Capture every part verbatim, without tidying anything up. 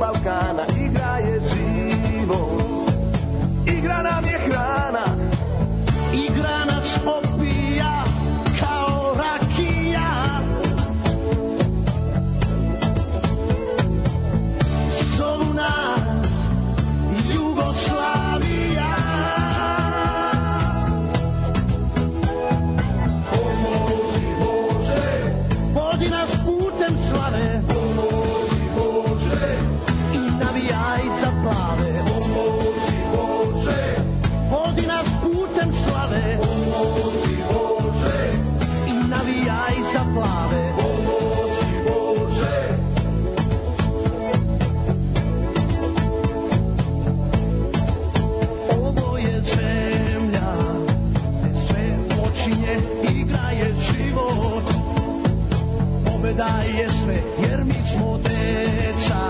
Balkana, igra je život, igra nam je hrana, igra nas opija kao rakija. Zovu nas Jugoslavija. Pomozi Bože, vodi nas putem slave. Pomozi Bože, i navijaj za plave. Pomozi Bože, vodi nas putem slave. Pomozi Bože, i navijaj za plave. Pomozi Bože. Ovo je zemlja gde sve počinje, igra je život, pobeda je sve, jer mi smo deca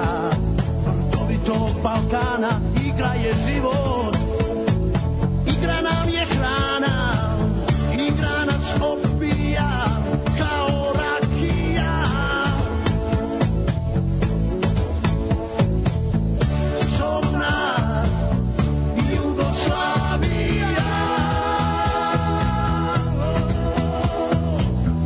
vrdovitog Balkana, igra je život, igra nam je hrana, igra nas opija kao rakija. Zovu nas Jugoslavija.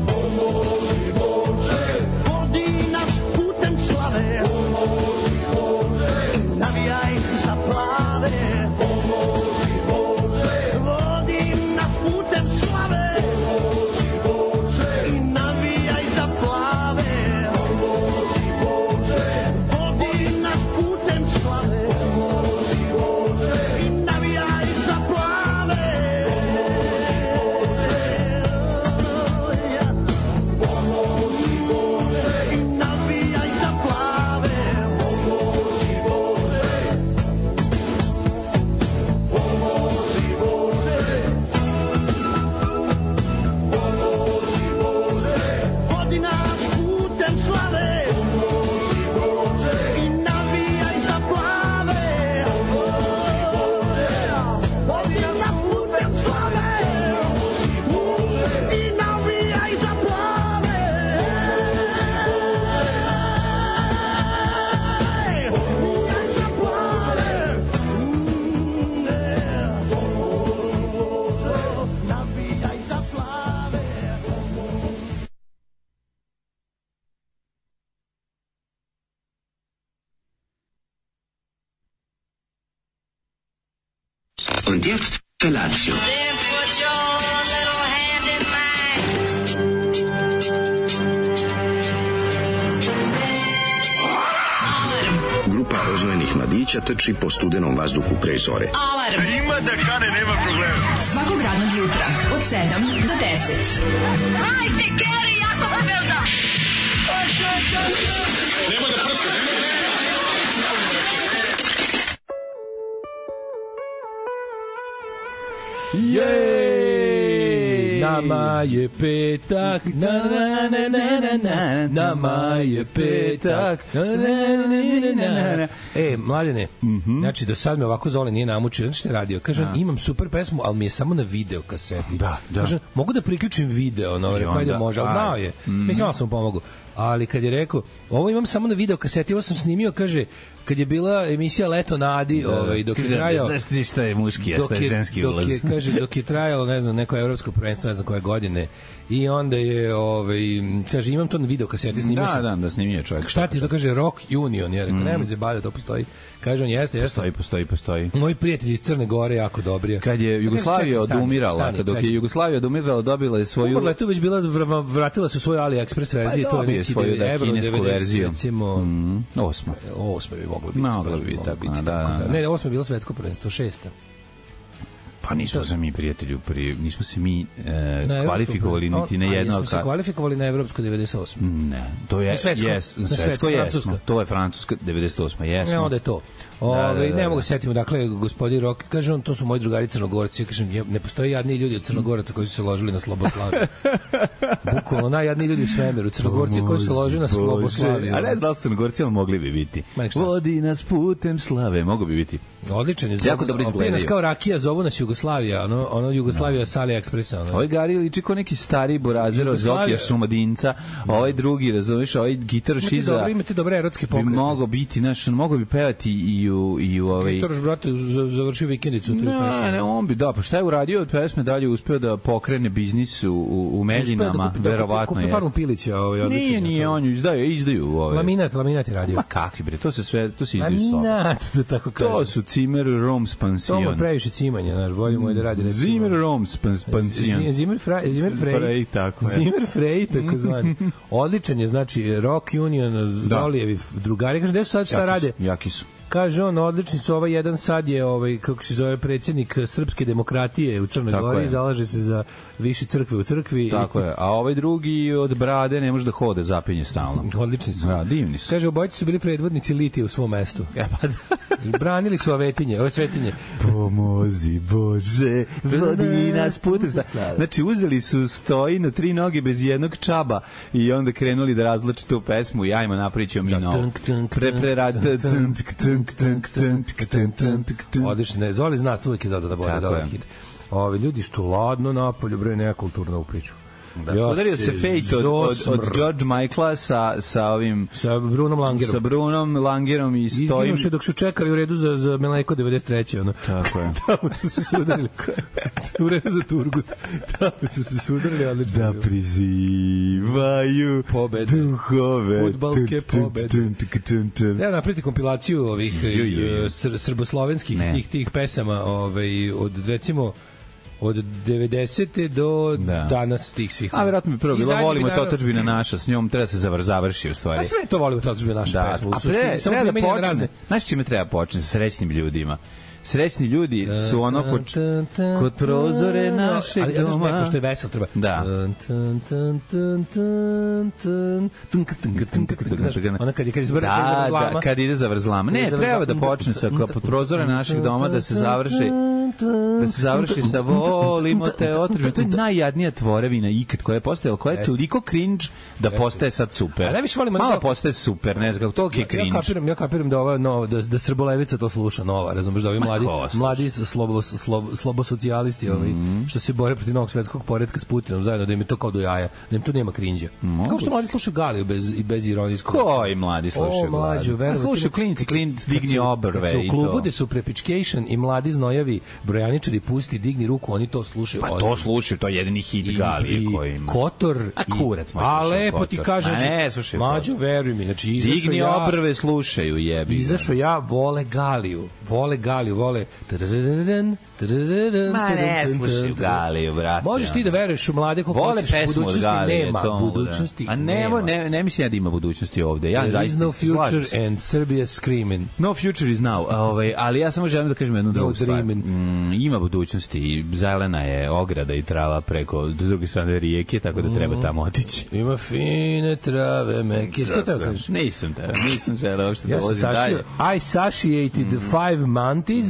Pomozi Bože, vodi nas putem slave. Pomozi Bože, navijaj za plave. Pomozi Bože, vodi nas putem slave. Pomozi Bože, i navijaj za plave. Pomozi Bože, vodi nas putem slave. Pomozi Bože, i navijaj za plave. Pomozi Bože, i navijaj za plave. Pomozi Bože. Pomozi Bože. Pomozi Bože, vodi nas putem slave. Pomozi Bože, i navijaj za plave. Pomozi Bože, vodi nas putem slave. Pomozi Bože, i navijaj za plave. Navijaj za plave. Navijaj za plave. Und jetzt Felatio. Then put your little hand in mine. Grupa rozvojenih mladića trči po studenom vazduhu pre zore. Alarm. Ima da kane, nema problema. Svakog radnog jutra od sedam do deset. Hajde, Geri, jako se velda. Jej, nama je petak, na na na na na na, nama je petak, na na na na na. E, mladene, znači do sad me ovako Zoli nije namučio, znači što je radio, kažem, imam super pesmu, ali mi je samo na video kaseti. Da, da. Kažem, mogu da priključim video, no, rekao, ajde može, ali znao je, mislim, malo sam mu pomogao. Ali kad je rekao, ovo imam samo na video kaseti, ovo sam snimio, kaže, kad je bila emisija Leto na Adi, ovaj, dok je trajao... Znaš ti šta je muški, a šta je ženski ulaz. Dok je, kaže, dok je trajalo, ne znam, neko evropsko prvenstvo, ne znam koje godine, i onda je, ovaj, kaže, imam to na video kaseti, snimio sam. Da, da, da snimio čovjek. Šta ti to kaže, Rock Union, ja rekao, mm. nema se bada, to postoji. Kaže on, jeste, jeste. Postoji, postoji, postoji. Moji prijatelji iz Crne Gore jako dobri. Kad je Jugoslavija odumirala, kad dok je Jugoslavija odumirala, dobila je svoju... Umrla je tu već bila, vratila su svoju AliExpress verziju, pa, to je neki svoju, da, kinesku verziju. Recimo, mm, osma. Osma bi mogla biti. Mogla bi biti, biti da, da, da. Ne, osma je bila svetsko prvenstvo, šesta. Pa nismo se mi, prijatelju, pri, nismo se mi e, kvalifikovali niti na jedno... A nismo se kvalifikovali na evropsko devedeset osme. Ne, to je... Svetsko, jes, na svetsko jesmo. To je francuska devedeset osme, jesmo. Ne, onda je to. Ove, da, da, da, ne mogu da setimo, dakle, gospodin Rok, kaže on, to su moji drugari Crnogorci, kažem, ne postoji jadni ljudi od Crnogoraca koji su se ložili na Sloboslaviju. Bukvalno, najjadniji ljudi u svemiru, Crnogorci koji su se ložili na Sloboslaviju. A ne, da li su Crnogorci, ali mogli bi biti. Vodi nas putem slave, mogu bi biti. Odličan je. Jako dobro izgledaju. Nas kao rakija, zovu nas Jugoslaviju. Jugoslavija, ono, ono Jugoslavija s AliExpressa. Ono. Ovaj Gari liči kao neki stari burazir od Zokija Šumadinca, ovaj drugi, razumiješ, ovaj gitar šiza. Imate, imate dobre erotske pokrete. Bi mogao biti, znaš, mogo bi pevati i u, i u ovaj... Gitaroš, brate, završio vikendicu. Ne, ne, on bi, da, pa šta je uradio od pesme, dalje uspeo da pokrene biznis u, u, u Meljinama, da verovatno je. Kupi farmu Pilića, ovaj, odličan. Nije, nije, on ju izdaju, izdaju. Ovaj. Laminat, laminat je radio. Ma kakvi bre, to se sve, to se izdaju soba. Laminat, da tako kažem. To su Zimmer Roms Pansion. To mu previše cimanja, znaš, bolje mu je da radi. Zimmer Roms Pansion. Zimmer Frey, Zimmer Frey, tako je. Zimmer Frey, tako zvani. Odličan je, znači, Rock Union, Zolijevi drugari, kaže, gde su sad šta rade? Jaki su. Kaže on, odlični su, ovaj jedan sad je, ovaj, kako se zove, predsjednik Srpske demokratije u Crnoj Tako Gori, je. zalaže se za više crkve u crkvi. Tako je, a ovaj drugi od brade ne može da hode, zapinje stalno. Odlični su. Ja, divni su. Kaže, obojice su bili predvodnici litije u svom mestu. Ja, pa da. I branili su avetinje, ove svetinje. Pomozi Bože, vodi nas putem. Znači, uzeli su stoji na tri noge bez jednog čaba i onda krenuli da razlače tu pesmu i ajmo napravit ćemo mi novo. Pre, pre, rad, Odlično, ne, Zoli zna, uvijek je zato da bude dobar hit. Ovi ljudi što ladno napolju, bre, nekulturno u priču. Da, ja udario se Fate od, od, od George Michaela sa, sa ovim... Sa Brunom Langerom. Sa Brunom Langerom i stojim... Izginuše dok su čekali u redu za, za Meleko devedeset treće ono. Tako je. Tamo su se sudarili. U redu za Turgut. Tamo su se sudarili, odlično. Da prizivaju pobede. Duhove. Fudbalske pobede. Treba napraviti kompilaciju ovih sr srboslovenskih tih, tih pesama ovaj, od, recimo, od devedesete do da. Danas tih svih. A verovatno bi prvo bilo volimo to otadžbina naša, s njom treba se završi u stvari. A sve to volimo to otadžbina naša da. pesma. A pre, treba da počne. Znaš čime treba počne? Sa srećnim ljudima. Srećni ljudi su ono kod, kod prozore našeg ali, doma. Ali, što je vesel, treba. Da. Ona kad, kad, izvrde, da, da, kad ide za vrzlama. Ne, treba da počne sa kod prozore našeg doma da se završi da se završi sa volimo te otržbe. To je najjadnija tvorevina ikad koja je postojala, koja je toliko cringe da postaje sad super. A najviše volimo malo postaje super, ne znam kako to je cringe. Ja kapiram, ja kapiram da ova no, da da Srbolevica to sluša nova, razumeš, da ovi mladi mladi slobo slobo slobo socijalisti, ovaj mm. što se bore protiv novog svetskog poretka s Putinom zajedno, da im je to kao do jaja, da im tu nema crinđa. Mm. Kao što mladi slušaju Galiju bez i bez ironijskog. Koji mladi slušaju Galiju? A slušaju klinci, klinci digni obrve i to. U klubu gde su prepičcation i mladi znojavi brojaničari pusti digni ruku, oni to slušaju. Pa to slušaju, to je jedini hit Galije koji ima. Kotor a kurac može. A lepo ti kažem, ne, slušaj. Mađo, veruj mi, znači izašao digni ja, obrve slušaju, jebi. Izašao ja, vole Galiju, vole Galiju, vole Ma ne slušaju Galiju, brate. Možeš ti da veruješ u mlade koliko hoćeš, budućnosti Galije, nema, to, budućnosti a nema. A ne, ne mislim ja da ima budućnosti ovde. Ja There is no future and Serbia screaming. No future is now. Ovaj, ali ja samo želim da kažem jednu drugu stvar. Mm, ima budućnosti, zelena je ograda i trava preko s druge strane rijeke, tako da treba tamo otići. Ima fine trave, meke. Što te kažeš? Nisam te, nisam želeo uopšte da vozim dalje. I satiated the five monkeys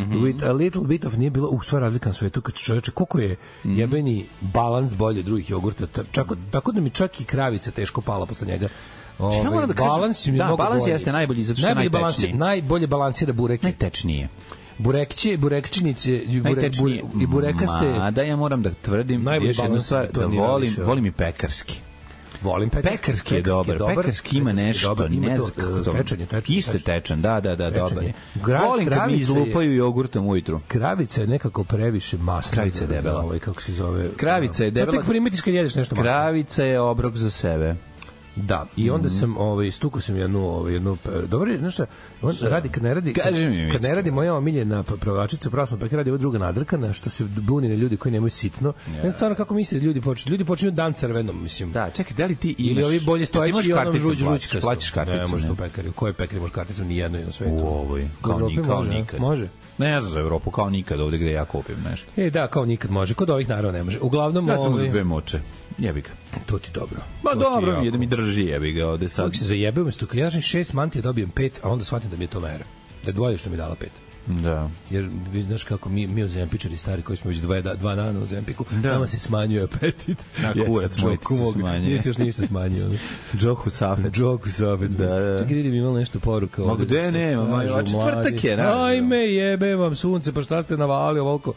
with a little bit of nije bilo u sva razlika na svetu kad čoveče koliko je jebeni balans bolje od drugih jogurta, čak, tako da mi čak i kravica teško pala posle njega. Ove, ja moram da kažem, balans, da, balans jeste najbolji zato što je najtečniji. Balans, najbolje balansira bureke. Najtečnije. Burekće, burekčinice i, burek, bure, i burekaste. Ma, da ja moram da tvrdim još jednu stvar, da volim, volim i pekarski. Volim pekarski. Pekarski je dobar. Pekarski ima nešto, ne znam kako to. Tečan, tečan, isto je tečan, da, da, da, dobar. Gra, volim kad mi izlupaju jogurtom ujutru. Kravica je nekako previše masna. Kravica je debela. Ovaj, kako se zove? Kravica je debela. Tek primitiš kad jedeš nešto masno. Kravica je obrok za sebe. Da, i onda sam ovaj stukao sam jednu ovaj jednu dobro, znaš šta, on radi kad ne radi kad, kad ne radi moja omiljena prodavačica, upravo pa radi ova druga nadrkana što se buni na ljudi koji nemaju sitno. Ja stvarno kako misle ljudi počinju ljudi počinju dan crvenom, mislim. Da, čekaj, da li ti imaš ili ovi bolje stojeći i onom žuđu žućka. Plaćaš karticu, ne možeš u pekari. Koje pekari može karticu ni jedno na svetu. U ovoj kao nikad, nikad. Može. Ne znam za Evropu kao nikad ovde gde ja kupim nešto. E da, kao nikad može. Kod ovih naravno ne može. Uglavnom ja sam ovaj... dve moče. Jebi ga. To ti dobro. Ma to dobro mi je da mi drži, jebi ga ovde sad. Kako se zajebeo, mesto kad ja kažem šest mantija dobijem pet, a onda shvatim da mi je to mera. Da dvoje što mi dala pet. Da. Jer vi znaš kako mi, mi ozempičari stari koji smo već dva, dva dana u Ozempiku, da. Nama se smanjuje apetit. Na kurac moj ti se smanjuje. Nisi još ništa smanjio. Džoku Safet. Džoku Safet. Da, da. Čekaj, vidim imalo nešto poruka. Ma gde nema, ma četvrtak je. Naravno. Ajme, jebe vam sunce, pa šta ste navali ovoliko?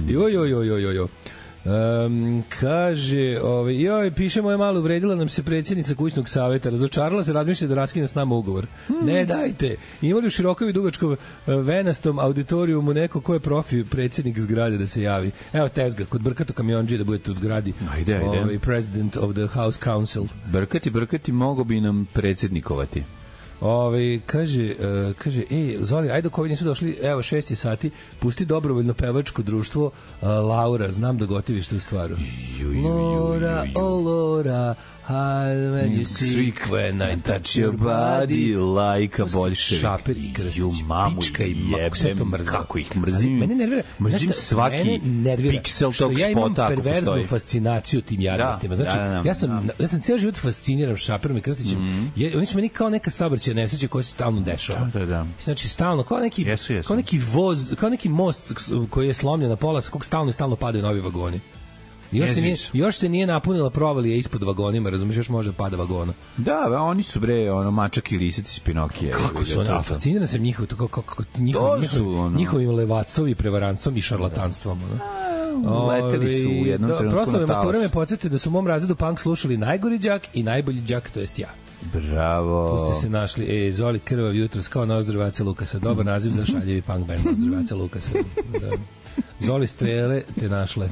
Joj, joj, joj, joj, joj. Um, kaže, ovaj, joj, piše moja malo uvredila nam se predsjednica kućnog saveta, razočarala se, razmišlja da raskine s nama ugovor. Hmm. Ne dajte. Imali u širokom i dugačkom venastom auditorijumu neko ko je profi predsjednik zgrade da se javi. Evo tezga, kod Brkato kamionđe da budete u zgradi. Ajde, ajde. Ovaj, president of the House Council. Brkati, Brkati, mogo bi nam predsjednikovati. Ove, kaže, uh, kaže, ej, Zoli, ajde dok ovi nisu došli, evo, šest je sati, pusti dobrovoljno pevačko društvo uh, Laura, znam da gotiviš tu stvaru. Laura, oh Laura, when you sick, when I touch your body, like a bolševik. Šaper i Krstić, pička i jebem, kako ih mrzim. Mene nervira, mrzim svaki piksel tog spota. Ja imam perverznu fascinaciju tim jadnostima. Znači, da, da, da, ja sam, ja sam cijel život fasciniran Šaperom i Krstićem. Mm. Je, oni su meni kao neka saobraćajna nesreća koja se stalno dešava. Da, da, da. Znači, stalno, kao neki, jesu, jesu. kao neki voz, kao neki most koji je slomljen na pola, sa kog stalno i stalno padaju novi vagoni. Još se, nije, još se nije napunila provalija ispod vagonima, razumiješ, još može pada vagona. Da, oni su bre, ono, mačak i lisic iz Pinokije. Kako su oni, a fasciniran sam njihov, kako, kako, njihov, njihov, ono... njihovim levatstvom i prevarantstvom i šarlatanstvom. Ono. Leteli su u jednom do, trenutku proslave na talas. mature me podsjeti da su u mom razredu punk slušali najgori đak i najbolji đak, to jest ja. Bravo. Tu ste se našli, e, Zoli krvav jutros kao Nozdrvaca Lukasa, dobar naziv za šaljevi punk band Nozdrvaca Lukasa. Da. Zoli strele te našle.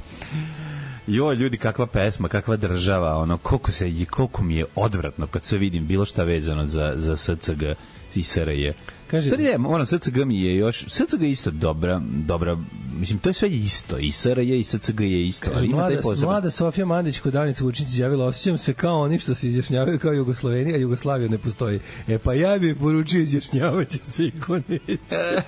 Jo, ljudi, kakva pesma, kakva država, ono, koliko se, koliko mi je odvratno kad sve vidim bilo šta vezano za, za S C G i S R J. Kaže, stvari je, ono, S C G mi je još, S C G je isto dobra, dobra, mislim, to je sve isto, i S R J i S C G je isto. Kaže, mlada, mlada Sofija Mandić kod Danica Vučinić izjavila, osjećam se kao oni što se izjašnjavaju kao Jugoslovenija, a Jugoslavija ne postoji. E pa ja bih poručio, izjašnjavaće se i ko neće.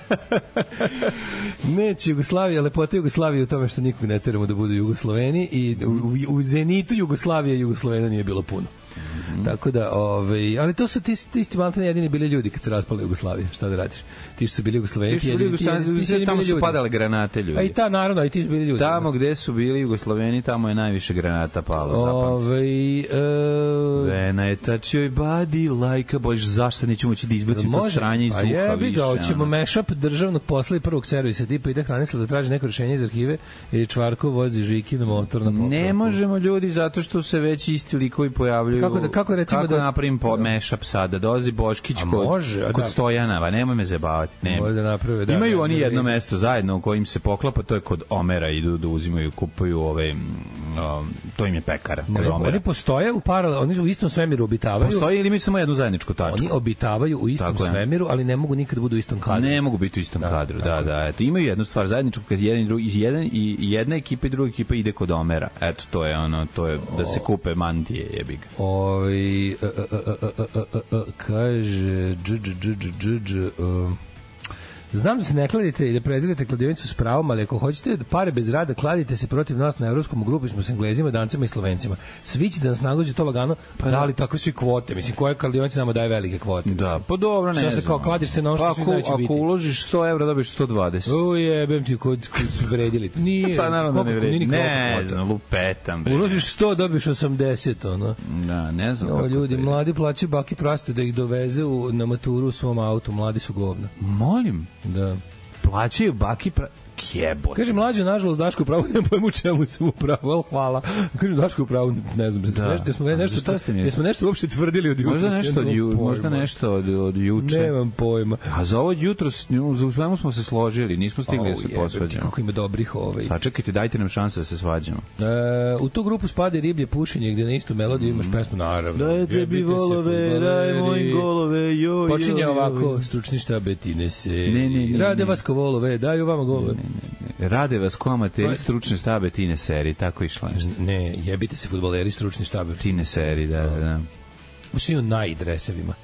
Neće Jugoslavija, lepota Jugoslavije u tome što nikog ne teramo da budu Jugosloveni i u, u, u zenitu Jugoslavije i Jugoslovena nije bilo puno. Mm-hmm. Tako da, ovaj, ali to su ti, ti isti maltene jedini bili ljudi kad se raspala Jugoslavija, šta da radiš? Ti su bili Jugosloveni, ti su bili Jugosloveni, tamo su padale granate ljudi. A i ta, naravno, i ti su bili ljudi. Tamo gde su bili Jugosloveni, tamo je najviše granata palo, ovaj, zapamći. When I touch your body like a bož, zašto nećemo moći da izbacim to sranje iz uha više? A jebi ga, hoćemo mashup državnog posla i prvog servisa, tipa ide Hranisla da traži neko rešenje iz arhive ili Čvarko vozi Žiki na motor na popravku. Ne možemo ljudi, zato što se već isti likovi pojavljuju. Kako da, kako recimo kako da napravim po mashup sada, dolazi Boškić kod, može, kod da. Stojanova, nemoj me zabavati. Ne. Da naprave, da, imaju da, oni da, jedno da, mesto zajedno u kojim se poklapa, to je kod Omera, idu da uzimaju, kupuju ove, um, to im je pekara. Kod ne, Omera. Oni postoje u paralel, oni u istom svemiru obitavaju. Postoje ili imaju samo jednu zajedničku tačku? Oni obitavaju u istom tako svemiru, ali ne mogu nikad budu u istom kadru. Ne mogu biti u istom da, kadru, da, da. Eto, imaju jednu stvar zajedničku, kad jedan i drugi, jedan i jedna ekipa i druga ekipa ide kod Omera. Eto, to je ono, to je da se kupe mantije, jebi ga. Oj, kaže dž dž dž dž znam da se ne kladite i da prezirate kladionicu s pravom, ali ako hoćete da pare bez rada, kladite se protiv nas na evropskom grupi, smo s Englezima, Dancima i Slovencima. Svi će da nas nagođe to lagano, pa da li tako su i kvote. Mislim, koja kladionica nama daje velike kvote. Da, pa dobro, ne znam. Što se kao kladiš se na ono što svi znaju će biti. Ako uložiš sto evra, dobiš sto dvadeset. Ujebem ti kod, kod su vredili. Nije, pa naravno ne vredi. Ne znam, lupetam. Bre. Uložiš sto, dobiš osamdeset, ono. Da, ne znam. No, ljudi, mladi plaćaju baki praste da ih doveze u, na maturu u svom autu. Mladi su govna. Molim? Da. Plaćaju baki pra... Jebote. Kaže, mlađo, nažalost, Daško upravo, ne pojmu u čemu sam upravo, ali hvala. Kaže, Daško upravo, ne znam, da. nešto, jesmo, nešto, jesmo nešto uopšte tvrdili od jutra. Možda nešto od, ju, možda nešto od, od juče. Nemam pojma. A za ovo jutro, za svemu smo se složili, nismo stigli oh, da se posvađamo. Kako ima dobrih ovaj. Sačekajte, dajte nam šanse da se svađamo. E, u tu grupu spada i riblje pušenje, gde na istu melodiju imaš pesmu, naravno. Daj tebi volove, daj moj golove, joj, počinje ovako, stručni štab Betine se. Rade vas ko volove, daju vama golove. Rade vas ko amateri stručne štabe Tine Seri, tako išla nešto. Ne, jebite se fudbaleri stručni štabe Tine Seri, da, da. Ušli u najdresevima.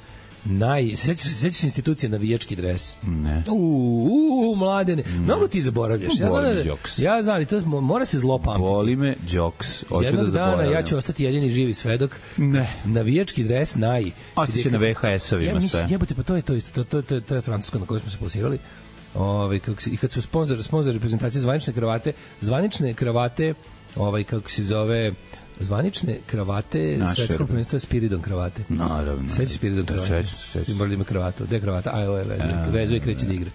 Naj, sećaš se sećaš institucije navijački dres? Ne. U, u, mladene. Mnogo ti zaboravljaš. Ja znam, Boli me da, Jokes. ja znam, ali to mora se zlo pamtiti. Boli me Jokes. Hoću Jednog da dana zaboravim. ja ću ostati jedini živi svedok. Ne. Navijački dres naj. Ostaće na ve ha esovima ja, sve. Jebote, pa to je to isto, to, to, to, to je francusko na kojoj smo se plasirali. Ovaj kako se, i kad su sponzor sponzor reprezentacije zvanične kravate, zvanične kravate, ovaj kako se zove, zvanične kravate svetskog prvenstva Spiridon kravate. Naravno. Sećaš Spiridon kravate? Sećam se, sećam. Morali ima kravatu, gde kravata? Aj, ovo je vezuje, vezuje kreće da igra.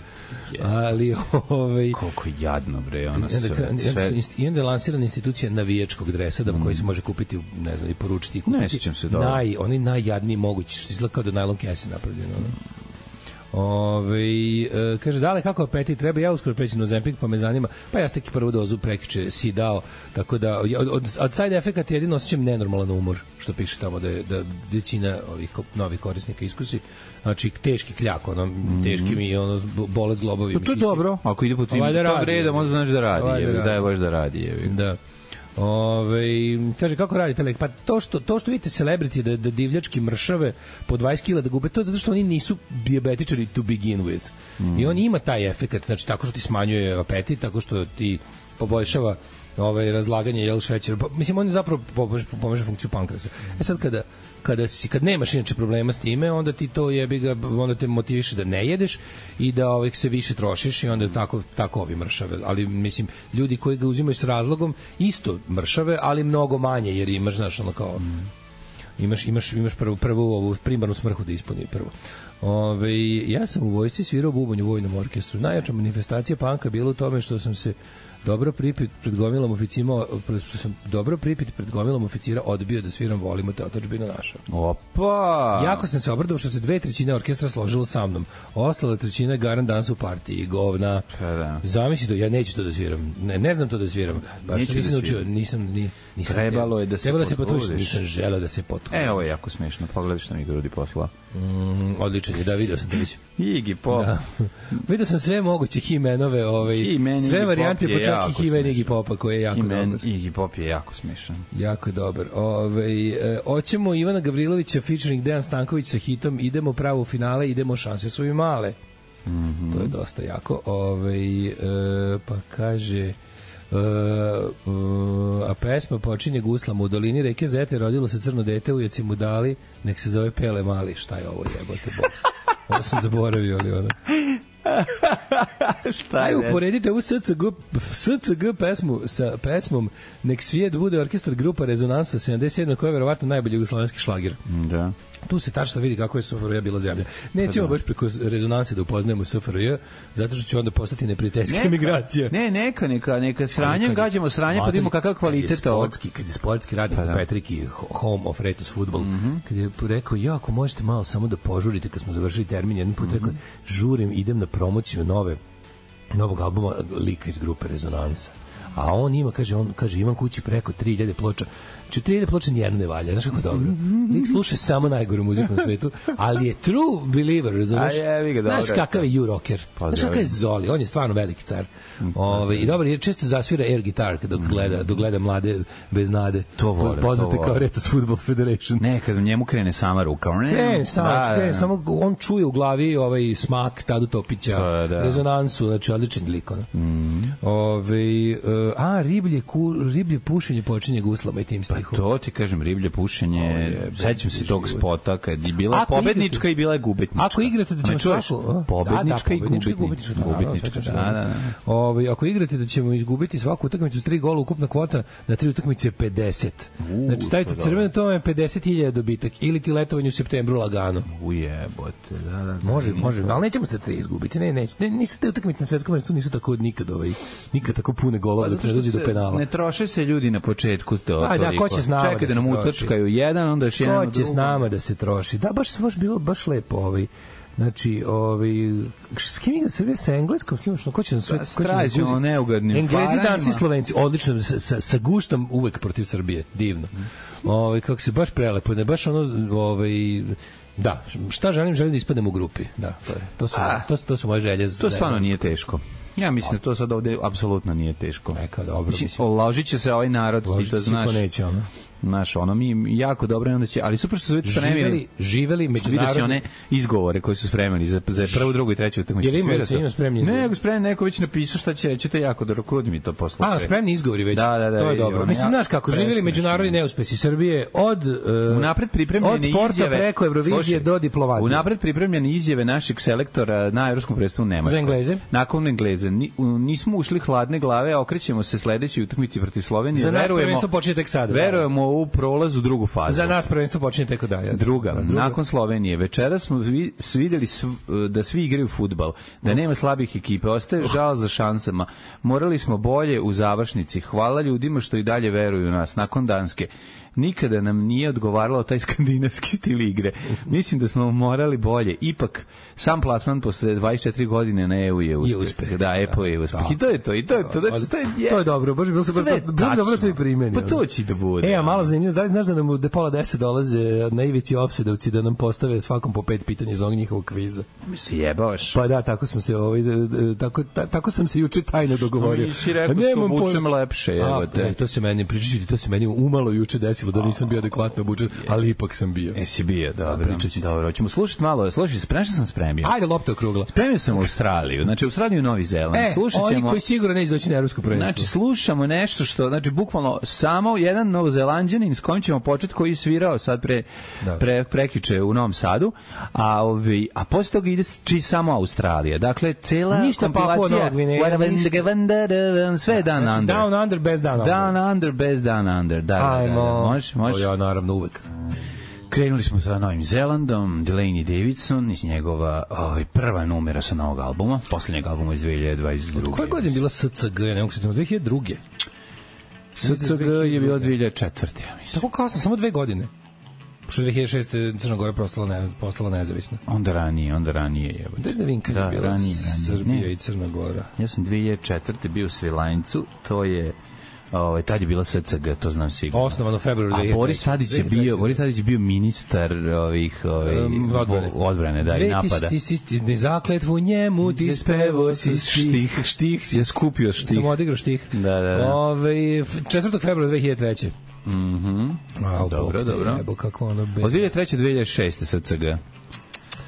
Ali ovaj koliko jadno bre, ona sve. sve. I onda je lansirana institucija navijačkog dresa da koji se može kupiti, ne znam, i poručiti i kupiti. Ne sjećam se dobro. Naj, oni najjadniji mogući, što izgleda kao da najlon kese napravljeno. Ove, e, kaže, dale, kako apetit treba, ja uskoro preći na Ozempik, pa me zanima, pa ja ste ki prvu dozu prekjuče si dao, tako da, od, od, od side efekata jedino osjećam nenormalan umor, što piše tamo da, je, da većina ovih novih korisnika iskusi, znači teški kljak, ono, mm-hmm. teški mi ono, bolec zglobovi. No, to je dobro, ako ide po tim tom redom, onda znaš da radi, je, da je baš da radi. Je, da. Ove, kaže, kako radite lek? Pa to što, to što vidite celebrity da, da divljački mršave po dvadeset kila da gube, to je zato što oni nisu dijabetičari to begin with. Mm. I on ima taj efekat, znači tako što ti smanjuje apetit, tako što ti poboljšava ovaj razlaganje jel šećera. Pa, mislim, on je zapravo pomaže, pomaže funkciju pankrasa. E sad kada kada si kad nemaš inače problema s time, onda ti to jebi ga, onda te motiviše da ne jedeš i da ovaj se više trošiš i onda tako tako ovi mršave. Ali mislim, ljudi koji ga uzimaju s razlogom isto mršave, ali mnogo manje jer imaš, znaš, ono kao imaš imaš imaš prvu prvu ovu primarnu smrhu da ispuni prvo. Ove, ja sam u vojsci svirao bubanj u vojnom orkestru. Najjača manifestacija panka bila u tome što sam se dobro pripit pred gomilom oficima, što sam dobro pripit pred gomilom oficira odbio da sviram Volimo te otadžbina naša. Opa! Jako sam se obradovao što se dve trećine orkestra složilo sa mnom. Ostala trećina je garan dans u partiji, govna. Da. Zamisli to, ja neću to da sviram. Ne, ne znam to da sviram. Baš Neću nisam da naučio, nisam ni nisam. Trebalo je da se Trebalo da se potrudiš. potrudiš, nisam želeo da se potrudim. E, ovo je jako smešno. Pogledaj što mi Grudi poslao. Mm, odličan je, da, vidio sam to već. Iggy Pop. Da. Vidio sam sve moguće He-Manove, ovaj, He-Man, sve Iggy varijante, Pop je pa čak i He-Man Iggy Popa, koji je jako He-Man, dobar. Iggy Pop je jako smešan. Jako je dobar. Ove, e, oćemo Ivana Gavrilovića featuring Dejan Stanković sa hitom Idemo pravo u finale, idemo, šanse su i male. Mm-hmm. To je dosta jako. Ove, e, pa kaže... Uh, uh, a pesma počinje guslama u dolini reke Zete, rodilo se crno dete, ujeci mu dali, nek se zove Pele Mali. Šta je ovo, jebote, boks? Ovo sam zaboravio, ali ono. Šta je? Ajde, uporedite ovu S C G, S C G pesmu sa pesmom Nek svijet bude orkestar grupa Rezonansa sedamdeset sedam koja je verovatno najbolji jugoslovenski šlager. Da. Tu se tačno vidi kako je S F R J bila zemlja. Nećemo baš preko Rezonanse da upoznajemo S F R J, zato što će onda postati neprijateljska emigracija. Ne, neka, neka, neka sranjem, gađamo sranje, pa vidimo kakav kvalitet ovo. Kad je sportski radi po Petriki, Home of Retus Football, kad je rekao, ja, ako možete malo samo da požurite, kad smo završili termin, jedan put rekao, žurim, idem na promociju nove, novog albuma lika iz grupe Rezonansa. A on ima, kaže, on kaže, imam kući preko tri hiljade ploča. Če tri hiljade ploča nijedno ne valja, znaš kako dobro. Lik sluša samo najgoru muziku na svetu, ali je true believer, razumeš? Znaš kakav je U-rocker, znaš kakav je Zoli, on je stvarno veliki car. Ove, I dobro, jer često zasvira air guitar dok gleda, dok gleda mlade bez nade. To vole, poznate to vole. kao Retus Football Federation. Ne, kad u njemu krene sama ruka. Krene sama, da, krene, samo on čuje u glavi ovaj smak Tadu Topića, pa, da. Rezonansu, znači odličan lik. Ono. Mm. Ove, uh, a, riblje, ku, riblje pušenje počinje guslama i tim stihom. Pa to ti kažem, riblje pušenje, sećam se tog spota kad je bila ako pobednička igrate, i bila je gubitnička. Ako igrate da ćemo svaku... Pobednička, da, da, i gubitnička. Gubitnička, da, da, da. Ove, ako igrate da ćemo izgubiti svaku utakmicu s tri gola, ukupna kvota na tri utakmice pedeset. Uh, znači stavite crveno, to je pedeset hiljada dobitak. Ili ti letovanje u septembru lagano. Ujebote, da, da, da. Može, može, ali nećemo se tri izgubiti. Ne, neće. Ne, nisu te utakmice na svetskom prvenstvu nisu tako nikad ovaj, nikad tako pune golova da ne dođe do penala. Ne troše se ljudi na početku to. Aj da, ko će s nama čekaj da nam utrčkaju jedan, onda još jedan drugo. Ko će s nama da se troši? Da, baš baš bilo baš lepo ovaj. Znači, ovaj s kim igra Srbija sa engleskom, s kim što ko će na sve krajimo neugodnim Englezi, Danci, Slovenci, odlično sa, sa, sa guštom uvek protiv Srbije, divno. Ovaj kako se baš prelepo, ne baš ono ovaj da, šta želim, želim da ispadnem u grupi. Da, to je. To su A, to, to su moje želje. To stvarno nije teško. Ja mislim da to sad ovde apsolutno nije teško. Neka, dobro. Mislim, oložit će se ovaj narod, ti to znaš. Neće, ono. Znaš, ono mi jako dobro, onda će, ali super što su već spremili. Živeli, živeli međunarodni. Vidio si one izgovore koji su spremili za, za prvu, drugu i treću utakmicu. Jel ima se ima spremni izgovori? Ne, nego spremni, neko već napisao šta će reći, to je jako dobro, krudi mi to posle. A, spremni izgovori već. Da, da, da. To je dobro. Mislim, znaš kako, živeli međunarodni neuspesi Srbije od uh, unapred pripremljene od sporta izjave, preko Evrovizije slušaj, do diplomatije. Unapred pripremljene izjave našeg selektora na evropskom prvenstvu u Nemačkoj. Za Engleze? Nakon Engleze. Ni, nismo ušli hladne glave, a okrećemo se sledećoj utakmici protiv Slovenije. Za nas prvenstvo počinje tek sada. Verujemo u prolaz u drugu fazu. Za nas prvenstvo počinje tek da. Ja. Druga, Druga, nakon Slovenije. Večeras smo vi, videli sv, da svi igraju fudbal, da nema slabih ekipa. Ostaje žal za šansama. Morali smo bolje u završnici. Hvala ljudima što i dalje veruju u nas. Nakon Danske nikada nam nije odgovaralo taj skandinavski stil igre. Mislim da smo morali bolje. Ipak, sam plasman posle dvadeset četiri godine na E U je uspeh. uspeh. Da, E P O je uspeh. I to je to. I to je to. Znači, to, je, to je dobro. Baš bilo super. Bilo dobro to i primeni. Pa to će da bude. E, a malo zanimljivo. Da li znaš da nam u pola deset dolaze na ivici ofsedovci da nam postave svakom po pet pitanja iz ovog njihovog kviza? Mi se jebavaš. Pa da, tako smo se ovaj, tako, ta, tako sam se juče tajno dogovorio. Mi si rekao se obučem lepše. Evo te. To se meni, pričati, to se meni umalo juče desilo da nisam bio adekvatno obučen, ali ipak sam bio. Jesi bio, dobro. Dobro, hoćemo slušati malo. Slušaj, spremio sam spremio. Ajde, lopta okrugla. Spremio sam u Australiju, znači Australiju i Novi Zeland. E, Slušat ćemo, oni koji sigurno neće doći na evropsko prvenstvo. Znači, slušamo nešto što, znači, bukvalno samo jedan Novozelanđanin s kojim ćemo početi, koji je svirao sad pre, pre, prekjuče u Novom Sadu, a, ovi, a posle toga ide či samo Australija. Dakle, cela ništa kompilacija sve je Down znači, Under. Down Under bez Down Under. Down Under bez Down Under. Da, da, da, da. Možeš, možeš. Ja, naravno, uvek. Krenuli smo sa Novim Zelandom, Delaney Davidson iz njegova ovaj, prva numera sa novog albuma, poslednjeg albuma iz dve hiljade dvadeset druge. Koje godine je bila S C G? Ne mogu se tamo, dve hiljade druge. S C G je bila dve hiljade četvrte. Ja mislim. Tako kasno, samo dve godine. Pošto dve hiljade šeste. Crna Gora postala, ne, postala nezavisna. Onda ranije, onda ranije. Jebote. Da, da vidim kad da, je bila ranije, ranije. Srbija ne. I Crna Gora. Ja sam dve hiljade četvrte bio u Svilajncu, to je ovaj tad je bila S C G, to znam sigurno. Osnovano u februaru dve hiljade treće. A Boris Tadić je bio, Boris Tadić je bio ministar ovih ovaj um, odbrane. odbrane, da, i napada. Ti ti ti ne zakletvu njemu, ti spevo si štih, štih si je skupio štih. Sam odigrao štih. Da, da, da. Ovaj četvrtog februara dve hiljade treće. Mhm. Dobro, dobro. Evo kako ono be. Od dve hiljade treće do dve hiljade šeste S C G.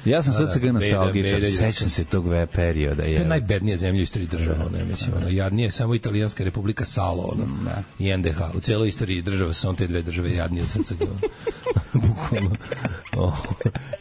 Ja sam sad cega nostalgičar, sećam se tog ve perioda. Je. To je najbednija zemlja u istoriji država, ne mislim, ono, jadnije samo Italijanska republika Salo, ono, da. I N D H. U celoj istoriji država su samo te dve države jadnije od srca. Bukvalno. Oh.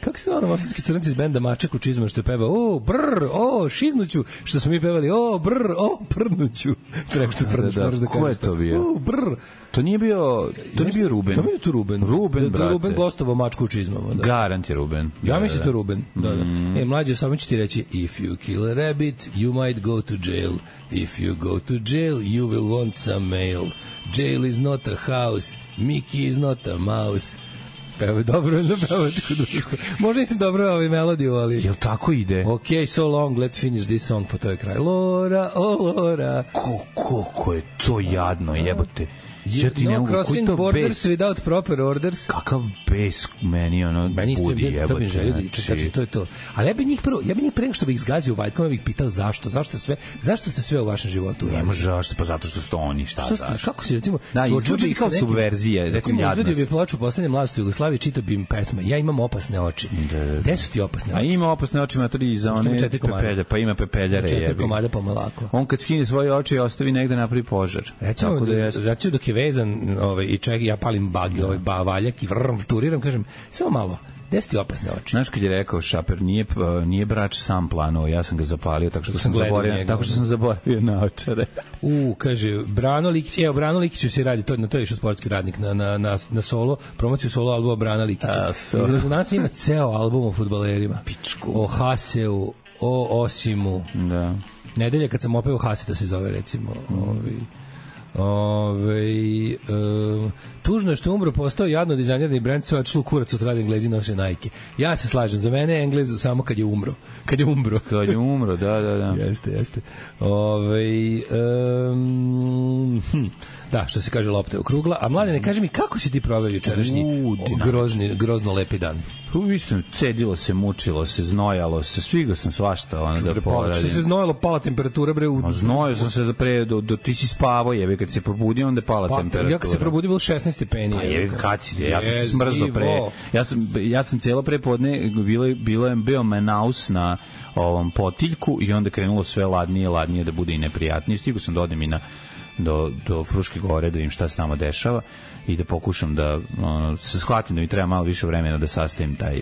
Kako ste ono, mostarski crnci iz benda Mačak u čizmu što je pevao, o, brr, o, šiznuću, što smo mi pevali, o, brr, o, prnuću. Treba što prnuć, da, moraš da kažeš. Ko je to bio? O, brr. To nije bio, to nije bio Ruben. Ja mislim to Ruben. Ruben, brate. Da, Ruben gostovao Mačku u čizmama. Da. Garant je Ruben. Ja mislim to Ruben. Da, da. Mm. E, mlađe, samo ću ti reći, if you kill a rabbit, you might go to jail. If you go to jail, you will want some mail. Jail is not a house, Mickey is not a mouse. Peva dobro na pevačku društvu. Možda nisam dobro ovaj melodiju, ali... Jel tako ide? Ok, so long, let's finish this song, pa to je kraj. Lora, o Lora. Ko, koliko je to jadno, jebote. Ja ti no crossing borders without proper orders. Kakav bes meni ono meni budi jebote. To bi želio da znači to je to. Ali ja bih njih prvo, ja bih njih pre nego što bih ih zgazio vajkom, ja bih pitao zašto, zašto sve, zašto ste sve u vašem životu uradili? Ne može zašto, pa zato što ste oni, šta što ste, kako si recimo da, izvuči kao subverzija, recimo izvedio bi plaču poslednje mladosti u Jugoslaviji, čitao bi im pesme. Ja imam opasne oči. Gde su ti opasne oči? A ima opasne oči, matori za one pepelje, pa ima pepeljare je. Četiri komada pomolako. On kad skine svoje oči i ostavi negde napravi požar. Recimo da dok je vezan ovaj i ček ja palim bagi, ovaj bavaljak i vrm turiram, kažem samo malo. Gde su ti opasne oči? Znaš kad je rekao Šaper, nije, nije brač sam planuo, ja sam ga zapalio, tako što sam zaboravio, tako što sam zaboravio na očare. U, kaže, Brano Likić, evo, Brano Likiću se radi, to, na to je išao sportski radnik, na, na, na, na solo, promociju solo albuma Brana Likića. Izgleda, nas ima ceo album o fudbalerima. Pičku. O Haseu, o Osimu. Da. Nedelje kad sam opeo Hase da se zove, recimo, mm. ovi... Ove, um, tužno je što umro, postao jadno dizajnerni brend, sve odšlo kurac od kada Englezi noše Nike. Ja se slažem, za mene je Englez samo kad je umro. Kad je umro. Kad je umro, da, da, da. Jeste, jeste. Ove, um, hm. Da, što se kaže, lopta je okrugla. A Mladene, kaži mi, kako si ti proveo jučerašnji grozni, grozno lepi dan? Isto, cedilo se, mučilo se, znojalo se, svigao sam svašta ono da poradim. Što se znojalo, pala temperatura, bre? U... Znojao sam se za pre, do, do, ti si spavao, jebe, kad se probudio, onda je pala pa, temperatura. Ja kad se probudio, bilo šesnaest stepeni. Pa jebe, kad si, ja sam se smrzao pre, ja sam, ja sam cijelo prepodne, bilo, bilo je bio menaus na ovom potiljku i onda krenulo sve ladnije, ladnije da bude i neprijatnije. Stigu sam da odem i na, do, do Fruške gore, da im šta se tamo dešava i da pokušam da ono, se shvatim da mi treba malo više vremena da sastavim taj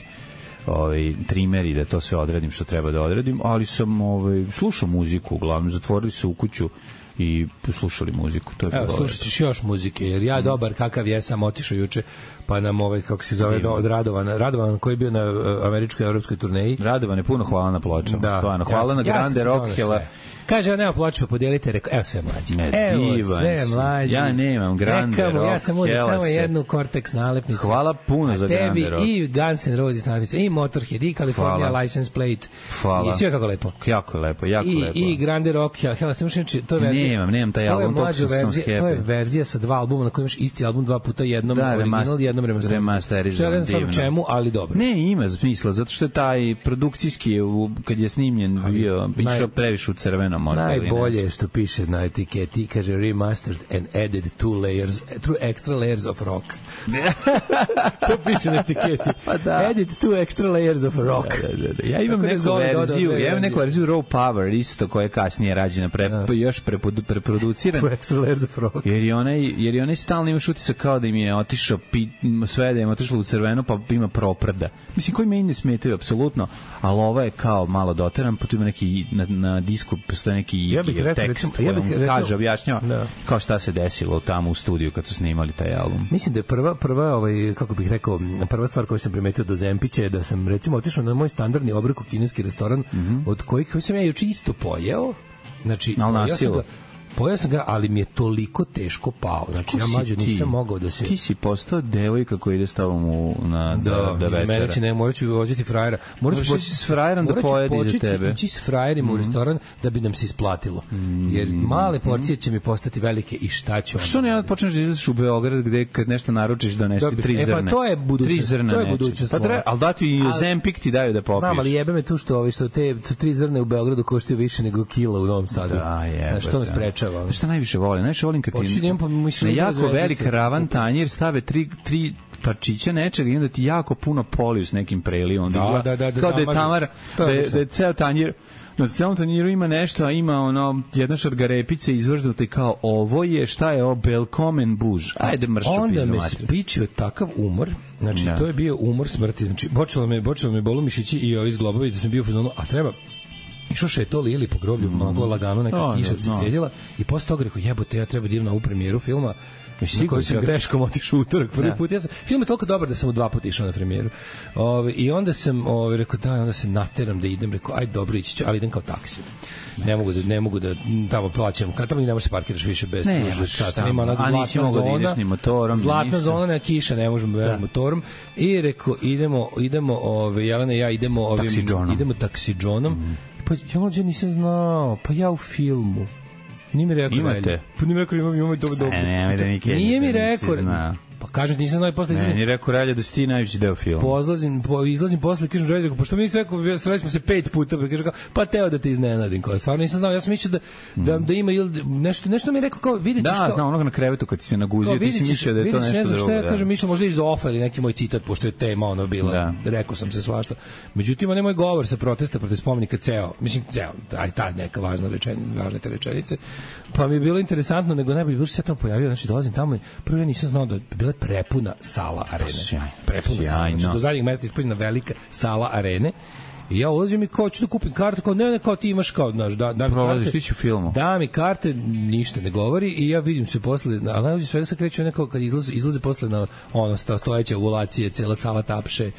ovaj trimer i da to sve odradim što treba da odradim, ali sam ovaj slušao muziku, uglavnom zatvorili se u kuću i slušali muziku. To je Evo, slušat ćeš još muzike, jer ja dobar kakav jesam otišao juče, pa nam ovaj, kako se zove, do, od Radovana, Radovan koji je bio na uh, američkoj evropskoj turneji. Radovan je puno hvala na pločama, da, stvarno. Hvala ja, na Grande ja Rockhela. Kaže, nema ploče, pa podijelite, rekao, evo sve mlađi. Ne, Evo sve mlađi. Ja nemam Grande Rockhela. Ja sam uzeo samo jednu Cortex nalepnicu. Hvala puno za Grande Rock. I Guns N' Roses nalepnice, i Motorhead, i California Hvala. License Plate. Hvala. I sve kako lepo. Jako lepo, jako I, lepo. I Grande Rockhela. Hela, ste mušniči, to je verzija. Nemam, nemam taj album, to je sam verzija, to je verzija sa dva albuma na kojem imaš isti album dva puta, jednom da, original, jednom remasterizovan. Što ne čemu, ali dobro. Ne, ima smisla, zato što je taj produkcijski, kad je snimljen, bio, išao previše u crveno, možda. Najbolje je što piše na etiketi, kaže remastered and added two layers, two extra layers of rock. To piše na etiketi. Pa da. Added two extra layers of rock. Da, da, da. Ja imam neku verziju, ja imam neku verziju Raw Power, isto koja je kasnije rađena, pre, da. još preproducirana. Two extra layers of rock. Jer je onaj, jer je onaj stalno imaš utisak kao da im je otišao, sve da im je otišlo u crveno, pa ima proprda. Mislim, koji meni ne smetaju, apsolutno, ali ova je kao malo doteran, pa tu ima neki, na, na disku postoje neki ja bih rekao, tekst recimo, ja bih koji kaže, objašnjava da. kao šta se desilo tamo u studiju kad su snimali taj album. Mislim da je prva, prva ovaj, kako bih rekao, prva stvar koju sam primetio do Zempića je da sam, recimo, otišao na moj standardni obrok u kineski restoran, mm-hmm. od kojih koji sam ja juče isto pojeo, znači, ja sam ga, pojao sam ga, ali mi je toliko teško pao. Znači, ja mlađo nisam mogao da se... Ti si postao devojka koja ide s tobom u, na, da, da, da večera. Mene će ne, morat ću voziti frajera. Morat ću poći s frajerom da pojedi za tebe. Morat ću ići s frajerima mm-hmm. u restoran da bi nam se isplatilo. Mm-hmm. Jer male porcije će mi postati velike i šta ću onda? Što ne počneš da izlaziš u Beograd gde kad nešto naručiš donesti tri zrne? E pa to je budućnost. To je budućnost. Pa treba, ali da ti i Zempik ti daju da popiješ. Znam, ali jebe me tu što ovi što te tri zrne u Beogradu koštaju više nego kila u Novom Sadu. Da, jebe. Što me sprečava? Šta najviše volim? Najviše volim kad ti na jako velik ravan tanjir stave tri, tri parčića nečega i onda ti jako puno poliju s nekim prelivom. Da, da, da, da, kao da je tamar, da je, da je ceo tanjir na celom tanjiru ima nešto, a ima ono jedna šargarepice izvržnuta i kao ovo je, šta je ovo, Belkomen buž. Ajde mršu pizdu. Onda me spičio takav umor, znači da. To je bio umor smrti, znači počelo me, počelo me bolu mišići i ovi zglobovi da sam bio u fazonu, a treba išao še to lili po groblju, mm. malo lagano, neka oh, kiša se cedila i posle toga rekao, jebote, ja treba da idem na ovu premijeru filma na koju sam greškom otišao utorak prvi put. Ja sam, film je toliko dobar da sam u dva puta išao na premijeru. Ove, I onda sam ove, rekao, da, onda se nateram da idem, rekao, aj dobro ići ću, ali idem kao taksi. Ne mogu da, ne mogu da tamo plaćam, kad tamo i ne možeš se parkiraš više bez dužeg sata. Nema onak zlatna zona, da motorom, zlatna zona, nema kiša, ne možemo da motorom. I rekao, idemo, idemo, ove, Jelena i ja idemo ovim, taksidžonom. idemo taksidžonom. Mm. Pa ja mlađe nisam znao, pa ja u filmu. Nije mi rekao, imate? Pa nije mi rekao, imam, imam dobro dobro. Ne, ne, da nikad nije mi rekao. Pa kažem, nisam znao i posle... Ne, nije rekao Relja da si ti najveći deo filma. Pozlazim, po, izlazim posle, kažem Relja, rekao, pošto mi sve rekao, sreli smo se pet puta, pa kažem, pa teo da te iznenadim, kao, stvarno nisam znao, ja sam mislio da, da, da ima ili nešto, nešto mi je rekao, kao, vidjet ćeš... Da, kao, znam, onoga na krevetu kad ti se naguzio, ti si mislio da je to nešto drugo. Ne znam šta ja kažem, mislio možda iz ofa ili neki moj citat, pošto je tema ono bila, da. Rekao sam se svašta. Međutim, onaj moj govor sa protesta protiv spomenika ceo, mislim, ceo, aj ta neka važna rečenica, važne te rečenice, pa mi je bilo interesantno, nego najbolje, bilo se tamo pojavio, znači dolazim tamo i prvo ja nisam znao da je bila prepuna sala arene. Sjaj, prepuna sala. Znači, do zadnjeg mesta ispunjena velika sala arene. I ja ulazim i kao ću da kupim kartu, kao ne, ne, kao ti imaš kao, znaš, da, da mi prolaziš, karte. Ti ću filmu. Da mi karte, ništa ne govori i ja vidim se posle, ali najbolje svega se kreće neko kad izlaze, izlaze posle na ono stojeće ovulacije, cela sala tapše.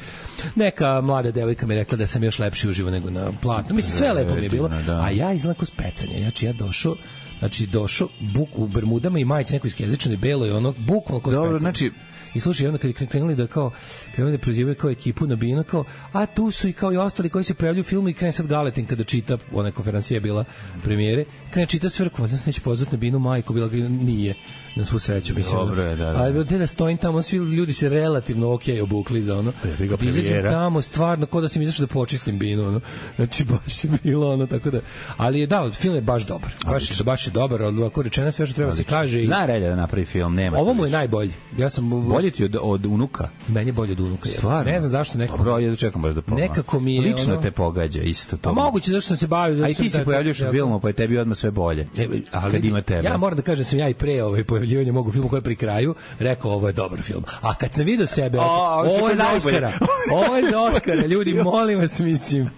Neka mlada devojka mi je rekla da sam još lepši uživo nego na platnu. Mislim, sve lepo mi je bilo. A ja izgledam kao specanje. Znači, ja došao Znači, došao buk u bermudama i majici nekoj iskezičanoj beloj, ono, bukvalno ko Dobro, specijalno. znači, I slušaj, onda kad je krenuli da kao krenuli da prozivaju kao ekipu na binu, kao, a tu su i kao i ostali koji se pojavljuju u filmu i krene sad Galetin kada čita, ona konferencija je bila premijere, krene čita sve, rekao, da se neće pozvati na binu majku, bila ga nije, na svu sreću, mislim. Dobro je, da, da. Ali da, da stojim tamo, svi ljudi se relativno okej okay obukli za ono. Da izađem tamo, stvarno, kao da sam izašao da počistim binu, ono. Znači, baš je bilo ono, tako da. Ali je, da, film je baš dobar. Baš je, baš je dobar, ako rečeno sve što treba se kaže. I... Zna Relja da napravi film, nema. Ovo mu je najbolji. Ja sam... Bolje ti od, od unuka? Meni je bolje od unuka. Stvarno? Ne znam zašto nekako... Dobro, ja čekam baš da pomam. Nekako mi je... Lično ono... te pogađa, isto to. A moguće, zašto sam se bavio... A i ti se pojavljaš u filmu, pa je tebi odmah sve bolje. Ne, ali, kad ima tebe. Ja moram da kažem, sam ja i pre ovaj, pojavljivanja mogu filmu koji je pri kraju, rekao ovo je dobar film. A kad sam vidio sebe, o, ovo je za Oskara. Ovo je za Oskara, ljudi, molim vas, mislim.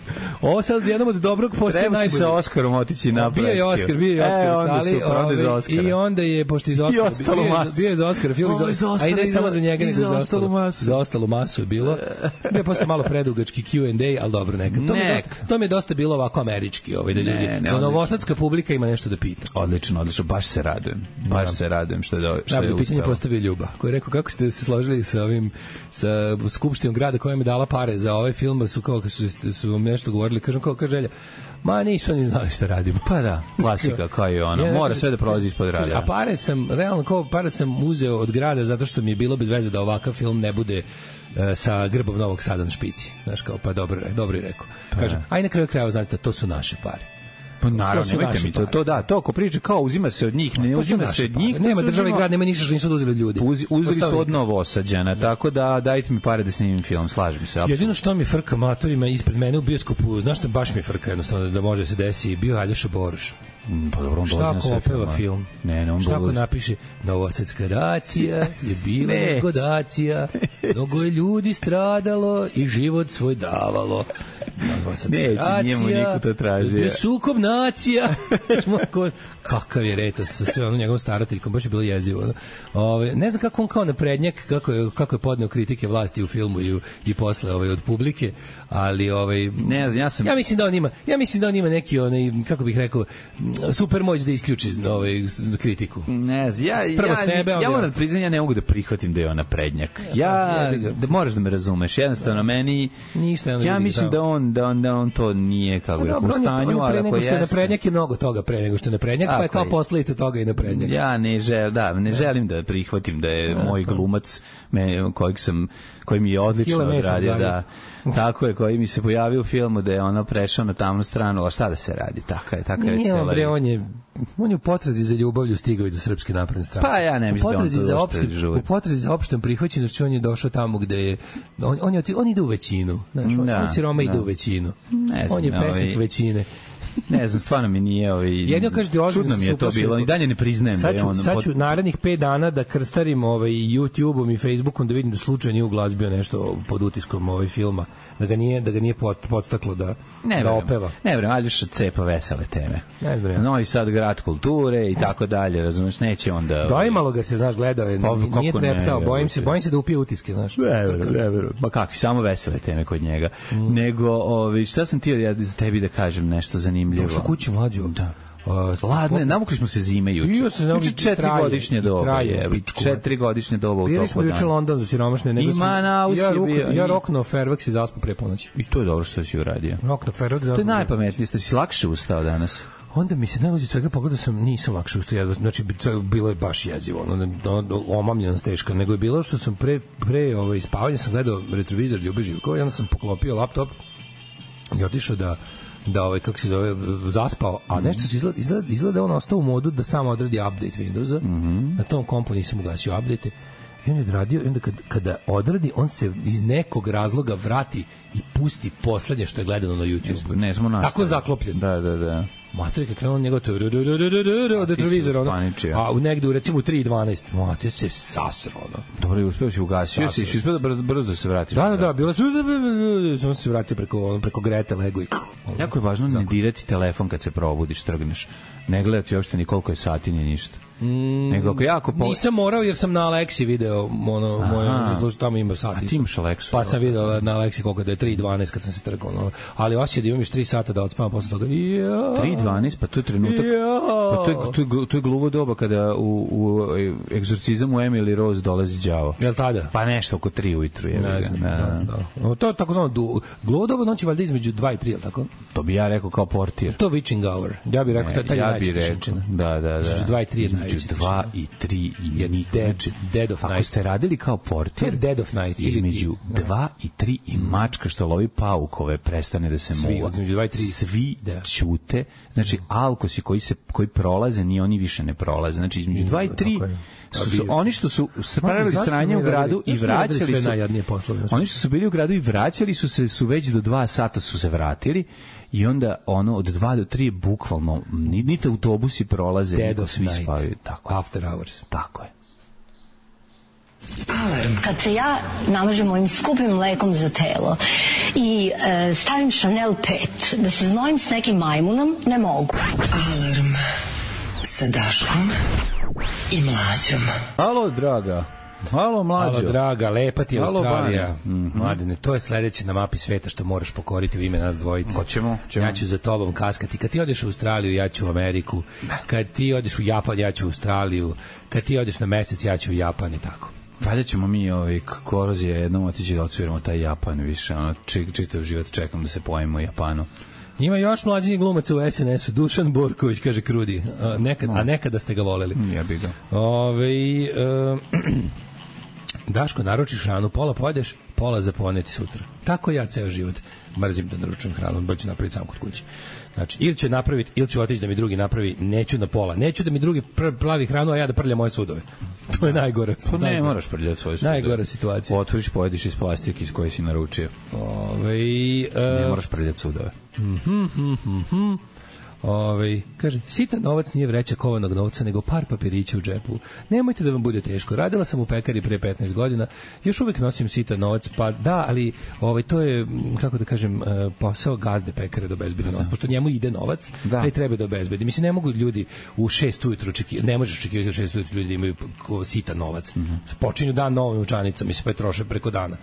Ovo sad jednom od dobrog postaje najbolji. Treba si sa Oskarom otići na projekciju. Bio je Oskar, bio je Oskar e, u sali. Super, onda je za Oskara. I onda je, pošto iz Oskara, bio, je, bio je za Oskara film, za, a i ne samo za njega, nego za ostalu masu. Za ostalu masu je bilo. Bio je posle malo predugački Q and A, ali dobro, neka. To, mi dosta, to mi je dosta bilo ovako američki, ovaj, da ljudi, ne, ne, da novosadska publika ima nešto da pita. Odlično, odlično, baš se radujem. Baš se radujem što je, do, što da, je pitanje postavio Ljuba, koji je rekao kako ste se složili sa ovim, sa skupštinom grada koja mi je dala pare za ovaj film, su kao su, su vam nešto govorili, kažem kao kaže Želja, ma nisu oni znali šta radimo. Pa da, klasika kao je ono, ja, mora sve da prolazi ispod rada. A pare sam, realno kao pare sam uzeo od grada zato što mi je bilo bez veze da ovakav film ne bude uh, sa grbom Novog Sada na špici. Znaš kao, pa dobro, dobro je rekao. Kaže, aj na kraju krajeva, znate, to su naše pare. Pa naravno, nemojte mi to, to da, to ako priča kao uzima se od njih, ne uzima se od njih. Nema država i grad, nema ništa što nisu oduzeli ljudi. Uz, uzeli su od Novosađana, tako da dajte mi pare da snimim film, slažem se. Apsolutno. Jedino što mi frka matorima ispred mene u bioskopu, znaš što baš mi frka jednostavno da može se desi, bio Aljoša Boruš. Pa dobro, on šta ako opeva film? Ne, ne, on šta ako napiše Novosadska racija je bila nezgodacija, mnogo je ljudi stradalo i život svoj davalo. Novosadska racija je sukob nacija. Kakav je retos sa sve ono njegovom starateljkom, baš je bilo jezivo. Ove, ne znam kako on kao naprednjak, kako je, kako je podneo kritike vlasti u filmu i, i posle ovaj, od publike, ali ovaj, ne znam, ja sam... Ja mislim da on ima, ja mislim da on ima neki, onaj, kako bih rekao, super moć da isključi ovaj, kritiku. Ne znam, ja, Prvo ja, sebe, ja, ja moram da priznam, ja ne mogu da prihvatim da je on naprednjak. Ja, da moraš da me razumeš, jednostavno meni, Ništa, ja mislim da on, da on, da on to nije, kako bih, u stanju, ali ako jeste... Naprednjak je mnogo toga pre nego što je naprednjak, pa je kao posledica toga i naprednjak. Ja ne želim, da, ne želim da prihvatim da je moj glumac, me, kojeg sam, koji mi je odlično odradio, da, tako je, koji mi se pojavio u filmu da je ono prešao na tamnu stranu, a šta da se radi, taka je, taka je već cela. Bre, on je, on je u potrazi za ljubavlju stigao i do Srpske napredne stranke. Pa ja ne mislim da on to došte žuri. U potrazi za opštom prihvaćenošću on je došao tamo gde je, on, on, je, on ide u većinu, znaš, on, da, on siroma ide u većinu. Ne znam, on je pesnik ovaj... većine. Ne znam, stvarno mi nije ovaj jedno kaže ti čudno mi je to bilo i dalje ne priznajem da je on. Sad ću narednih pet dana da krstarim ovaj YouTubeom i Facebookom da vidim da slučajno nije uglazbio nešto pod utiskom ovaj filma, da ga nije da ga nije podstaklo da ne da opeva. Ne vrem, Aljoša cepa vesele teme. Ne znam. Ja. Novi Sad grad kulture i tako dalje, razumeš, neće onda. Dojmalo ga se, znaš, gledao je, pa, nije treptao, bojim se, bojim se da upije utiske, znaš. Ne verujem, ne verujem. Ma kakvi, samo vesele teme kod njega. Mm. Nego, ovi, šta sam ti ja za tebi da kažem nešto zanimljivo. Došao kući mlađo. Da. Uh, Ladne, navukli smo se zime juče. Juče četiri godišnje doba. Četiri godišnje doba u toku dana. Bili smo juče London za siromašne. Nego Ima na ja, ruk, ja rokno Fairfax i zaspu pre ponoći. I to je dobro što si uradio. Rokno Fairfax. To je najpametnije, što si lakše ustao danas. Onda mi se najluđe svega pogledao sam, nisam lakše ustao, znači bilo je baš jezivo, ono, omamljeno teško, nego je bilo što sam pre, pre ovaj, spavanja sam gledao retrovizor Ljube Živkova i onda sam poklopio laptop i otišao da da ovaj kako se zove zaspao, a nešto se izgleda izgleda, izgleda on ostao u modu da samo odradi update Windowsa. Mm-hmm. Na tom kompu nisam ugasio update. I on je odradio, i onda kad, kada odradi, on se iz nekog razloga vrati i pusti poslednje što je gledano na YouTube. Ne, smo nastavili. Tako zaklopljen. Da, da, da. Matori kad krenuo njegov to od retrovizora, ono, a u negde u recimo u tri i dvanaest, matori se sasro, ono. Dobro, je uspeo si ugasio, si si uspeo da brzo da se vratiš. Da, da, da, bilo sam se vratio preko, preko Grete, lego i... Jako je važno ne dirati telefon kad se probudiš, trgneš. Ne gledati uopšte ni koliko je sati, ni ništa. Mm, nego ako jako... Po... Nisam morao jer sam na Aleksi video ono, moje zaslužu, tamo ima sat. A ti isto. imaš Aleksu? Pa sam video na Aleksi koliko da je tri dvanaest kad sam se trgao. No. Ali osjeća da imam još tri sata da odspavam posle toga. Ja. tri dvanaest, pa to je trenutak... Ja. Pa to je, to je, to je gluvo doba kada u, u egzorcizam u Emily Rose dolazi đavo. Jel tada? Pa nešto oko tri ujutru. Je, Ne znam, da, da, da. To je tako zvano du... gluvo doba noći valjda između dva i tri, jel tako? To bi ja rekao kao portir. To witching hour. Ja bih rekao, Ne, taj, taj ja najveći bih rekao, tišinčina. da, da, da. Između dva i tri je Između najveći dva i tri i je niko. dead, Znači, dead of ako night. ste radili kao To je portir, dead of night. ili između ti- dva i tri i mačka što lovi paukove prestane da se Svi, muva. između dva i tri. Svi Da. ćute. Znači, alkosi koji se koji prolaze, ni oni više ne prolaze. Znači, između dva i tri Tako je. su, su oni što su spravili Zašto sranje mi u radili- gradu i zašto mi radili vraćali sve su... najjadnije poslove? Oni što su bili u gradu i vraćali su se, su već do dva sata su se vratili i onda ono od dva do tri je bukvalno, ni- niti autobusi prolaze, Dead nego of svi night. spavaju. Tako je. After hours. Tako je. Kad se ja namažem ovim skupim mlekom za telo i e, stavim Chanel pet da se znojim s nekim majmunom, ne mogu. Alarm sa Daškom i Mlađom. Alo, draga. Alo, mlađo. Alo, draga, lepa ti je Alo, Australija. Bane. Mhm. Mladene, to je sledeće na mapi sveta što moraš pokoriti u ime nas dvojice. Hoćemo, ćemo. Ja ću za tobom kaskati. Kad ti odeš u Australiju, ja ću u Ameriku. Kad ti odeš u Japan, ja ću u Australiju. Kad ti odeš na mesec, ja ću u Japan i tako. Valjda ćemo mi ovaj korozije jednom otići da odsviramo taj Japan više, ono, čik, čitav život čekam da se pojemo u Japanu. Ima još mlađih glumaca u es en esu. Dušan Borković, kaže Krudi. A, nekad, a nekada ste ga voleli. Ja bih ga. Ove, e, Daško, naručiš hranu, pola pojedeš, pola za poneti sutra. Tako ja ceo život mrzim da naručujem hranu, bolje ću napraviti sam kod kuće. Znači, ili ću je napraviti, ili ću otići da mi drugi napravi, neću na pola. Neću da mi drugi pr plavi hranu, a ja da prljam moje sudove. To je najgore. Pa ne, moraš prljati svoje sude. Najgora situacija. Otvoriš, pojediš iz plastike iz koje si naručio. Ove, Ne e, moraš prljati sudove. Mhm, mhm, mhm. Ove, kaže, sitan novac nije vreća kovanog novca, nego par papirića u džepu. Nemojte da vam bude teško. Radila sam u pekari pre petnaest godina, još uvek nosim sitan novac, pa da, ali ovaj, to je, m, kako da kažem, e, posao gazde pekare da obezbedi novac, pošto njemu ide novac, Da. taj treba da obezbedi. Mislim, ne mogu ljudi u šest ujutru očekivati, ne možeš očekivati u šest ujutru ljudi da imaju ko- sitan novac. Počinju dan novom novčanicom, mislim, pa je troše preko dana.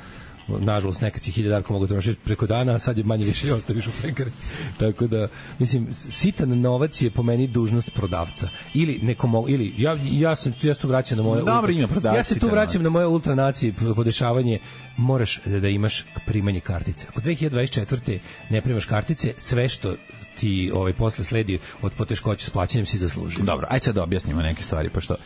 Nažalost, nekad si hiljadarko mogu trošiti preko dana, a sad je manje više i ostaviš u pekari. Tako da, mislim, sitan novac je po meni dužnost prodavca. Ili neko mo, ili ja ja sam ja se tu vraćam na moje Dobro, ima prodavci Ja se tu sitan vraćam na moje ultranacije podešavanje. Moraš da, da imaš primanje kartice. Ako dve hiljade dvadeset četvrte ne primaš kartice, sve što ti ovaj posle sledi od poteškoća s plaćanjem si zaslužio. Dobro, ajde sad da objasnimo neke stvari, pošto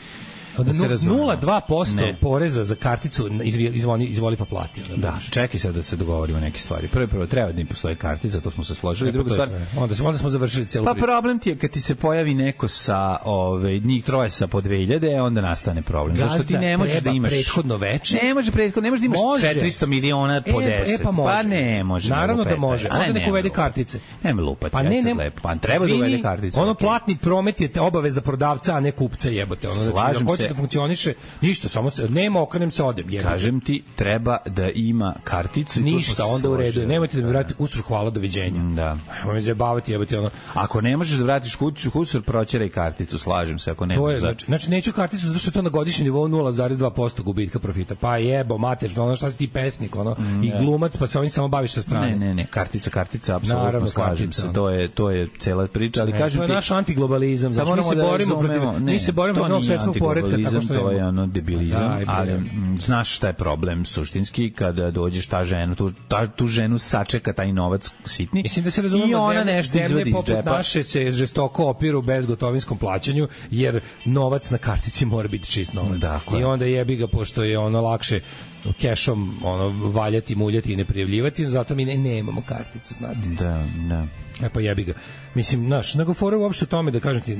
Od da se razumemo. nula zarez dva posto Ne. poreza za karticu izvi- izvoli, izvoli pa plati. onda Da, dođeš. čekaj sad da se dogovorimo neke stvari. Prvo, prvo, treba da im postoje kartica, to smo se složili. E, pa Druga to je stvar, sve. Onda, smo- onda smo završili celu pa priču. problem ti je kad ti se pojavi neko sa ove njih troje sa po dve hiljade, onda nastane problem. Zašto ti Gazda ne možeš da treba imaš prethodno veče. Ne može prethodno, ne možeš da imaš Može. četiristo miliona po E, deset. e, pa može. ne može. Naravno nego da petar. može. Aj, Onda nek nema uvede lupati. kartice. Nema lupati. Pa ajde ne, sad ne, lepo. Pa treba da izvini, uvede karticu. Ono okej. platni promet je te obaveza prodavca, a ne kupca, jebote. Ono, znači, Slažem ako hoće se. da funkcioniše, ništa, samo se, nema, okrenem se, odem. Jebote. Kažem ti, treba da ima karticu. i tu smo Ništa, se onda u redu. složili. Nemojte da mi vratite kusur, hvala, doviđenja. Da. Ajmo me zajebavati, jebote, ono. Ako ne možeš da vratiš kuću, kusur, proćeraj karticu, slažem se, ako ne To je, možeš. znači, znači neću karticu zato što je to na godišnjem nivou nula zarez dva posto gubitka profita. Pa jebo, mater, ono šta si ti pesnik, ono, i glumac, pa se ovim samo baviš sa strane. Ne, ne, ne, kartica, kartica, apsolutno Naravno, slažem kartica, se, ono. to je, to je cela priča, ali Ne, kažem to je ti... naš antiglobalizam, znači mi moramo se da borimo razumemo- protiv, ne, mi se borimo to protiv novog nije svetskog poretka tako antiglobalizam, što to je imamo. ono debilizam, Daj, bre. ali mm, znaš šta je problem suštinski kada dođeš ta žena, tu, ta, tu ženu sačeka taj novac sitni. Mislim da se i razumemo, ona zemlje, nešto zemlje izvadi iz poput džepa. naše se žestoko opiru bezgotovinskom plaćanju, jer novac na kartici mora biti čist novac. Tako je. I onda jebi ga, pošto je ono lakše kešom ono, valjati, muljati i ne prijavljivati, zato mi ne, nemamo karticu, znate. Da, da. E pa jebi ga. Mislim, znaš, nego fora uopšte o tome da kažem ti,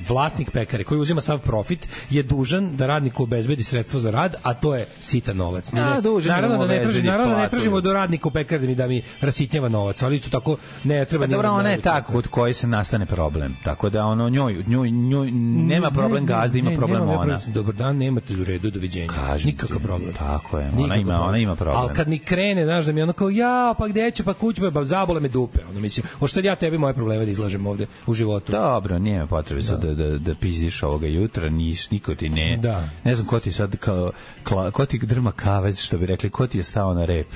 vlasnik pekare koji uzima sav profit je dužan da radniku obezbedi sredstvo za rad, a to je sitan novac. Ni A, ne- dužan je naravno da mu da ne traži, obezbedi naravno da ne platu. tražimo do radnika u pekari da mi da mi rasitnjava novac, ali isto tako ne treba Pa ni dobro, da ona je ne- tako kod koje se nastane problem. Tako da ono njoj, njoj, njoj nema problem Ne, ne, gazda, ima ne, problem nema ona. problem. Dobar dan, nemate u redu, doviđenja. Kažem Nikakav ti, problem. Tako je. Ona ima, ona ima problem. Ali kad mi krene, znaš, da mi ono kao, ja, pa gde ću, pa kuću, pa zabole me dupe. Ono, mislim, hoću sad ja tebi moje probleme da izlažem ovde u životu. Dobro, nije potrebe sad da, da, da pizdiš ovoga jutra, nis, niko ti ne. Da. Ne znam ko ti sad, kao, kla, ko ti drma kavez, što bi rekli, ko ti je stao na rep.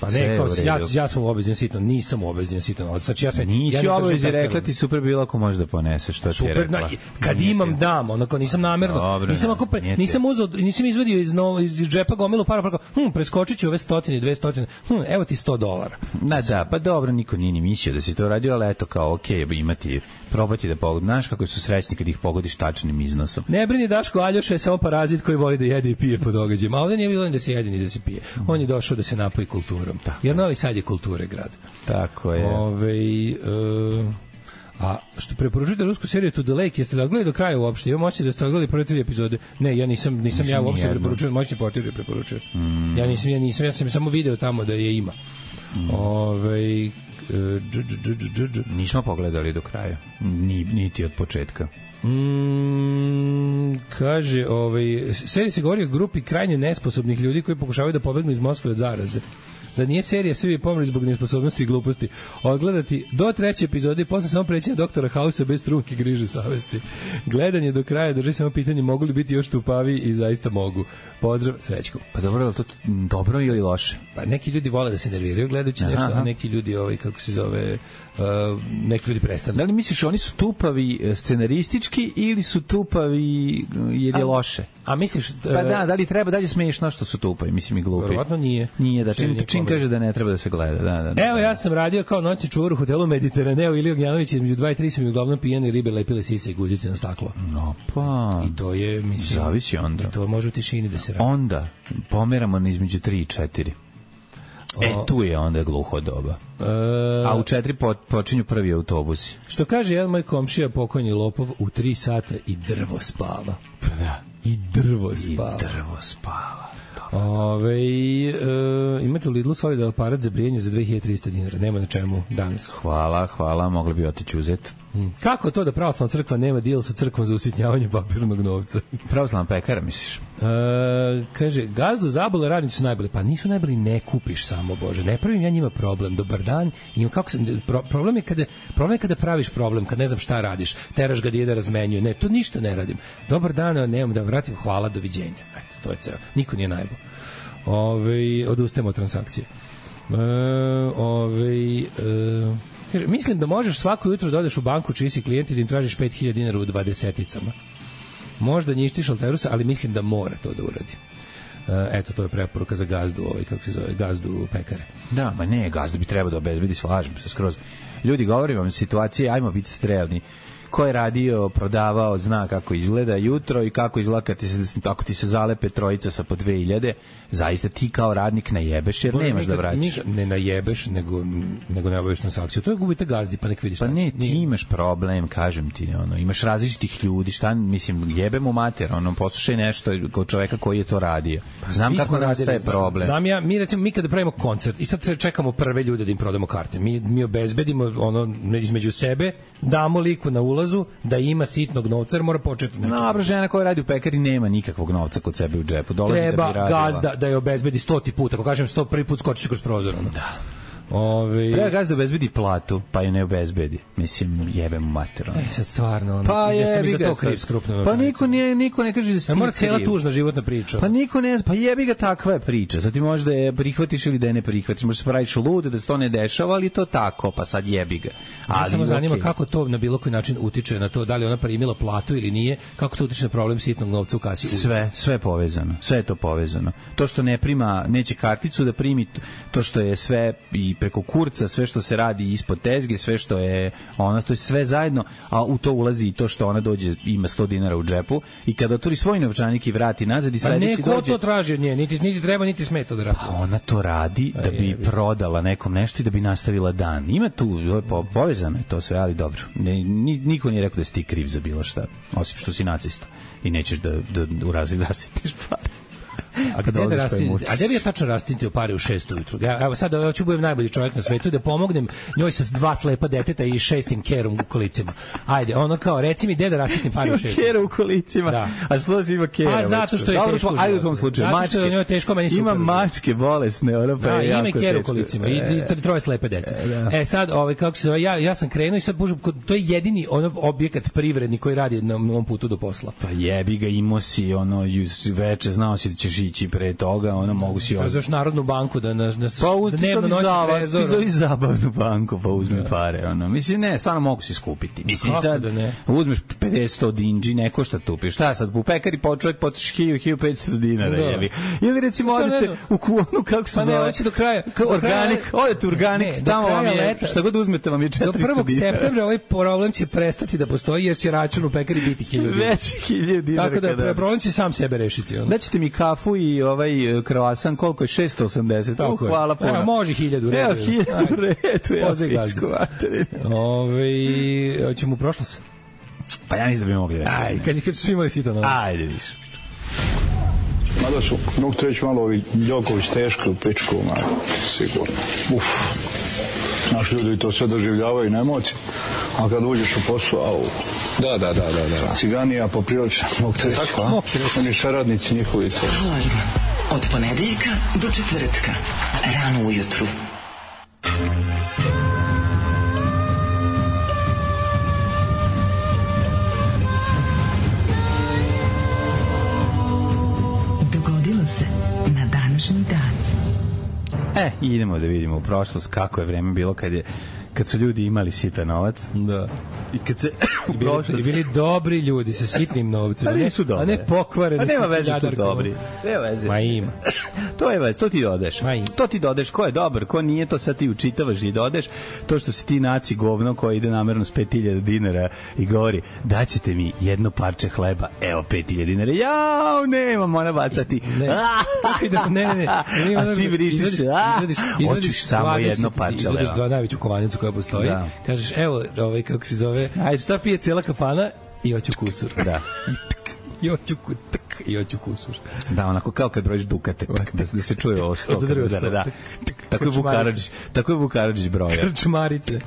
Pa ne, kao, ja, ja sam u obavezan sitan, nisam u obavezan sitan. Znači, ja se, nisi ja u obavezi, rekla ti super bilo ako možeš da poneseš, što ti je rekla. Na, kad nije imam, dam, onako, nisam namerno, Dobro, nisam, ako pre, nisam uzao, nisam izvadio iz, no, iz džepa gomilu para, pa hm, preskočit ću ove stotine, dve stotine, hm, evo ti sto dolara. Da, da, pa dobro, niko nije ni mislio da si to radio, ali eto kao, okej, okay, imati, probati da pogodi. Znaš kako su srećni kad ih pogodiš tačnim iznosom. Ne brini, Daško, Aljoša je samo parazit koji voli da jede i pije po događajima, a ovde nije bilo ni da se jede ni da se pije. On je došao da se napoji kulturom. Tako. Jer Novi Sad je kulture grad. Tako je. Ove, uh, a što preporučujete rusku seriju To the Lake, jeste li odgledali do kraja uopšte? Imam osjećaj da ste odgledali prve tri epizode. Ne, ja nisam, nisam, nisam ja uopšte preporučujem, moćni portir je preporučuje. Mm. Ja nisam, ja nisam, ja sam samo video tamo da je ima. Mm. Ove, nismo pogledali do kraja, Ni, niti od početka. Mm, kaže, ovaj, serija se govori o grupi krajnje nesposobnih ljudi koji pokušavaju da pobegnu iz Moskve od zaraze. Da nije serija, svi bi pomrli zbog nesposobnosti i gluposti. Odgledati do treće epizode i posle samo preći na doktora Hausa bez trunke griže savesti. Gledanje do kraja drži samo pitanje mogu li biti još tupavi i zaista mogu. Pozdrav, Srećko. Pa dobro, je to dobro ili loše? Pa neki ljudi vole da se nerviraju gledajući nešto, a neki ljudi, ovaj, kako se zove, uh, neki ljudi prestanu. Da li misliš oni su tupavi scenaristički ili su tupavi jer je loše? A misliš... Uh, pa da, da li treba, da li smiješno što su tupavi, mislim i glupi? Verovatno nije. Nije, da čim, čim kaže da ne treba da se gleda. Da, da, da. Evo, ja sam radio kao noćni čuvar u hotelu Mediteraneo ili Ognjanović, između dva i tri su mi uglavnom pijene ribe lepile sise i guzice na staklo. No, pa... I to je, mislim... Zavisi onda. I to može u tišini da se radi. Onda, pomeramo na između tri i četiri. E, tu je onda gluho doba. E, a u četiri po, počinju prvi autobusi. Što kaže jedan moj komšija, pokojni lopov, u tri sata i drvo spava. Pa da. I drvo spava. I drvo spava. Ove, e, imate u Lidlu solid aparat za brijanje za dve hiljade trista dinara. Nema na čemu danas. Hvala, hvala, mogli bi otići uzeti. Hmm. Kako to da pravoslavna crkva nema deal sa crkvom za usitnjavanje papirnog novca? Pravoslavna pekara, misliš? E, kaže, gazdu zabole, radnici su najbolji. Pa nisu najbolji, ne kupiš samo, Bože. Ne pravim ja njima problem. Dobar dan. I kako se, pro, problem, je kada, problem je kada praviš problem, kad ne znam šta radiš. Teraš ga djeda razmenjuje. Ne, to ništa ne radim. Dobar dan, nemam da vratim. Hvala, doviđenja. Eto, to je ceo. Niko nije najbolj. Ove, odustajemo od transakcije. E, ove, e, kaže, mislim da možeš svako jutro da odeš u banku čiji si klijent i da im tražiš pet hiljada dinara u dvadeseticama. Možda njištiš alterusa, ali mislim da mora to da uradi. E, eto, to je preporuka za gazdu, ovaj, kako se zove, gazdu pekare. Da, ma ne, gazdu bi trebao da obezbedi, slažem se skroz. Ljudi, govorim vam situacije, ajmo biti strelni. Ko je radio, prodavao, zna kako izgleda jutro i kako izgleda kad ti se, ako ti se zalepe trojica sa po dve hiljade, zaista ti kao radnik najebeš jer Bore, nemaš nikad, da vraćaš. Ne najebeš, nego, nego ne obaviš transakciju. To je gubite gazdi, pa nek vidiš. Pa ne, ti nije. Imaš problem, kažem ti, ono, imaš različitih ljudi, šta, mislim, jebem u mater, ono, poslušaj nešto kod čoveka koji je to radio. Znam kako nastaje problem. Znam ja, mi recimo, mi kada pravimo koncert i sad čekamo prve ljude da im prodamo karte, mi, mi obezbedimo ono, između sebe, damo liku na ulaz da ima sitnog novca, jer mora početi. Dobro, žena koja radi u pekari nema nikakvog novca kod sebe u džepu. Dolazi treba da bi radila. Gazda da je obezbedi stoti put. Ako kažem sto, prvi put skočiš kroz prozor. Ono. Da. Ove... Treba gazda obezbedi platu, pa je ne obezbedi. Mislim, jebem mater. E, sad stvarno. Ono, pa ja sam i za to kriv skrupno. Pa niko ne, niko ne kaže da si mora cijela tužna životna priča. Pa niko ne, pa jebi ga, takva je priča. Sad ti možeš da je prihvatiš ili da je ne prihvatiš. Možeš se praviš lud, da se to ne dešava, ali to tako, pa sad jebi ga. Ali samo zanima okay. Kako to na bilo koji način utiče na to, da li ona primila platu ili nije, kako to utiče na problem sitnog novca u kasi. Sve, sve je povezano. Sve je to povezano. To što ne prima, neće karticu da primi, to što je sve i preko kurca, sve što se radi ispod tezge, sve što je ona, to je sve zajedno, a u to ulazi i to što ona dođe, ima sto dinara u džepu i kada otvori svoj novčanik i vrati nazad i sledeći dođe... Pa neko dođe, to traži od nje, niti, niti treba, niti smeta da radi. Pa ona to radi da bi prodala nekom nešto i da bi nastavila dan. Ima tu, po, povezano je to sve, ali dobro. Ne, niko nije rekao da si ti kriv za bilo šta, osim što si nacista i nećeš da, da u razred rasitiš pare. A gde da rastim, a gde bi ja tačno rastintio pare u šest ujutru? Ja, evo sad ja ću budem najbolji čovjek na svetu da pomognem njoj sa dva slepa deteta i šestim kerom u kolicima. Ajde, ono kao, reci mi gde da rastintim pare u šest. Ima kera u kolicima. Da. A što si ima kera? A zato što je dobro, teško. Ajde u tom slučaju. Zato mačke. što je njoj teško, meni super. Ima mačke bolesne, ona pa da, je jako ima kera u teško. kolicima i, i troje slepe dece. E, da. E sad, ovaj, kako se zove, ja, ja sam krenuo i sad, bože, to je jedini ono objekat privredni koji radi na mom putu do posla. Pa jebi ga, imao si ono veče, znao si da ćeš ići pre toga, ono mogu si... To je zaš Narodnu banku da na, na pa, dnevno noći trezor. Pa zove zabavnu banku, pa uzme pare. Ono. Mislim, ne, stvarno mogu si skupiti. Mislim, kako sad da ne? Uzmeš pedeset sto dinđi, neko šta tupiš. Šta sad, u pekari po čovjek potiš hiljadu, hiljadu petsto dinara, da. jebi. Ili recimo odete u kuonu, kako se pa zove? Pa ne, hoće do kraja. Kao organik, odete u organik, ne, tamo vam je, leta, šta god uzmete vam je četiristo dinara. Do prvog septembra ovaj problem će prestati da postoji jer će račun u pekari biti hiljadu dinara. Već hiljadu dinara. Tako da problem će sam sebe rešiti. Ono. Daćete mi kafu i ovaj kroasan, koliko je? šesto osamdeset. Tako uh, hvala puno. Evo, može hiljadu. Evo, hiljadu redu. Ja Ove, hoćemo u prošlost? Pa ja mislim da bi mogli da. Ajde, kad, kad su svi imali sito na Ajde, više. Mada su, mogu to reći malo ovi Đoković teško u pičku, malo, sigurno. Uf. Naši ljudi to sve doživljavaju na emocije, a kad uđeš u posao, au. Da, da, da, da, da. Ciganija poprilična, mogu te reći. Tako, a? Oni saradnici njihovi to. Alarm od ponedeljka do četvrtka, rano ujutru. Dogodilo se na današnji dan. E, idemo da vidimo u prošlost kako je vreme bilo kad je kad su ljudi imali sitan novac. Da. I kad se I bili, i bili dobri ljudi sa sitnim novcima, a nisu ne, a ne pokvareni. A nema veze tu dobri. Nema veze. Ma ima. To je veze, to ti dodeš. To ti dodeš, ko je dobar, ko nije, to sad ti učitavaš i dodeš. To što si ti naci govno koji ide namerno s pet hiljada dinara i govori, daćete mi jedno parče hleba, evo pet hiljada dinara. Jao, nemam, mora bacati. Ne, ne, ne. ne. A ti vrištiš, hoćeš samo jedno parče hleba. Izvodiš dva najveću kovanicu koja postoji. Da. Kažeš, evo, ovaj, kako se zove, ajde, šta pije cijela kafana i hoću kusur. Da. I hoću kutak, i hoću kusur. Da, onako kao kad brojiš dukate, da, da se čuje ovo sto. Da, da, da. Tako je Vukaradžić, tako je Vukaradžić broja. Krčmarice.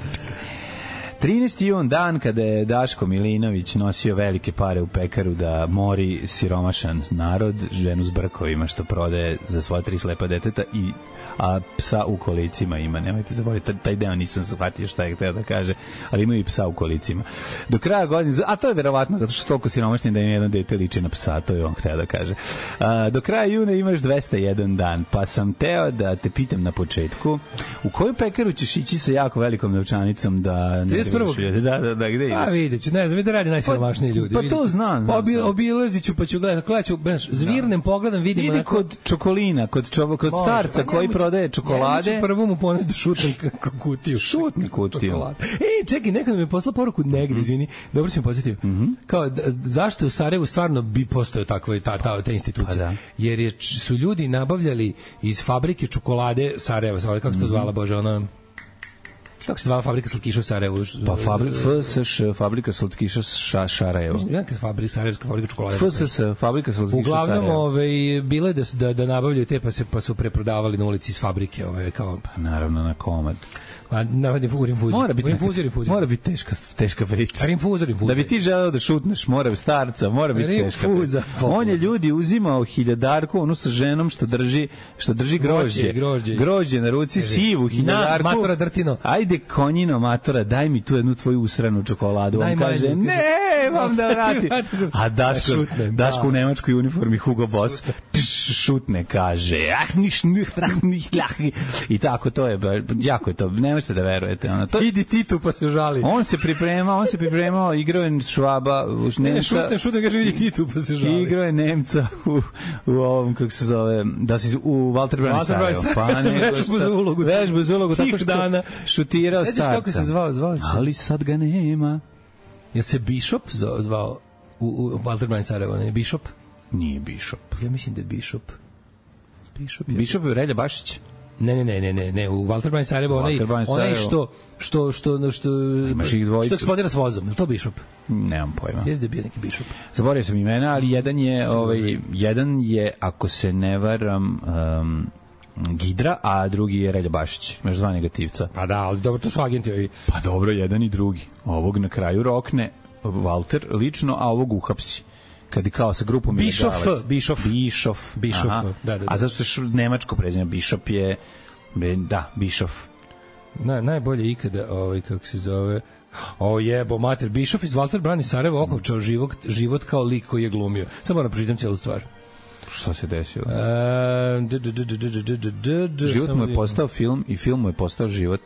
trinaesti jun, dan kada je Daško Milinović nosio velike pare u pekaru da mori siromašan narod, ženu s brkovima što prodaje za svoja tri slepa deteta i a psa u kolicima ima. Nemojte zaboraviti, taj deo nisam shvatio šta je hteo da kaže, ali imaju i psa u kolicima. Do kraja godine, a to je verovatno zato što su toliko siromašni da im jedno dete liči na psa, to je on hteo da kaže. A, do kraja juna imaš dvesta jedan dan, pa sam teo da te pitam na početku, u koju pekaru ćeš ići sa jako velikom novčanicom da... Da, da, da, gde ideš? A vidjet ću, ne znam, da radi najsiromašniji ljudi. Pa to znam. Pa obi, obilazit ću, pa ću gledati, kada ću, znaš, zvirnem pogledam, vidimo... Idi kod čokolina, kod, čovo, kod starca pa koji prodaje čokolade. Ja ću prvo mu poneti da šutnem kutiju. Šutni kutiju. Ej, čekaj, nekada mi je poslao poruku negdje, izvini, dobro si mi posjetio. Kao, zašto u Sarajevu stvarno bi postojao takva ta, ta, ta institucija? Jer je, su ljudi nabavljali iz fabrike čokolade Sarajeva, kako se to zvala, Bože, ona... Kako se zvala fabrika slatkiša u Sarajevu? Pa fabrika F S Š, fabrika slatkiša ša, Šarajevo. Neka fabrika, Sarajevska fabrika čokolade. F S S, fabrika slatkiša Uglavnom, Sarajevo. Uglavnom, bilo je da, da, da nabavljaju te, pa, se, pa su preprodavali na ulici iz fabrike. Ove, kao... Pa naravno, na komad. Pa na u rinfuziju. Mora biti rinfuziju, rinfuziju. Mora biti teška teška priča. Rinfuziju, rinfuziju. Da bi ti želeo da šutneš, mora biti starca, mora biti teška. Rinfuza. On je ljudi uzimao hiljadarku, onu sa ženom što drži, što drži grožđe. Grožđe, grožđe na ruci, sivu hiljadarku. Na, matora Drtino. Ajde konjino matora, daj mi tu jednu tvoju usranu čokoladu. On kaže: "Ne, vam da vrati." A Daško, Daško u nemačkoj uniformi Hugo Boss šutne, kaže: "Ah, niš, niš, niš, i tako to je, jako je to, ne možete da verujete. Ono, to... Idi ti tu pa se žali. On se pripremao, on se pripremao, igrao je Švaba, Nemca. Ne, šutne, šutne, kaže vidi ti tu pa se žali. Igrao je Nemca u, u ovom, kako se zove, da si u Walter Brani Sarajevo. Pa ne, vežbu za ulogu. Vežbu za ulogu, tako što dana. šutirao starca. Sediš kako se zvao, zvao se. Ali sad ga nema. Je se Bishop zvao u, u Walter Brani Sarajevo, ne? Bishop? Nije Bishop. Ja mislim da je Bishop. Bishop je... Bishop je Relja Bašić. Ne, ne, ne, ne, ne, ne, u Walter Brani Sarajevo, onaj, onaj što, što, što, što, što eksplodira s vozom, je to Bishop? Nemam pojma. Jeste da je bio neki Bishop. Zaboravio sam imena, ali jedan je, ovaj, jedan je, ako se ne varam, um, Gidra, a drugi je Relja Bašić, među dva negativca. Pa da, ali dobro, to su agenti ovi. Pa dobro, jedan i drugi. Ovog na kraju rokne Walter lično, a ovog uhapsi. Kad je kao sa grupom Bischoff, Bischoff. Bischoff. Bischoff, da, da, da. A zašto je nemačko prezime? Bischoff je, da, Bischoff. Na, najbolje ikada, ovaj, kako se zove, o jebo, mater, Bischoff iz Walter Brani Sarajevo okovčao život, život kao lik koji je glumio. Samo moram pročitam cijelu stvar. Šta se desilo? Uh, život mu je postao film i film mu je postao život.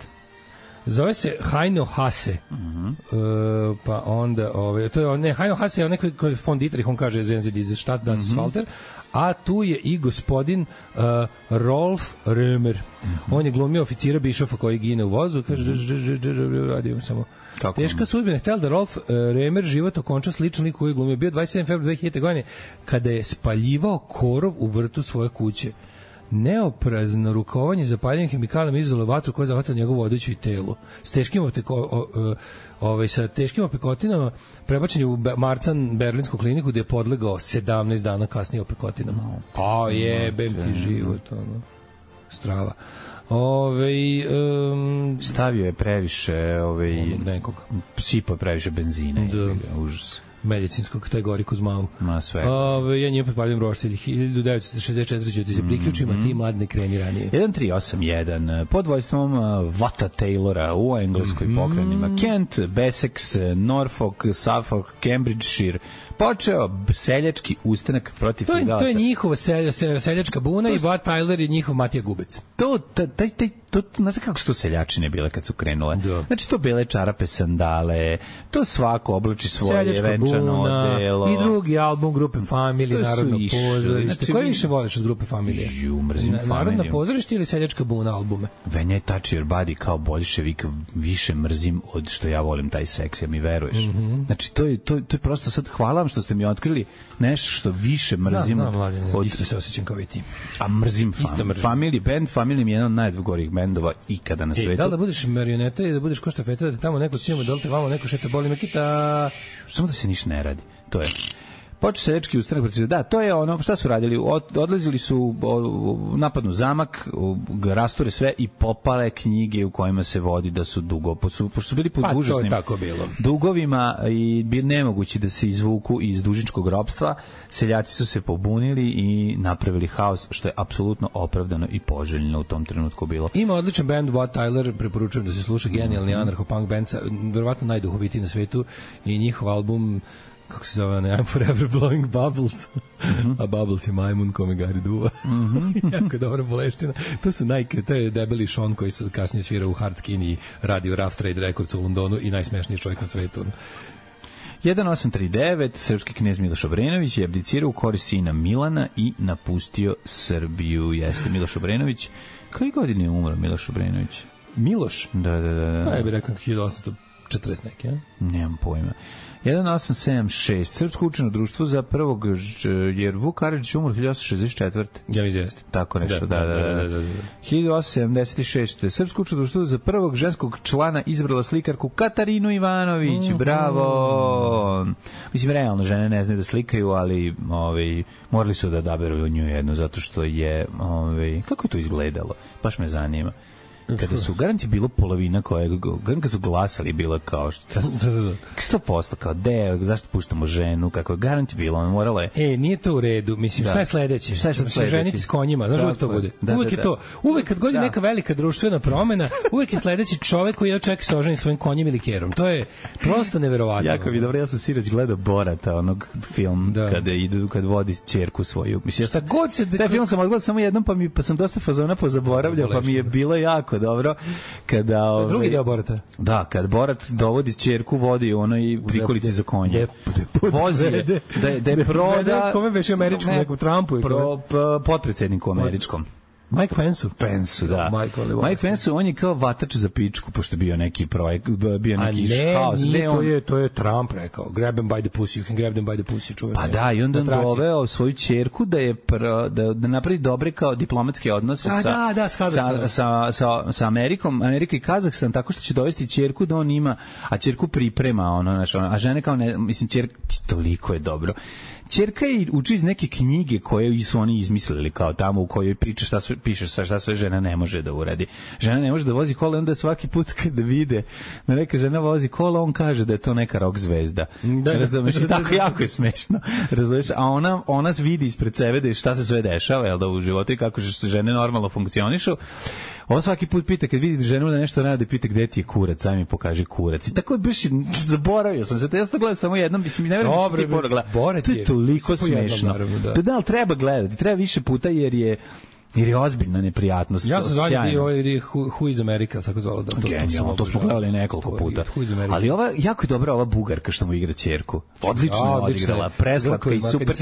Zove se Heino Hase. Uh-huh. Uh, pa onda, ovaj, to je, ne, Heino Hase je onaj koji, koji von Dietrich, on kaže Zenzi diese Stadt, das ist Walter, a tu je i gospodin uh, Rolf Römer. Uh-huh. On je glumio oficira Bišofa koji gine u vozu, kaže, uh-huh. radio samo. Kako teška sudbina. Htjela da Rolf uh, Römer život okonča sličan lik koji je glumio. Bio dvadeset sedmog februara dve hiljadite. godine kada je spaljivao korov u vrtu svoje kuće. Neoprazno rukovanje zapaljenim hemikalima izazvalo vatru koja je zahvatila njegovu odeću i telo. S teškim opeko, o, o, ovaj, sa teškim opekotinama prebačen je u Marcan berlinsku kliniku gde je podlegao sedamnaest dana kasnije opekotinama. Pa jebem ti život, ono. Strava. Ove, um, stavio je previše ovaj, nekog. Sipao je previše benzina. Da. Užas. Medicinskog kategoriku zmavu. Ma sve. Ove, ja njim potpalim roštilj. hiljadu devetsto šezdeset četvrte ću ti se priključima, mm-hmm. ti mlad ne kreni ranije. jedan tri osam jedan pod vojstvom Vata Taylora u engleskoj mm-hmm. pokrenima. Kent, Bessex, Norfolk, Suffolk, Cambridgeshire. Počeo seljački ustanak protiv to je, feudalaca. To je njihova sel, sel, seljačka buna to, i Vat Tyler je njihov Matija Gubec. To, taj, taj, to, znate kako su to seljačine bile kad su krenule? Da. Znači to bele čarape, sandale, to svako oblači svoje seljačka venčano buna, odelo. I drugi album grupe Family, Narodno pozorište. Znači, koji više voliš od grupe Familije? Ju, mrzim Familiju. Narodno pozorište ili seljačka buna albume? When I touch your body kao boljševik više mrzim od što ja volim taj seks, ja mi veruješ. Mm-hmm. Znači to je, to, to je prosto sad hvala vam što ste mi otkrili nešto što više mrzim. Znam, znam, mladen, od... isto se osjećam kao i ti. A mrzim, fam... mrzim. Family band, Family mi je jedan od najgorih bendova ikada na svetu. E, da li da budeš marioneta i da budeš ko štafeta, da te tamo neko cijemo, da li te vamo neko šeta boli me kita? Samo da se ništa ne radi, to je. Počeo seljački ustanak protiv, da, to je ono, šta su radili? Od, odlazili su u napadnu zamak, rasture sve i popale knjige u kojima se vodi da su dugo, pošto su bili pod pa, užasnim dugovima i bi nemogući da se izvuku iz dužničkog ropstva, seljaci su se pobunili i napravili haos, što je apsolutno opravdano i poželjno u tom trenutku bilo. Ima odličan band, Wat Tyler, preporučujem da se sluša, genijalni mm-hmm. anarcho-punk band, verovatno najduhovitiji na svetu i njihov album kako se zove, ne, I'm forever blowing bubbles. Mm-hmm. A bubbles je majmun kome gari duva. Mm-hmm. Jako dobra boleština. To su najke, to je debeli Sean koji se kasnije svira u Hard Skin i radi u Rough Trade Records u Londonu i najsmešniji čovjek na svetu. jedan osam tri devet srpski knez Miloš Obrenović je abdicirao u korist sina Milana i napustio Srbiju. Jeste Miloš Obrenović. Koje godine je umro Miloš Obrenović? Miloš? Da, da, da. da. Pa ja bih rekao hiljadu osamsto četrdeset neke, ja? Nemam pojma. jedan osam sedam šest Srpsko učeno društvo za prvog, jer Vuk Karadžić umro hiljadu osamsto šezdeset četvrte Ja mi izvesti. Tako nešto, da, da, da. da, da, da. hiljadu osamsto sedamdeset šeste Srpsko učeno društvo za prvog ženskog člana izabrala slikarku Katarinu Ivanović. Mm-hmm. Bravo! Mislim, realno, žene ne znaju da slikaju, ali ovaj, morali su da odaberu nju jednu, zato što je, ovaj, kako je to izgledalo? Baš me zanima. Kada su, garant je bilo polovina koje, garant kad su glasali, bilo kao, sto posto kao, de, zašto puštamo ženu, kako garant je bilo, ono moralo je. E, nije to u redu, mislim, da. Šta je sledeće? Šta je sad sledeće? Ženiti s konjima, znaš uvek to bude. Da, uvek da, je to, uvek kad god je neka velika društvena promena, uvek je sledeći čovek koji je čeka se oženi svojim konjem ili kerom. To je prosto neverovatno. Jako mi dobro, ja sam sinoć gledao Borata, onog film, da. Kada idu, kad vodi ćerku svoju. Mislim, šta god se... Taj film sam odgledao samo jednom, pa, mi, pa sam dosta fazona pozaboravljao, pa mi je bilo jako dobro kada ove, drugi deo Borata. Da, kad Borat dovodi ćerku vodi u onoj prikolici za konje. Vozi je, da, da je proda kome beše američkom nekom Trumpu pro, potpredsjedniku američkom. Mike Pence-u? Pence-u, da. Mike, Mike Pence-u, on je kao vatač za pičku, pošto je bio neki projekt, bio neki haos. A ne, nije, on... to, je, to je Trump rekao. Grab them by the pussy, you can grab them by the pussy. Čuveno. Pa da, i onda on doveo svoju ćerku da je pr, da, da napravi dobre kao diplomatske odnose a, sa, da, da, sa, sa, sa, sa Amerikom, Amerika i Kazahstan, tako što će dovesti ćerku da on ima, a ćerku priprema, ono, znaš, ono, a žene kao ne, mislim, ćerka, toliko je dobro. Ćerka je uči iz neke knjige koje su oni izmislili kao tamo u kojoj priča šta sve piše sa šta sve žena ne može da uradi. Žena ne može da vozi kola, onda svaki put kad vide da neka žena vozi kola, on kaže da je to neka rock zvezda. Da, razumeš? Da, da, da, tako jako je smešno. Razumeš? A ona ona vidi ispred sebe da šta se sve dešava, jel da u životu i kako se žene normalno funkcionišu. On svaki put pita kad vidi ženu da nešto radi, pita gde ti je kurac, aj mi pokaži kurac. I tako baš zaboravio sam se. Ja sam gledao samo jednom, mislim ne verujem da se ti pora gleda. To je toliko smešno. Da. da, ali treba gledati, treba više puta jer je jer je ozbiljna neprijatnost. Ja sam zvali ovaj Who is America, tako zvalo da to. Genijalno, to smo gledali nekoliko puta. Ali ova, jako je dobra ova Bugarka što mu igra ćerku. Odlično je odigrala, preslatka i super.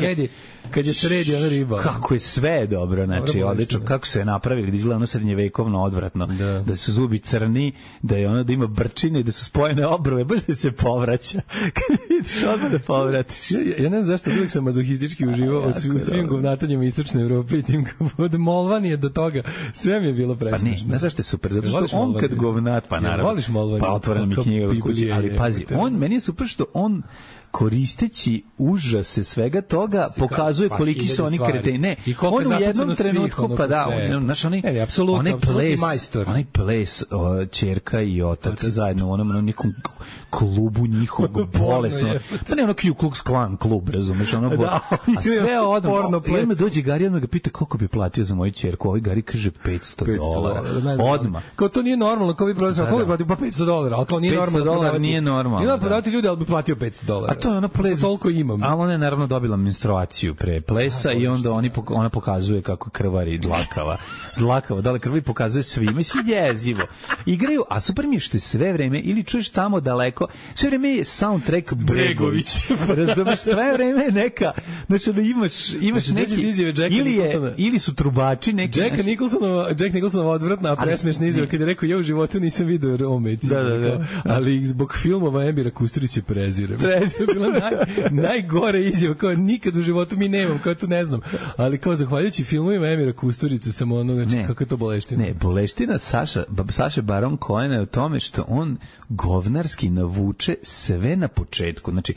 Kad je sredi ona riba. Kako je sve dobro, znači odlično. Kako su je napravili, da izgleda ono srednjevekovno odvratno. Da. da su zubi crni, da je ono da ima brčine, da su spojene obrve, baš da se povraća. Kad vidiš odmah da povratiš. Ja, ja ne znam zašto uvijek sam mazohistički uživao u svim govnatanjima Istočne Evrope i tim od Molvanije do toga. Sve mi je bilo presmišno. Pa ne, ne zašto je super, zato što on kad govnat, pa naravno, voliš Molvaniju, pa otvorena mi knjiga od kuće, ali pazi, on, meni je super što on koristeći užase svega toga pokazuje pa, koliki su oni kreteni. Ne, on u jednom trenutku ono pa da, on, znaš, oni, ne, apsolutno, onaj ples, onaj ples o, ćerka i otac, otac zajedno u onom, onom nekom klubu njihovog bolesno. Pa ne ono Ku Klux Klan klub, razumeš, ono da, a sve odmah. I on me dođe Gari, on ga pita koliko bi platio za moju ćerku, ovaj Gari kaže petsto dolara. Odmah. Kao to nije normalno, kao vi prodavate, koliko bi platio, pa petsto dolara, ali kao nije normalno. petsto dolara nije normalno. Nije prodavati ljudi, ali bi platio petsto dolara. A to je ona ples, toliko imam. A ona je naravno dobila menstruaciju pre plesa i onda oni ona pokazuje kako krvari dlakava. Dlakava, da li krvi pokazuje svima, si jezivo. Igraju, a super mi je što je sve vreme ili čuješ tamo daleko, sve vreme je soundtrack Bregović. Razumeš, sve vreme je neka, znači da imaš imaš neki ili je ili su trubači neki. Jack Nicholsonova, Jack Nicholsonova odvratna presmešna izjava kad je rekao ja u životu nisam video Romejci. Da, da, da. Ali zbog filmova Emira Kusturića prezirem. To je bila naj, najgore izjava, kao nikad u životu mi nemam, kao tu ne znam, ali kao zahvaljujući filmovima Emira Kusturice sam ono, znači kako je to boleština. Ne, boleština Saša, Saša Baron Cohen je u tome što on govnarski navuče sve na početku, znači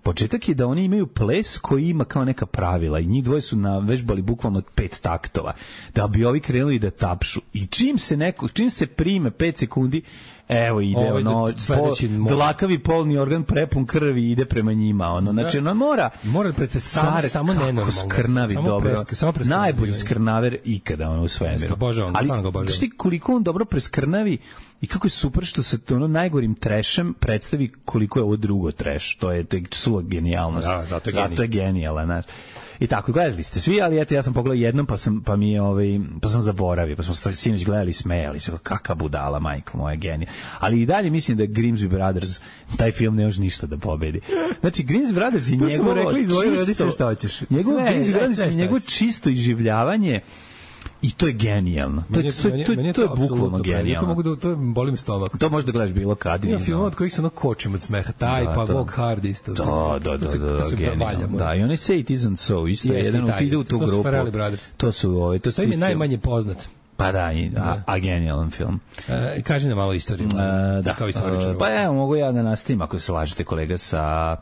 početak je da oni imaju ples koji ima kao neka pravila i njih dvoje su navežbali bukvalno pet taktova, da bi ovi krenuli da tapšu i čim se neko, čim se prime pet sekundi, evo ide ovaj ono, po, dlakavi polni organ prepun krvi ide prema njima, ono, znači ono mora mora pretestar samo nenormalno, skrnavi samo dobro, presk, samo najbolji skrnaver ikada ono u svemiru, ali znaš ti koliko on dobro preskrnavi i kako je super što se to ono najgorim trešem predstavi koliko je ovo drugo treš, to je, to je suva genijalnost, ja, zato je, zato je genijalan, znaš. I tako, gledali ste svi, ali eto ja sam pogledao jednom pa sam pa mi je ovaj pa sam zaboravio, pa smo sinoć gledali, smejali se, kakva budala, majko moja, genija. Ali i dalje mislim da Grimsby Brothers taj film ne može ništa da pobedi. Znači Grimsby Brothers i njegovo, smo rekli, izvoli, radi se šta hoćeš. Njegovo Grimsby Brothers i njegovo čisto iživljavanje. I to je genijalno. To je, to, to, to, to, to je bukvalno genijalno. To mogu da, to boli mi stomak. To možeš da gledaš bilo kad. Ima film od kojih se ono kočim od smeha. Taj, da, pa to, Walk Hard isto. Da, da, da, da, da, genijalno. Da, i oni Say It Isn't So, isto je jedan od ide u tu grupu. To su ovi, to su to im je najmanje poznat. Pa da, i, a, a genijalan film. E, kaži nam malo istoriju. E, da, kao istoričar. Pa evo, mogu ja da nastavim ako se slažete, kolega, sa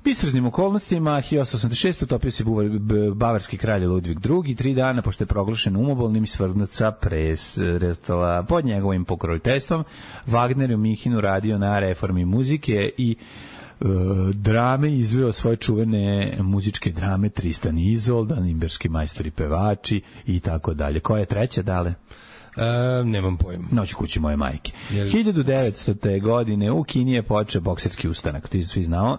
istražnim okolnostima. hiljadu osamsto osamdeset šeste. utopio se bavarski kralj Ludvig drugi. Tri dana, pošto je proglašen umobolnim i svrgnut sa prestala pod njegovim pokroviteljstvom. Wagner je u Minhenu radio na reformi muzike i uh, drame, izveo svoje čuvene muzičke drame Tristan i Izolda, Nimberski majstori pevači i tako dalje. Koja je treća, dale? Uh, nemam pojma. Noć kući moje majke. Jel... hiljadu devetstote. godine u Kini je počeo bokserski ustanak. Ti svi znao.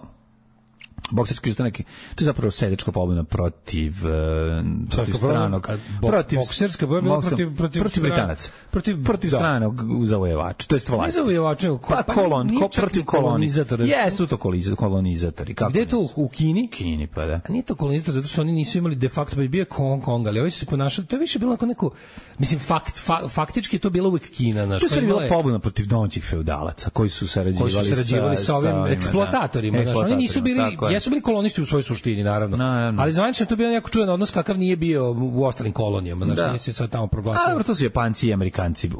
bokserski ustanak, to je zapravo seljačka pobuna protiv uh, protiv Srpska stranog, bo, protiv bokserska pobuna bokser, protiv protiv, protiv Britanaca, protiv protiv da. stranog zavojevača, to jest vlasti. Ne zavojevača, ko, pa, pa kolon, ko, protiv kolonizatora. Jesu to kolonizatori. Kako gde je to u Kini? Kini, pa da. A nije to kolonizator, zato što oni nisu imali de facto, bio je Hong Kong, ali ovi su se ponašali, to je više bilo neko, mislim, fakt, fa, faktički je to bila uvek Kina. Naš, to je bila pobuna protiv domaćih feudalaca, koji su sarađivali, koji su sarađivali sa, sa ovim sa eksploatatorima. Da. Oni nisu bili, jesu bili kolonisti u svojoj suštini, naravno. No, no. Ali zvanično to bio jako čudan odnos kakav nije bio u ostalim kolonijama. Znači, nije se sad tamo proglasilo. A, to su Japanci i Amerikanci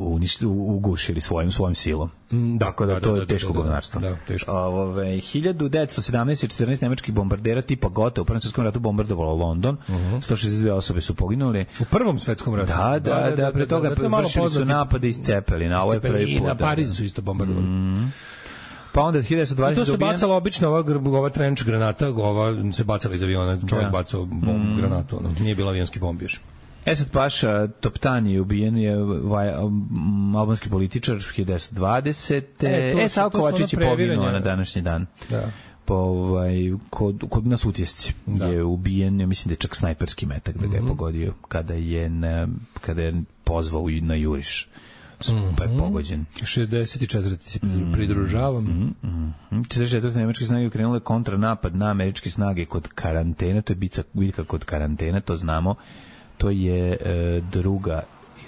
ugušili svojim, svojim silom. Mm, da, tako da, da to da, je teško da, govnarstvo. Da, teško. Ove, hiljadu devetsto sedamnaest četrnaest nemačkih bombardera tipa Gotha u Prvom svetskom ratu bombardovalo London. Uh-huh. sto šezdeset dve osobe su poginule. U Prvom svetskom ratu? Da, da, da, da pre toga vršili su napade iz Cepelina. Ovo je prvi put. I na Pariz su isto bombardovali. Mm. Pa onda hiljadu devetsto dvadeset to se bacala obično ova, ova trench granata, ova se bacala iz aviona, čovjek da. bacao bomb, mm. granatu, ono, nije bilo avionski bomb još. Esad Paša Toptani je ubijen, je vaj, um, albanski političar hiljadu devetsto dvadesete. E, e Savo Kovačić je poginuo na današnji dan. Da. Po, ovaj, kod, kod nas utjesci da. je ubijen, ja mislim da je čak snajperski metak da ga je mm-hmm. pogodio kada je, na, kada je pozvao na juriš. Mm-hmm. Pa je pogođen. šezdeset četvrti se pridružavam. Mm-hmm. četrdeset četvrte nemačke snage ukrenule kontranapad na američke snage kod karantena, to je bitka, bitka kod karantena, to znamo. To je e, druga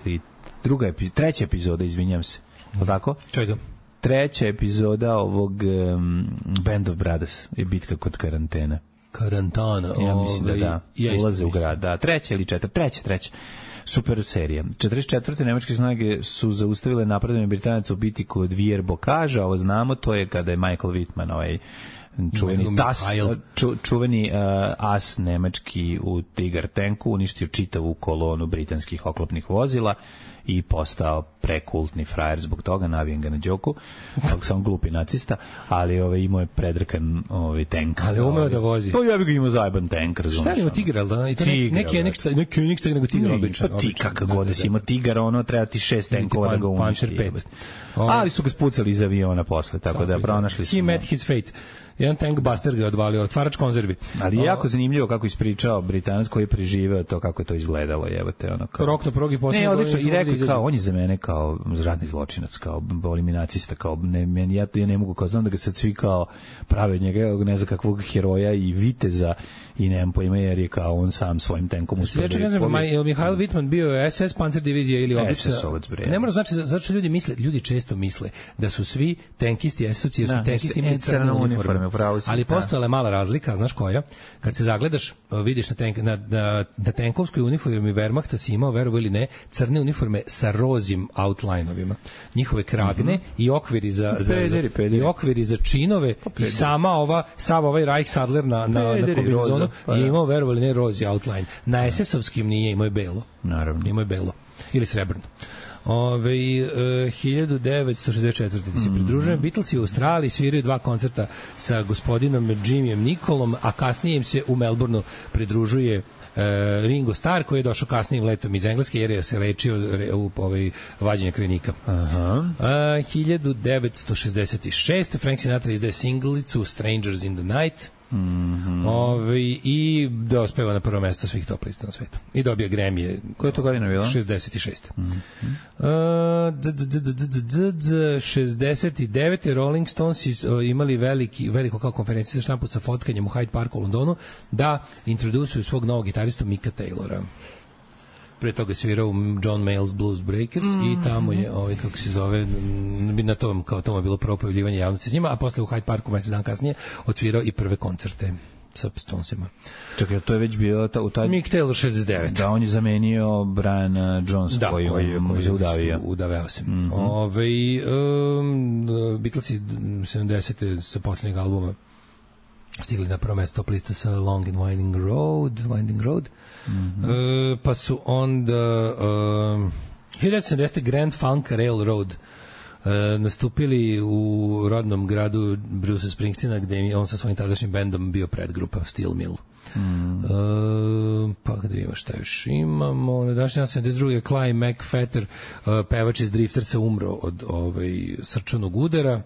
ili druga epizoda, treća epizoda, izvinjam se. Je tako? Čega? Treća epizoda ovog um, Band of Brothers je bitka kod karantena. Karantana. Ja mislim da da. Ja ulaze u grad. Da, treća ili četvrta, treća, treća. Super serija. četrdeset četvrte nemačke snage su zaustavile napredovanje Britanaca u bitki kod Vier-Bokaža, ovo znamo, to je kada je Michael Wittmann, ovaj čuveni tas, ču, čuveni uh, as nemački u Tiger tanku uništio čitavu kolonu britanskih oklopnih vozila i postao prekultni frajer zbog toga, navijem ga na đoku, kako sam glupi nacista, ali ovaj, imao je predrkan ovaj, tank. Ali umeo da vozi. Pa ja bih ga imao zajeban tank, razumiješ. Šta je imao Tigar, da? I to Tigra, neki je nekšta, neki je nekšta nego Tigar običan. Pa ti kakav god da si imao Tigar, ono treba ti šest tankova da ga uništi. Ali su ga spucali iz aviona posle, tako da pronašli su. He met his fate. Jedan tank buster ga je odvalio, otvarač konzervi. Ali je jako zanimljivo kako ispričao Britanac koji je preživeo to, kako je to izgledalo, jebote, ono kao. Rok na progi posle. Ne, odlično, i rekao kao, on je za mene kao ratni zločinac, kao eliminacista, kao ne, meni, ja, ja ne mogu, kao znam da ga sad svi kao prave od njega, ne znam kakvog heroja i viteza i nemam pojma, jer je kao on sam svojim tankom uspio. Znači, ne znam, je Mihail Wittmann bio S S Panzer divizija ili obična? Ne mora znači, zato što ljudi misle, ljudi često misle da su svi tankisti S-ovci, jer su tankisti imali crne uniforme. Ali postojala je mala razlika, znaš koja? Kad se zagledaš, vidiš na, tank, na, na, na tankovskoj uniformi Wehrmachta si imao, verovo ili ne, crne uniforme sa rozim outline-ovima. Njihove kragne mm-hmm. i okviri za, za, pederi, za pederi. i okviri za činove pa, i sama ova, sav ovaj Reichsadler na, na, na kombinizonu pa, je imao, verovo ili ne, rozi outline. Na es es-ovskim nije, imao je belo. Naravno. Imao je belo. Ili srebrno. Ove, uh, hiljadu devetsto šezdeset četvrte ti se pridružujem. Mm-hmm. Beatlesi u Australiji sviraju dva koncerta sa gospodinom Jimmyjem Nicolom, a kasnije im se u Melbourneu pridružuje uh, Ringo Starr, koji je došao kasnijim letom iz Engleske jer je se lečio re, u ovaj, vađenje krajnika. Aha. Uh, hiljadu devetsto šezdeset šeste Frank Sinatra izdaje singlicu Strangers in the Night. Mm-hmm. Ove, i dospeva na prvo mesto svih top lista na svetu i dobija Grammy. Koja je to godina bila? šezdeset šeste Uh, šezdeset devete Rolling Stones imali veliki, veliko kao konferenciju za štampu sa fotkanjem u Hyde Parku u Londonu da introdusuju svog novog gitaristu Micka Taylora. Pre toga svirao John Mayall's Blues Breakers mm. i tamo je, ovaj, kako se zove, na tom, kao tome je bilo propojavljivanje javnosti s njima, a posle u Hyde Parku mesec dan kasnije odsvirao i prve koncerte sa Stonesima. Čekaj, to je već bilo ta, u taj... Mick Taylor šezdeset devet. Da, on je zamenio Brian Jones, da, koji, koji, koji je udavio. Udaveo se. Mm-hmm. Ove, um, Beatlesi sedamdesete sa posljednjeg albuma stigli na prvo mesto top lista sa Long and Winding Road, Winding Road. Mm-hmm. Uh, pa su onda uh, hiljadu devetsto sedamdesete Grand Funk Railroad uh, nastupili u rodnom gradu Bruce Springsteena, gde je on sa svojim tadašnjim bendom bio predgrupa Steel Mill. Mm. Uh, pa gde ima šta još imamo na današnji sedamdeset druge Clyde McPhatter, uh, pevač iz Driftersa, umro od ovaj, srčanog udara.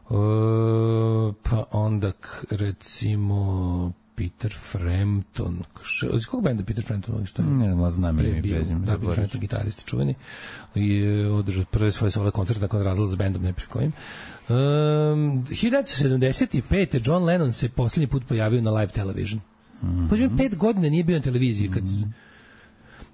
Uh, pa onda k, recimo Peter Frampton. Iz kog benda Peter Frampton? Ne, ma znam Pre mi bio, bezim. da, Peter Frampton, gitarist čuveni. I je održao prve svoje solo koncerte nakon razlaza s bendom, ne piše kojim. Um, hiljadu devetsto sedamdeset pete. John Lennon se posljednji put pojavio na live television. Mm-hmm. Pođujem, pet godina nije bio na televiziji. Kad, mm-hmm.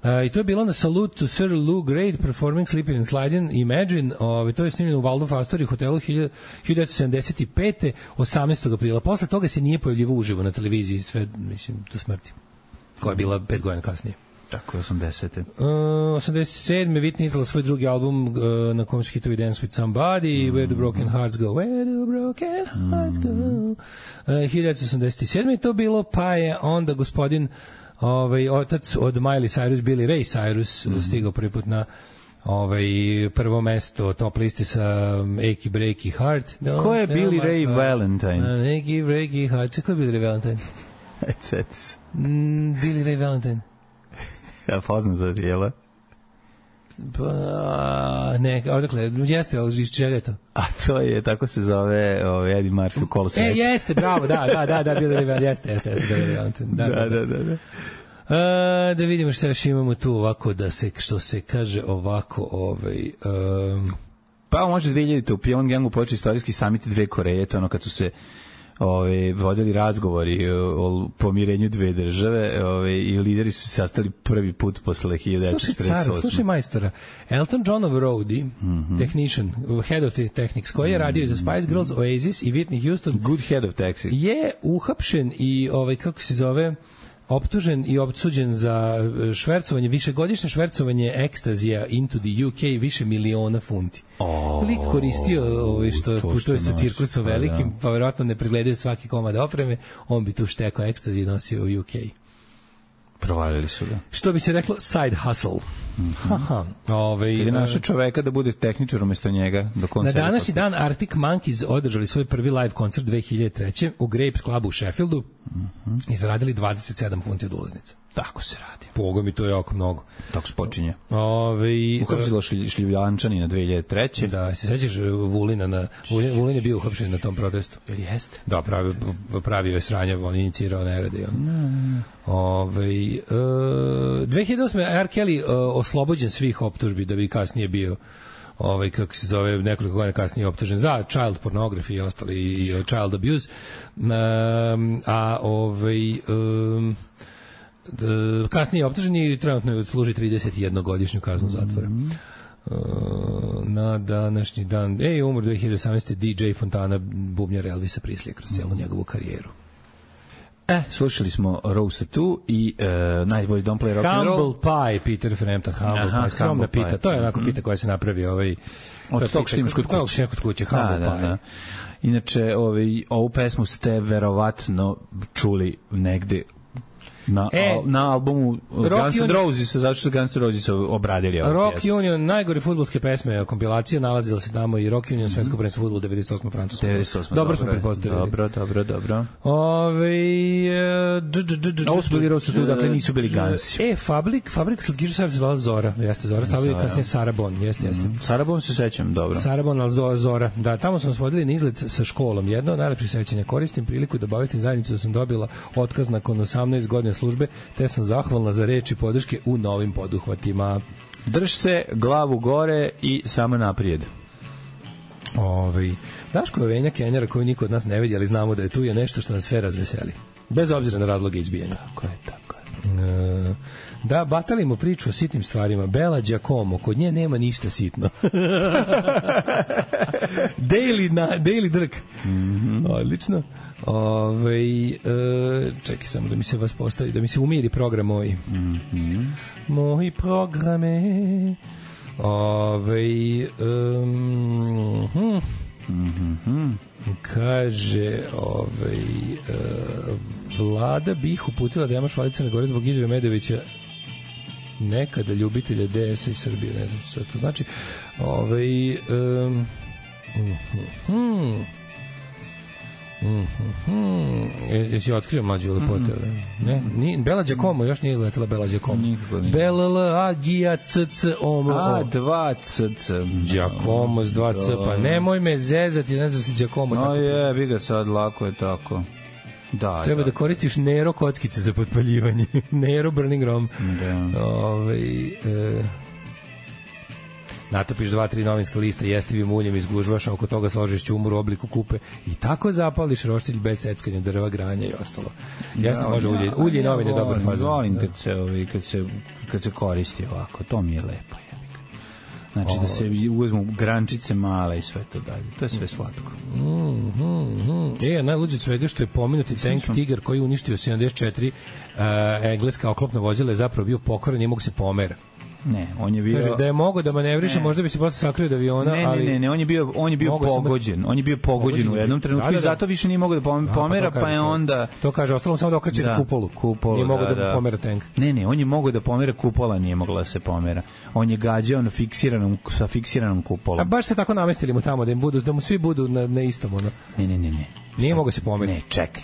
uh, I to je bilo na Salute to Sir Lou Grade performing Sleeping and Sliding Imagine. Ove, to je snimljeno u Waldorf Astoria hotelu hiljadu devetsto sedamdeset pete. osamnaestog aprila. Posle toga se nije pojavljivao uživo na televiziji sve, mislim, do smrti. Koja je bila pet godina kasnije. Tako je, osamdesete. Uh, osamdeset sedme. Whitney izdala svoj drugi album uh, na kom su hitovi Dance with Somebody, mm. Where the Broken Hearts Go, Where the Broken Hearts Go. Uh, hiljadu devetsto osamdeset sedme. je to bilo, pa je onda gospodin ovaj, otac od Miley Cyrus, Billy Ray Cyrus, mm. stigao prvi put na ovaj, prvo mesto top listi sa Achy Breaky Heart. Don't Ko je Billy Ray heart. Valentine? Uh, Achy Breaky Heart. Ko je Billy Ray Valentine? mm, Billy Ray Valentine. Ja poznam to, jel? Pa, ne, odakle, jeste, ali iz čega je to? A to je, tako se zove ovaj, Eddie Murphy u Kolo sreće. E, jeste, bravo, da, da, da, da, Billy Ray Valentine, jeste, jeste, jeste, Billy Ray Valentine. Da, da, da, da. da. A, da vidimo šta još imamo tu ovako, da se, što se kaže ovako, ovaj... Um... Pa može dve hiljadite u Pyongyangu počeo istorijski samit dve Koreje, to ono kad su se ove, vodili razgovori o pomirenju dve države ove, i lideri su se sastali prvi put posle hiljadu devetsto četrdeset osme. Slušaj, slušaj majstora, Elton Johnov roadie, mm-hmm. technician, head of technics, koji je radio za Spice Girls, Oasis i Whitney Houston. Good head of technics. Je uhapšen i, ovaj, kako se zove, optužen i opsuđen za švercovanje, višegodišnje švercovanje ekstazija into the U K, više miliona funti. Oh, lik koristio ovaj, što putuje sa cirkusom velikim, pa, pa verovatno ne pregledaju svaki komad opreme, on bi tu štekao ekstazije i nosio u U K. Provalili su ga. Što bi se reklo, side hustle. Mm-hmm. Haha. Ove, Kad je našao čoveka da bude tehničar umjesto njega. Na današnji dan Arctic Monkeys održali svoj prvi live koncert dve hiljade treće. u Grapes Clubu u Sheffieldu. Mm-hmm. I zaradili dvadeset sedam funti od ulaznica. Tako se radi. Boga mi, to je jako mnogo. Tako se počinje. Ove, uhapsilo šljivančani na dve hiljade treće. Da, se sećaš Vulina na Vulin, Vulin je bio uhapšen na tom protestu. Ili jeste? Da, pravio, pravio je sranje, on inicirao nerede. On. Mm. Ove, uh, dve hiljade osme. R. Kelly uh, oslobođen svih optužbi da bi kasnije bio ovaj, kako se zove, nekoliko godina kasnije optužen za child pornography i ostali i, i child abuse. Um, a ovaj um, d, kasnije je optužen i trenutno služi trideset jednu godišnju kaznu zatvora. Mm-hmm. Uh, na današnji dan, ej, umro dve hiljade osamnaeste. D J Fontana, bubnjar Elvisa Presley kroz cijelu njegovu karijeru. E, slušali smo Rose tu i uh, najbolji Don't Play Rock and Roll. Humble Pie, Peter Frampton, Humble Aha, Pie, skromna pita. Pie. To je onako pita koja se napravi ovaj... Od tog što imaš kod kuće. Kod kuće, Humble da, Pie. Da, da. Inače, ovaj, ovu pesmu ste verovatno čuli negde na, e, al, na albumu Guns N' Roses, zato što su Guns N' Roses obradili ovu Rock pjesmu. Union, najgore fudbalske pesme, kompilacija, nalazila se tamo i Rock Union, svetsko prvenstvo fudbala devedeset osme. Francusko. devedeset osme. Dobro smo pretpostavili. Dobro, dobro, dobro. Ove, ovo su bili Rose tu, dakle nisu bili Gansi. E, Fabrik, Fabrik slatkiša se zvala Zora, jeste Zora, stavili kasnije Sarabon, jeste, jeste. Mm, Sarabon se sećam, dobro. Sarabon, ali Zora, da, tamo smo nas vodili na izlet sa školom. Jedno od najlepših sećanja, koristim priliku da obavestim zajednicu da sam dobila otkaz nakon osamnaest godina službe, te sam zahvalna za reči podrške u novim poduhvatima. Drž se, glavu gore i samo naprijed. Ovaj Daško Venja Kenjera koju niko od nas ne vidi, ali znamo da je tu je nešto što nas sve razveseli. Bez obzira na razloge izbijanja. Tako je, tako je. E, da, batalimo priču o sitnim stvarima. Bela Giacomo, kod nje nema ništa sitno. daily, na, daily drk. Mm-hmm. Odlično. Ove, e, čekaj samo da mi se vas postavi, da mi se umiri program moj. Mm-hmm. Moji programe. Ove, um, hm. Mm-hmm. Kaže, ovaj, e, Vlada bih uputila da Jamaš Vladi Crne Gore zbog izjave Medovića nekada ljubitelja D S-a i Srbije, ne znam što to znači. Ovaj, um, mm-hmm. Mm-hmm. Jesi otkrio mlađu lepote? Mm-hmm. Ne? Ni, Bela Giacomo, još nije letela Bela Giacomo. Bela L, A, Gija, C, C, O, M, O. A, dva C, C. Giacomo s dva C, pa nemoj me zezati, ne znam si Giacomo. No je, bi ga sad, lako je tako. Da, Treba da, da koristiš Nero kockice za potpaljivanje. Nero Burning Rom. Da. Ove, e, natopiš dva, tri novinska lista jestivim uljem, izgužvaš, a oko toga složiš ćumur u obliku kupe i tako zapališ roštilj bez seckanja drva, granja i ostalo. Jeste, Da, može ja, ulje. Ulje i novin je ja dobar volim, fazon. Volim Da. kad se, ovi, kad, se, kad se koristi ovako, to mi je lepo. Znači da se uzmu grančice male i sve to dalje. To je sve slatko. Mm, mm, mm. E, najluđe od svega što je pomenuti tank Tiger koji je uništio sedamdeset četiri uh, engleska oklopna vozila je zapravo bio pokvaran, nije mogu se pomera. Ne, on je bio... Kaže, da je mogao da manevriše, Ne. možda bi se posle sakrio od aviona, ne, ali... Ne, ne, ne, on je bio, on je bio Mogu sam da- pogođen. On je bio pogođen, Pogođen u je jednom bio. trenutku Da, da, i da. zato više nije mogao da pom- A, pa pomera, to pa, kaže je čovjek. onda... To kaže, ostalo samo da okreće Da, kupolu. kupolu, Nije mogao da, da, da. pomera tank. Ne, ne, on je mogao da pomera, kupola nije mogla da se pomera. On je gađao na fiksiranom, sa fiksiranom A kupolom. baš se tako namestili mu tamo da im budu, da mu svi budu na, na istom, ono. Ne, ne, ne, ne. Nije mogao se pomeriti. Ne, čekaj.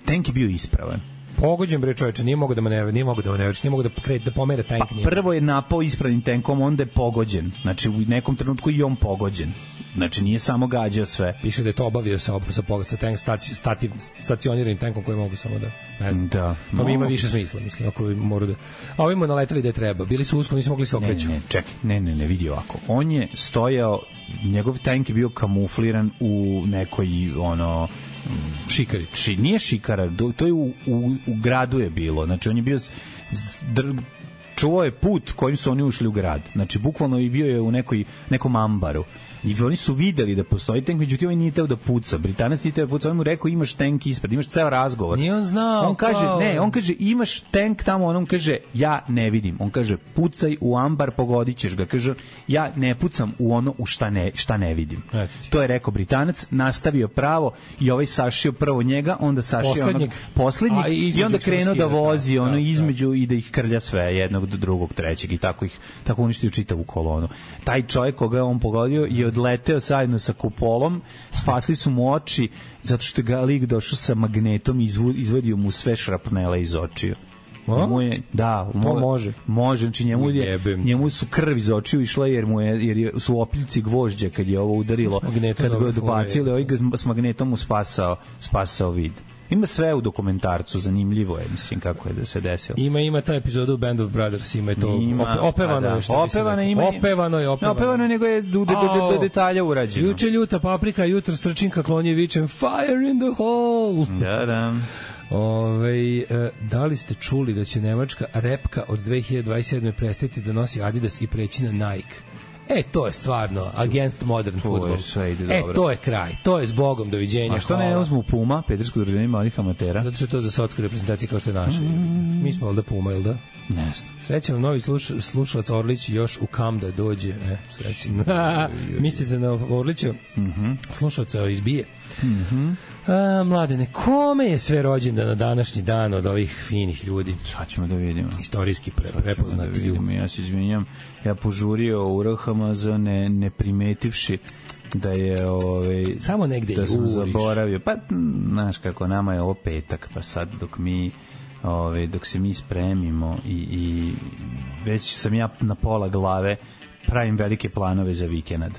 Tank je bio ispravan. Pogođen bre čoveče, nije mogao da manevri, nije mogao da manevri, nije mogao da krene da pomera tank. Pa nije. prvo je napao ispravnim tenkom, onda je pogođen. Znači u nekom trenutku i on pogođen. Znači nije samo gađao sve. Piše da je to obavio sa sa sa, sa tank staci, stati, stacioniranim tankom koji mogu samo da ne znam. Da. To mi ima No. više smisla, mislim, ako bi morao da. A ovim mu naleteli da je treba. Bili su usko, nisu mogli se Ne, okreću. ne, čekaj, ne, ne, ne, vidi ovako. On je stojao, njegov tank je bio kamufliran u nekoj, ono, Šikari. ši, nije šikara, do- to je u, u, u gradu je bilo. Znači, on je bio, s- s- dr, čuvao je put kojim su oni ušli u grad. Znači, bukvalno je bio je u nekoj, nekom ambaru. I oni su videli da postoji tank, međutim on nije teo da puca. Britanac nije teo da puca, on mu rekao imaš tank ispred, imaš ceo razgovor. Nije on znao. On kaže, kao- ne, on kaže imaš tank tamo, on kaže ja ne vidim. On kaže pucaj u ambar, pogodit ćeš ga. Kaže ja ne pucam u ono u šta ne, šta ne vidim. Eto ti. To je rekao Britanac, nastavio pravo i ovaj sašio prvo njega, onda sašio Poslednjeg. onog poslednjeg A, i i, između onda krenuo da skida, vozi da, ono da, između i da ih krlja sve, jednog do drugog, trećeg i tako ih tako uništio čitavu kolonu. Taj čovjek koga je on pogodio je odleteo zajedno sa kupolom, spasli su mu oči zato što je ga lik došao sa magnetom i izvu- izvadio mu sve šrapnele iz očiju. A? Njemu je, da, mu, može. Može, znači njemu, je, Ujebem. njemu su krv iz očiju išla jer mu je, jer je, su opiljci gvožđa kad je ovo udarilo, S magnetom kad ga dobro odbacili, fore. ovaj ga s magnetom mu spasao, spasao vid. Ima sve u dokumentarcu, zanimljivo je, mislim, kako je da se desilo. Ima ima ta epizoda u Band of Brothers, ima je to Ima, ope, opevano pa da. je što bi se Opevano reklo. ima- opevano je Ne, opevano. opevano je, nego je do, do, do, do detalja urađeno. Juče ljuta paprika, jutro strčinka klonje vičem fire in the hole. Da, da. Ove, e, da li ste čuli da će nemačka repka od dve hiljade dvadeset sedme prestati da nosi Adidas i preći na Nike? E, to je stvarno against modern To je football. sve ide E, dobro. to je kraj. To je zbogom, doviđenja. A što ne hvala. uzmu Puma, Pedersko udruženje malih amatera? Zato što je to za sotsku reprezentaciju kao što je naša. Mi smo valjda Puma, jel da? Ne znam. Srećan vam novi sluš, slušalac Orlić još u kam da dođe. E, srećan. Mislite na Orlića? Mhm. Slušalca izbije. A, mladene, kome je sve rođendan na današnji dan od ovih finih ljudi? Sad ćemo da vidimo. Istorijski pre, Sad ćemo da prepoznati ljudi. vidimo. Ja se izvinjam. Ja požurio u R H M Z ne, ne primetivši da je ovaj Samo negde da sam juriš. zaboravio. Pa m, znaš kako nama je ovo petak, pa sad dok mi ovaj dok se mi spremimo i, i već sam ja na pola glave pravim velike planove za vikend.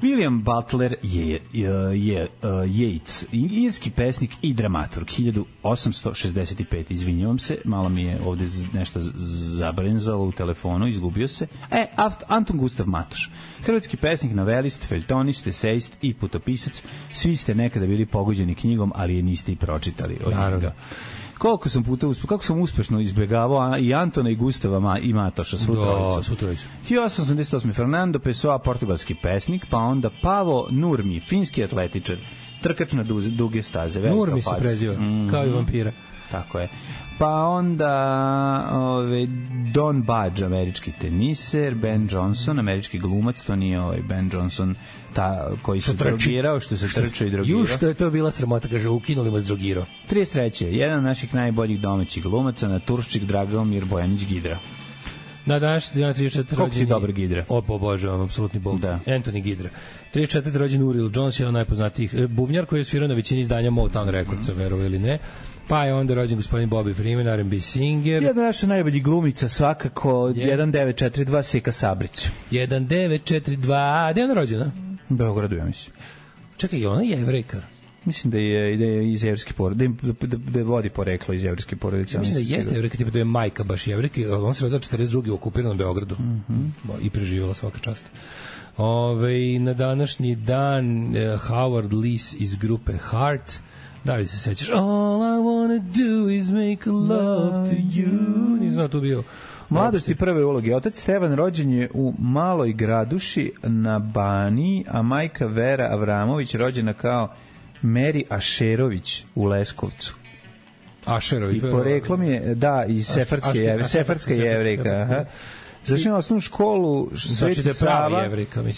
William Butler je, je, je uh, Yeats, irski pesnik i dramaturg, hiljadu osamsto šezdeset pete. Izvinjavam se, malo mi je ovde z- nešto z- zabrenzalo u telefonu, izgubio se. E, Aft, Anton Gustav Matoš, hrvatski pesnik, novelist, feljtonist, esejist i putopisac. Svi ste nekada bili pogođeni knjigom, ali je niste i pročitali od Naravno. njega. Koliko sam puta uspe, kako sam uspešno izbegavao a, i Antona i Gustava ma, i Matoša, svu Da, trojicu. svu trojicu. hiljadu osamsto osamdeset osme. Fernando Pessoa, portugalski pesnik, pa onda Pavo Nurmi, finski atletičar, trkač na duze, duge staze. velika Nurmi se faca. preziva, Mhm. kao i vampira. Tako je. Pa onda ove, Don Budge, američki teniser, Ben Johnson, američki glumac, to nije ovaj Ben Johnson ta, koji se trči. drogirao, što se trčao i drogirao. Ju, što je to bila sramota, kaže, ukinuli mu s drogiro. trideset treće. Jedan od naših najboljih domaćih glumaca, naturščik Dragomir Bojanić Gidra. Na današnji dan trideset četvrti Koliko si rođeni- dobar Gidra? O, obožavam, apsolutni bog. Da. Anthony Gidra. trideset četvrti rođen Uriel Jones, jedan od najpoznatijih e, bubnjar koji je svirao na većini izdanja Motown Recordsa, verovo ili ne. Pa je onda rođen gospodin Bobby Freeman, R and B singer. Jedna naša najboljih glumica svakako, Je. jedan devet četiri dva Seka Sabrić. jedan devet četiri dva, gde je ona rođena? U Beogradu, ja mislim. Čekaj, je ona jevrejka? Mislim da je, da je iz jevrejske porodice, da, da, da vodi poreklo iz jevrejske porodice. Ja mislim da jeste jevrejka, tipa da je majka baš jevrejka, on se rodila četrdeset druge u okupiranom Beogradu mm-hmm. i preživjela svaka čast. Ove, na današnji dan uh, Howard Leese iz grupe Heart. Da li se sećaš? All I wanna do is make love to you. Nisam tu bio. Mladosti prve uloge. Otac Stevan rođen je u Maloj Graduši na Baniji, a majka Vera Avramović rođena kao Meri Ašerović u Leskovcu. Ašerović. I poreklom je, da, iz Sefarske jevrejka. Sefarska jevrejka, završio na osnovnu školu Sveti Sava,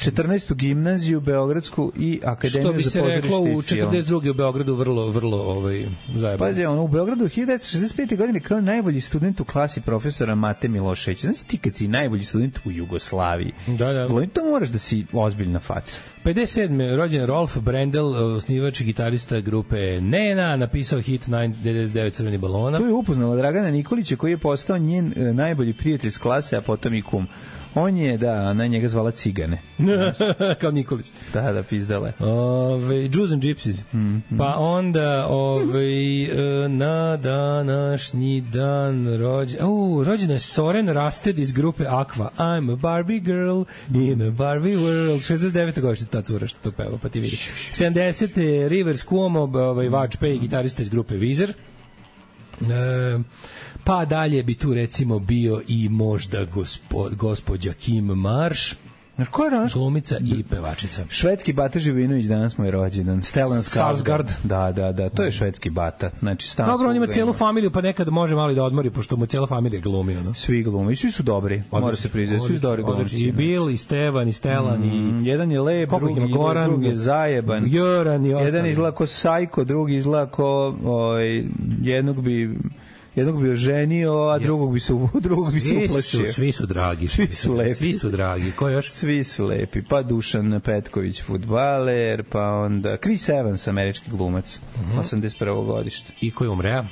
četrnaestu gimnaziju Beogradsku i Akademiju za pozorište i film. Što bi se reklo u četrdeset druge u Beogradu vrlo, vrlo ovaj, zajebano. Pazi, ono, u Beogradu hiljadu devetsto šezdeset pete. godine kao najbolji student u klasi profesora Mate Miloševića. Znaš ti kad si najbolji student u Jugoslaviji? Da, da. To moraš da si ozbiljna faca. pedeset sedme rođen Rolf Brendel, osnivač i gitarista grupe Nena, napisao hit devedeset devet Crveni balona. Tu je upoznala Dragana Nikolića koji je postao njen e, najbolji prijatelj s klase, a potom i kum. On je, da, na njega zvala Cigane. Kao Nikolić. Da, da, pizdale. Ove, Jews and Gypsies. Mm-hmm. Pa onda ove, na današnji dan rođen... Uh, rođena je Soren Rasted iz grupe Aqua. I'm a Barbie girl in a Barbie world. šezdeset devete godište ta cura što to peva, pa ti vidi. sedamdesete Rivers Cuomo, ovaj, vač pe i gitarista iz grupe Weezer. E, pa dalje bi tu recimo bio i možda gospo, gospođa Kim Marsh, glumica i pevačica. Švedski Bata Živinović danas mu je rođendan. Stellan Skarsgård. Da, da, da, to je švedski Bata. Znači, stan. Dobro, on ima celu familiju, pa nekad može malo da odmori, pošto mu cela familija glumi, ono. Svi glumi, svi su dobri. Mora se priznati, svi su dobri glumci. I Bill, i Stevan, i Stellan, mm, i jedan je lep, drugi, Goran, drugi je zajeban. Joran i ostali. Jedan izgleda ko Sajko, drugi izgleda ko, ovaj, jednog bi jednog bi oženio, a drugog bi se drugog bi se uplašio. Svi su dragi, svi su lepi. Svi su dragi. Ko još? Svi su lepi. Pa Dušan Petković, fudbaler, pa onda Chris Evans, američki glumac, mm-hmm. osamdeset prvo godište. I ko je umreo?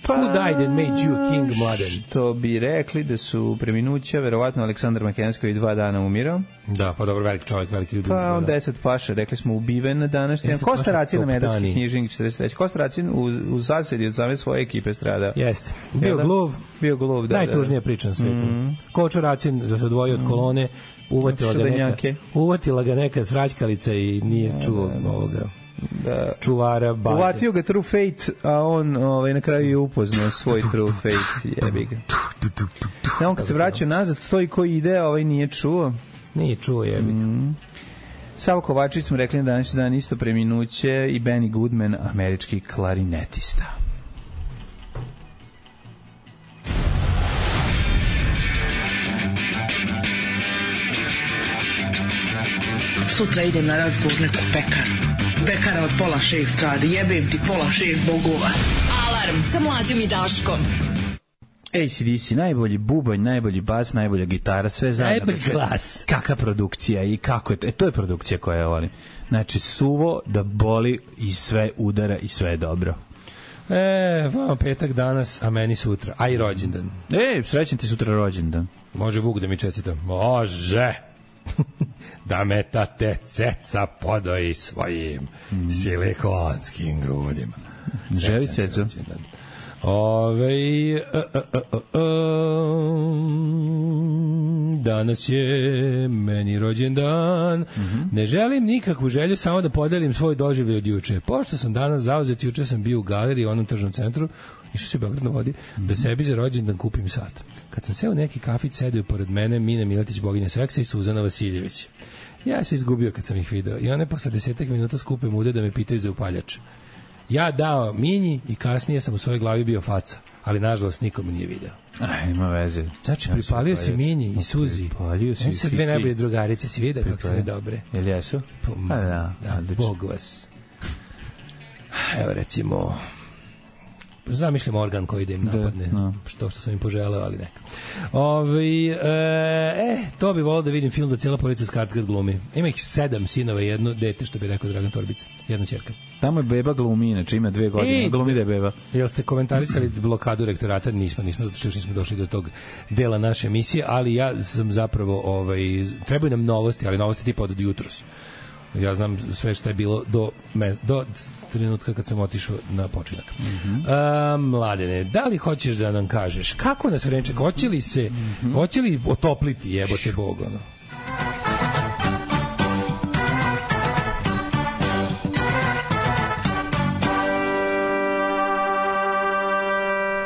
Pa, who died and made you a king, mladen? Što bi rekli da su preminuća, verovatno Aleksandar Makedonski dva dana umirao. Da, pa dobro, veliki čovjek, veliki ljudi. Pa on deset paša, rekli smo ubiven na današnji. Kosta Racin na Medački knjižnik četrdeset treće. Kosta Racin u, u zasedi od same svoje ekipe strada. Jeste. Bio gluv. Bio gluv, da. Najtužnija priča na svetu. Mm-hmm. Kočo Racin za se odvojio od kolone, uvatila ga neka, uvatila ga neka sraćkalica i nije čuo da, ovoga. Da. Čuvara baze. Uvatio ga True Fate, a on ovaj, na kraju je upoznao svoj True Fate. Jebi ga. Ja, on kad se vraćao nazad, stoji koji ide, ovaj nije čuo. Nije čuo, jebi ga. Mm. Savo Kovačić smo rekli na današnji dan isto preminuće i Benny Goodman, američki klarinetista. Sutra idem na razgovor neku pekaru. Pekara od pola šest radi, jebem ti pola šest bogova. Alarm sa Mlađom i Daškom. A C D C, najbolji bubanj, najbolji bas, najbolja gitara, sve zajedno. Najbolji glas. Kakva produkcija i kako je to? E, to je produkcija koja je volim. Znači, suvo da boli i sve udara i sve je dobro. E, vama petak danas, a meni sutra. A i rođendan. E, srećan ti sutra rođendan. Može Vuk da mi čestita? Može. Da me tate ceca podoji svojim mm. silikonskim grudima. Želi cecu? Ove, a, a, a, a, danas je meni rođendan. Mm-hmm. Ne želim nikakvu želju, samo da podelim svoj doživljaj od juče. Pošto sam danas zauzet, juče sam bio u galeriji u onom tržnom centru, išao se u Beograd na vodi, mm-hmm. da sebi za rođendan kupim sat. Kad sam seo u neki kafić, sedio pored mene Mina Miletić, boginja seksa, i Suzana Vasiljević. Ja se izgubio kad sam ih video i one posle desetak minuta skupe mude da me pitaju za upaljač. Ja dao Minji i kasnije sam u svojoj glavi bio faca, ali nažalost nikom nije video. Aj, ima veze. Znači, ja pripalio si Minji i Suzi. Pripalio si su dve najbolje drugarice, si vidio kako su ne dobre. Jel jesu? Pa, A, da, da Bog vas. Evo recimo... zamišljam organ koji da im napadne, da, no. što što sam im poželeo, ali neka. Ovi, e, e, to bi volio da vidim film da cijela porodica Skarsgård glumi. Ima ih sedam sinova i jedno dete, što bi rekao Dragan Torbica. Jedna ćerka. Tamo je beba glumi, inače ima dve godine, e, glumi da je beba. Jel ste komentarisali blokadu rektorata? Nismo, nismo, zato što još nismo došli do tog dela naše emisije, ali ja sam zapravo, ovaj, trebaju nam novosti, ali novosti tipa od jutros. Ja znam sve što je bilo do, me, do trenutka kad sam otišao na počinak. Mm-hmm. A, Mladene, da li hoćeš da nam kažeš kako nas vreme čeka? Hoće li se, mm-hmm. hoće li otopliti, jebote Bog, ono?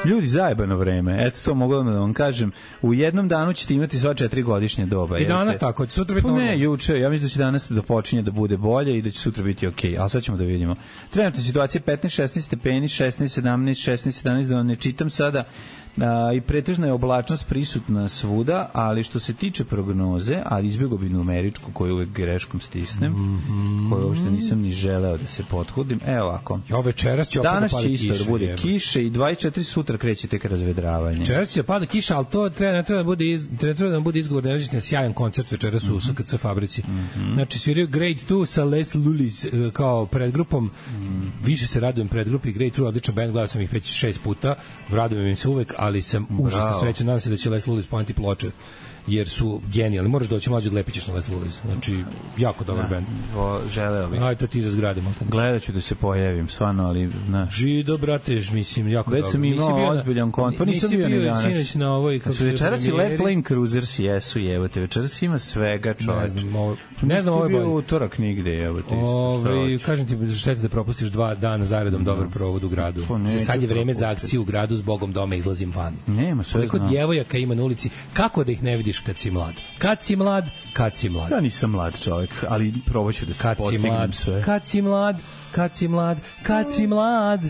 Ljudi, zajebano vreme. Eto, to mogu da vam kažem. U jednom danu ćete imati sva četiri godišnje doba. I danas jel tako, će sutra biti normalno? Ne, juče. Ja mislim da će danas da počinje da bude bolje i da će sutra biti okej. Okay. Ali sad ćemo da vidimo. Trenutna situacija petnaest šesnaest stepeni, šesnaest sedamnaest, šesnaest sedamnaest, da vam ne čitam sada. A, i pretežna je oblačnost prisutna svuda, ali što se tiče prognoze, ali izbjegao bi numeričku koju uvek greškom stisnem, mm-hmm. koju uopšte nisam ni želeo da se pothudim. Evo ovako. Ja, večeras će danas opet će isto da bude kiše i dvadeset četiri sutra kreće tek razvedravanje. Večeras će pada kiša, ali to treba, ne treba da bude, iz, treba da bude izgovor da nećete sjajan koncert večeras u mm-hmm. S K C fabrici. Mm-hmm. Znači, sviraju Grade dva sa Les Lulis kao predgrupom. Mm-hmm. Više se radujem predgrupi. Grade dva, odličan band, gledao sam ih već šest puta. Radujem im se uvek, ali sam užasno srećan, nadam se da će Les Lulis poneti ploče, jer su genijalni. Moraš doći mlađe, lepi ćeš na Les Lulis. Znači, jako dobar band. Želeo bih. Aj, to ti za zgrade. Gledat ću da se pojavim, stvarno, ali... Znaš. Žido, brate, mislim, jako dobro. Već sam imao ozbiljan kontakt, nisam bio ni danas. Nisi bio na ovoj... Znači, večeras i Left Lane Cruisers jesu, jebote, večeras ima svega, čovječ. Ne znam, ovo, ne znam, ovo je bolje. Bio utorak nigde, jebote. Ove, kažem ti, štete da propustiš dva dana zaredom dobar provod u gradu. Sad je vreme za akciju u gradu, s Bogom doma izlazim van. Nema, sve znam. Koliko djevojaka ima na ulici, kako da ih ne vidiš kad si mlad? Kad si mlad, kad si mlad. Ja nisam mlad čovjek, ali probat ću da se postignem sve. Kad si mlad, kad si mlad, kad si mlad.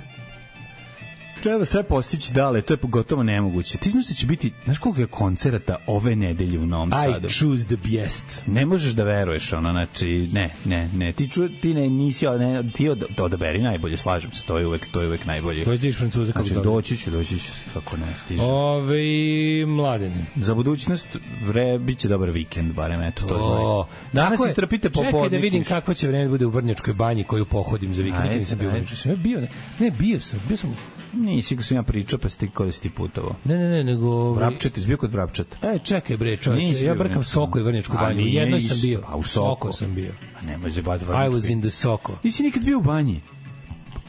Treba sve postići dale, to je gotovo nemoguće. Ti znaš da će biti, znaš koliko je koncerata ove nedelje u Novom Sadu? I choose the best. Ne možeš da veruješ, ono, znači, ne, ne, ne, ti, ču, ti ne, nisi, ne, ti od, odaberi najbolje, slažem se, to je uvek, to je uvek najbolje. To je tiš Francuza kako znači, doći ću, doći ću, kako ne, stižem. Ove, Mladeni. Za budućnost, vre, bit će dobar vikend, barem, eto, to znaju. Danas se strpite po podniku. Čekaj da vidim kakvo će vreme bude u Vrnjačkoj banji koju pohodim za vikend. Nisam bio, ne, bio, ne, bio sam, bio sam. Nisi ko sam ja pričao, pa si ti kod si ti putovao. Ne, ne, ne, nego... Vrapčet, izbio kod Vrapčeta. E, čekaj bre, čovječe, ja brkam Soko i Vrnjačku banju. Jednoj sam bio. A u Soko sam bio. A nemoj zebati Vrnjačku. I was in the Soko. Nisi nikad bio u banji?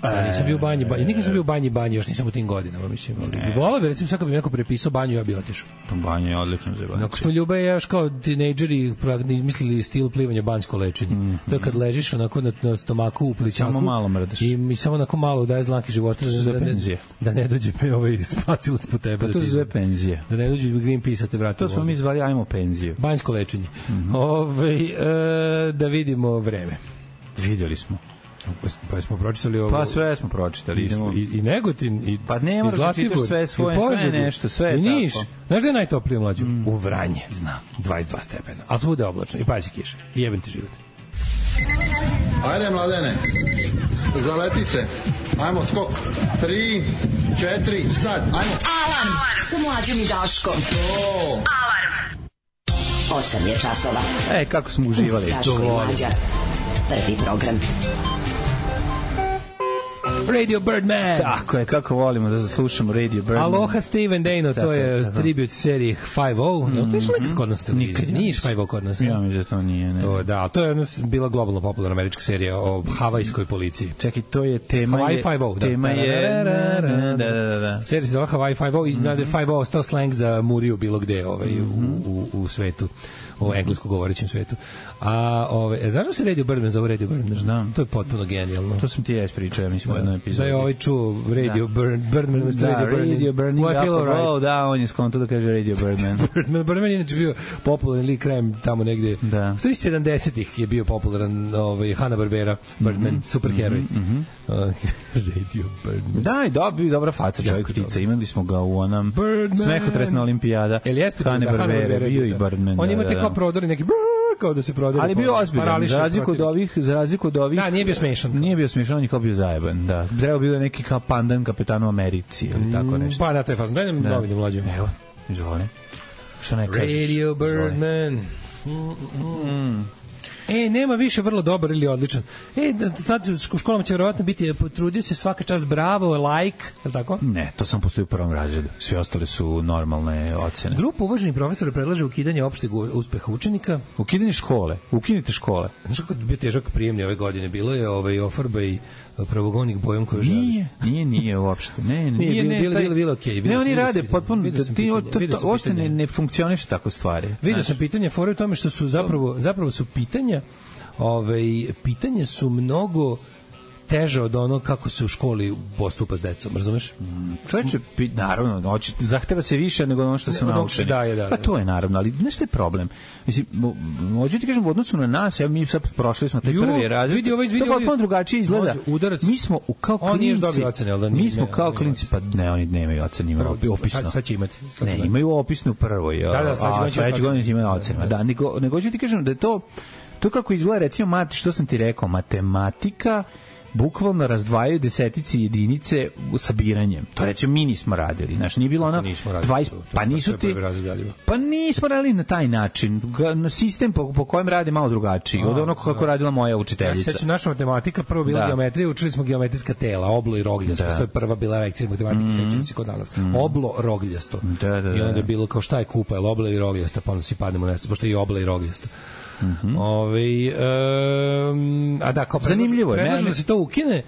Ja nisam bio u banji, banji. Nikad sam bio u banji, banji, još nisam u tim godinama, mislim. Volao bi, recimo, sad kad bi neko prepisao banju, ja bi otišao. Banja je odlično za banju. Nakon smo Ljube i ja još kao tinejdžeri izmislili stil plivanja banjsko lečenje. Mm-hmm. To je kad ležiš onako na, na stomaku u plićaku. Samo malo mrdaš. I mi samo onako malo daje znaki života. Da, da, ne, da ne dođe pe ovaj spacilac po tebe. Pa to da je za penzije. Da ne dođe Greenpeace, te vrati. To smo mi zvali, ajmo penziju. Banjsko lečenje. Mm-hmm. Ove, e, da vidimo vreme. Vidjeli smo. Pa smo pročitali ovo. Pa sve smo pročitali. Idemo. I, i Negotin, i pa ne moraš da čitaš sve svoje, sve nešto, sve je i Niš. Tako. Znaš da je najtoplije mlađu? Mm. U Vranje. Znam. dvadeset dva stepena. Ali svuda je oblačno. I pađe kiša. I jebem ti život. Ajde, Mladene. Zaleti se. Ajmo, skok. Tri, četiri, sad. Ajmo. Alarm sa Mlađom i Daškom. To. Alarm. Osam je časova. E, kako smo uživali. Daško i Mlađa. Prvi program. Radio Birdman. Tako je, kako volimo da slušamo Radio Birdman. Aloha Steven Dano, to je tako, tribute seriji five oh. Mm-hmm. To je što nekad kod nas televizije. Nije five oh kod nas. Ja mi da to nije. Ne. To, da, to je bila globalno popularna američka serija o havajskoj policiji. Čekaj, to je tema Hawaii je... five oh. Tema da, je... Da, da, da. Serija se zvala Hawaii five oh i mm-hmm. five oh ostao slang za Muriju bilo gde ovaj, mm-hmm. u, u, u svetu. U englesko govorećem svetu. A ove, znaš da se Radio Birdman zove Radio Birdman? Znam. To je potpuno genijalno. To sam ti ja ispričao, ja mislim u jednom epizodu. Da je ovaj čuo Radio da. Bird, Birdman umesto da, Radio Birdman. Radio Birdman. I feel alright. Oh, da, on je skonto da kaže Radio Birdman. Birdman, Birdman je inače bio popularan lik krajem tamo negde. Da. U stvari sedamdesetih je bio popularan ovaj, Hanna-Barbera, Birdman, mm-hmm. superheroj. Mm-hmm. Uh, Radio Birdman. Da, i da, bio dobra faca čovjek ptica. Imali smo ga u onom smehotresna olimpijada. Hanna-Barbera, bio i Birdman. On ima te kao prodori neki kao da se prodaje. Ali bio ozbiljan, za razliku od ovih, za razliku od ovih. Da, nije bio smešan. Nije bio smešan, on je kao bio zajeban, da. Trebao bio neki kao pandan kapetanu Americi ili tako nešto. Pa da, to je fazno. Daj nam novine mlađe. Evo, izvoli. Što ne kažeš? Radio Birdman. E, nema više vrlo dobar ili odličan. E, sad u školama će verovatno biti potrudio se svaka čast, bravo, like, je li tako? Ne, to sam postoji u prvom razredu. Svi ostali su normalne ocene. Grupa uvaženih profesora predlaže ukidanje opšteg uspeha učenika. Ukidanje škole. Ukinite škole. Znaš kako je bio težak prijemni ove godine? Bilo je ovaj ofarba i pravogonik bojom koju želiš. Nije, nije, nije uopšte. Ne, nije, nije, ne, bilo, taj, bilo, bilo, okej. Ne, oni rade potpuno, ti uopšte ne, ne funkcioniš tako stvari. Vidio sam pitanje, fora u tome što su zapravo, zapravo su pitanja, ovaj, pitanja su mnogo teže od ono kako se u školi postupa s decom, razumeš? Mm, čovječe, naravno, hoće, zahteva se više nego ono što su ne, naučeni. Da, je, da, pa to je naravno, ali znaš što je problem? Mislim, hoću ti kažem, u odnosu na nas, ja, mi sad prošli smo taj prvi razred, vidi, ovaj, vidi, to potpuno drugačije izgleda. Udarac, mi smo u kao klinci, ocene, da mi smo ne, kao klinci, pa ne, oni nemaju ocene, imaju opisno. Sad, sad će imati. Sad ne, imaju opisno u prvoj, da, da, a sledeće godine imaju ocene. Da, nego, nego hoću ti kažem da je to, to kako izgleda, recimo, mat, što sam ti rekao, matematika, bukvalno razdvajaju desetici jedinice sabiranjem. To recimo mi nismo radili. Znaš, nije bilo ono dvadeset, pa nisu ti pa nismo radili na taj način. Na sistem po, po kojem rade malo drugačiji. Od onog kako radila moja učiteljica. Ja sećam, naša matematika, prvo bila geometrija, učili smo geometrijska tela, oblo i rogljasto. To je prva bila lekcija matematike, mm-hmm. sećam se kod danas. Mm-hmm. Oblo, rogljasto. Da, da, da. I onda je bilo kao šta je kupa, je oblo ili rogljasto, pa onda svi padnemo na pošto je i oblo i rogljasto. Mm-hmm. Ove, um, a da, kao zanimljivo je, predlažu da se to ukine,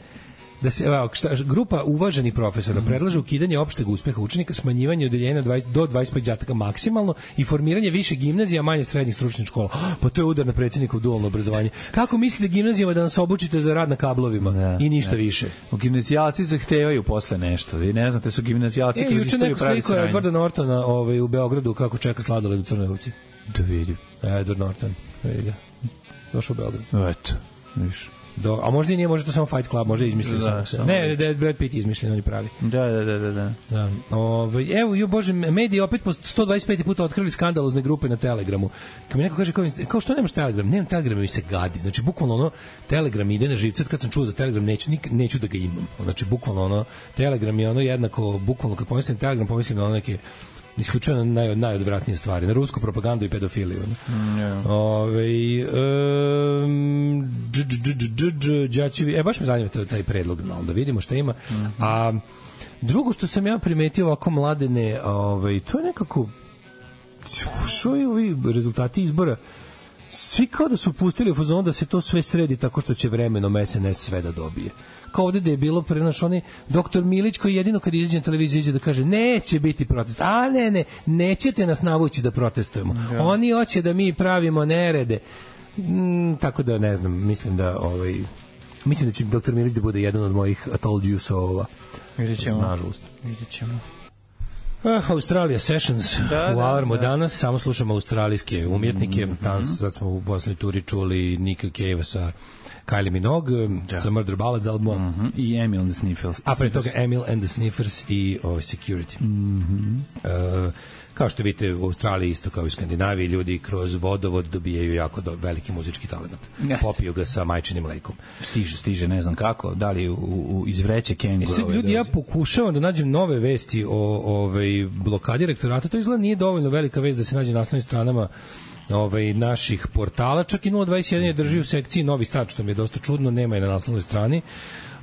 da se, evo, šta, grupa uvaženih profesora mm-hmm. predlaže ukidanje opšteg uspeha učenika, smanjivanje odeljenja dvadeset do dvadeset pet đaka maksimalno i formiranje više gimnazija, manje srednjih stručnih škola. Pa to je udar na predsjednikov dualno obrazovanje. Kako mislite gimnazijama da nas obučite za rad na kablovima da, i ništa da. više? U gimnazijalci zahtevaju posle nešto. Vi ne znate, su gimnazijalci e, koji istoriju pravi sranje. E, juče neko sliko Edwarda Nortona ovaj, u Beogradu kako čeka sladoled u Crnoj Ovci. Da vidim. Edward Norton. Vidi ga. Došao u Beograd. Eto, viš. Do, a možda i nije, možda to samo Fight Club, možda je izmišljen da, samo. Ne, da je Brad Pitt izmišljen, on je pravi. Da, da, da, da. da. Ove, evo, jo bože, mediji opet po sto dvadeset peti puta otkrili skandalozne grupe na Telegramu. Kad mi neko kaže, kao, kao što nemaš Telegram? Nemam Telegram, mi se gadi. Znači, bukvalno ono, Telegram ide na živce, kad sam čuo za Telegram, neću, nik, neću da ga imam. Znači, bukvalno ono, Telegram je ono jednako, bukvalno kad pomislim Telegram, pomislim na ono neke isključeno naj, najodvratnije stvari, na rusku propagandu i pedofiliju. Yeah. Ove, um, dž, dž, dž, dž, džačevi, e, baš me zanima taj predlog, malo da vidimo šta ima. Mm-hmm. A drugo što sam ja primetio ovako mladene, ovaj, to je nekako što je ovi rezultati izbora, svi kao da su pustili u fazonu da se to sve sredi tako što će vremenom es en es sve da dobije. Kao ovde da je bilo prenaš oni doktor Milić koji jedino kad izađe na televiziju izađe da kaže neće biti protest. A ne, ne, nećete nas navući da protestujemo. Ja. Oni hoće da mi pravimo nerede. Mm, tako da ne znam, mislim da ovaj mislim da će doktor Milić da bude jedan od mojih I told you so-ova. Vidjet ćemo. Nažalost. Vidjet ćemo. Uh, Australia Sessions da, u Alarmu da, da. Danas samo slušamo australijske umjetnike. Mm-hmm. Danas sad smo u posljednjoj turi čuli Nika Cave sa Kylie Minogue, da. Sa Murder Ballads albumom mm-hmm. i Emil and the Sniffers. A pre toga Emil and the Sniffers i oh, Security. Mm-hmm. Uh, kao što vidite u Australiji isto kao i u Skandinaviji ljudi kroz vodovod dobijaju jako do, veliki muzički talent. Yes. Popiju ga sa majčinim mlekom. Stiže, stiže, ne znam kako, da li u, u iz vreće Kengu. E sad ljudi, ja pokušavam da nađem nove vesti o ovaj blokadi rektorata, to izgleda nije dovoljno velika vest da se nađe na naslovnim stranama ovaj naših portala, čak i nula dvadeset jedan je drži u sekciji Novi Sad, što mi je dosta čudno, nema je na naslovnoj strani.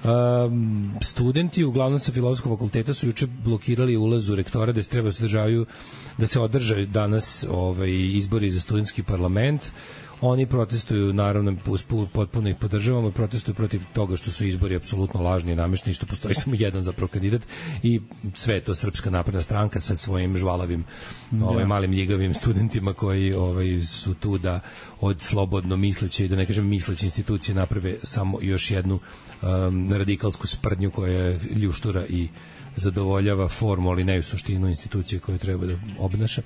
Um, studenti uglavnom sa filozofskog fakulteta su juče blokirali ulaz u rektora da se treba sadržavaju da se održaju danas ovaj izbori za studentski parlament. Oni protestuju, naravno, potpuno ih podržavamo, protestuju protiv toga što su izbori apsolutno lažni i namešteni, što postoji samo jedan zapravo kandidat i sve je to Srpska napredna stranka sa svojim žvalavim, ovaj, malim ljigavim studentima koji ovaj, su tu da od slobodno misleće i da ne kažem misleće institucije naprave samo još jednu um, radikalsku sprdnju koja je ljuštura i zadovoljava formu, ali ne u suštinu institucije koje treba da obnaša.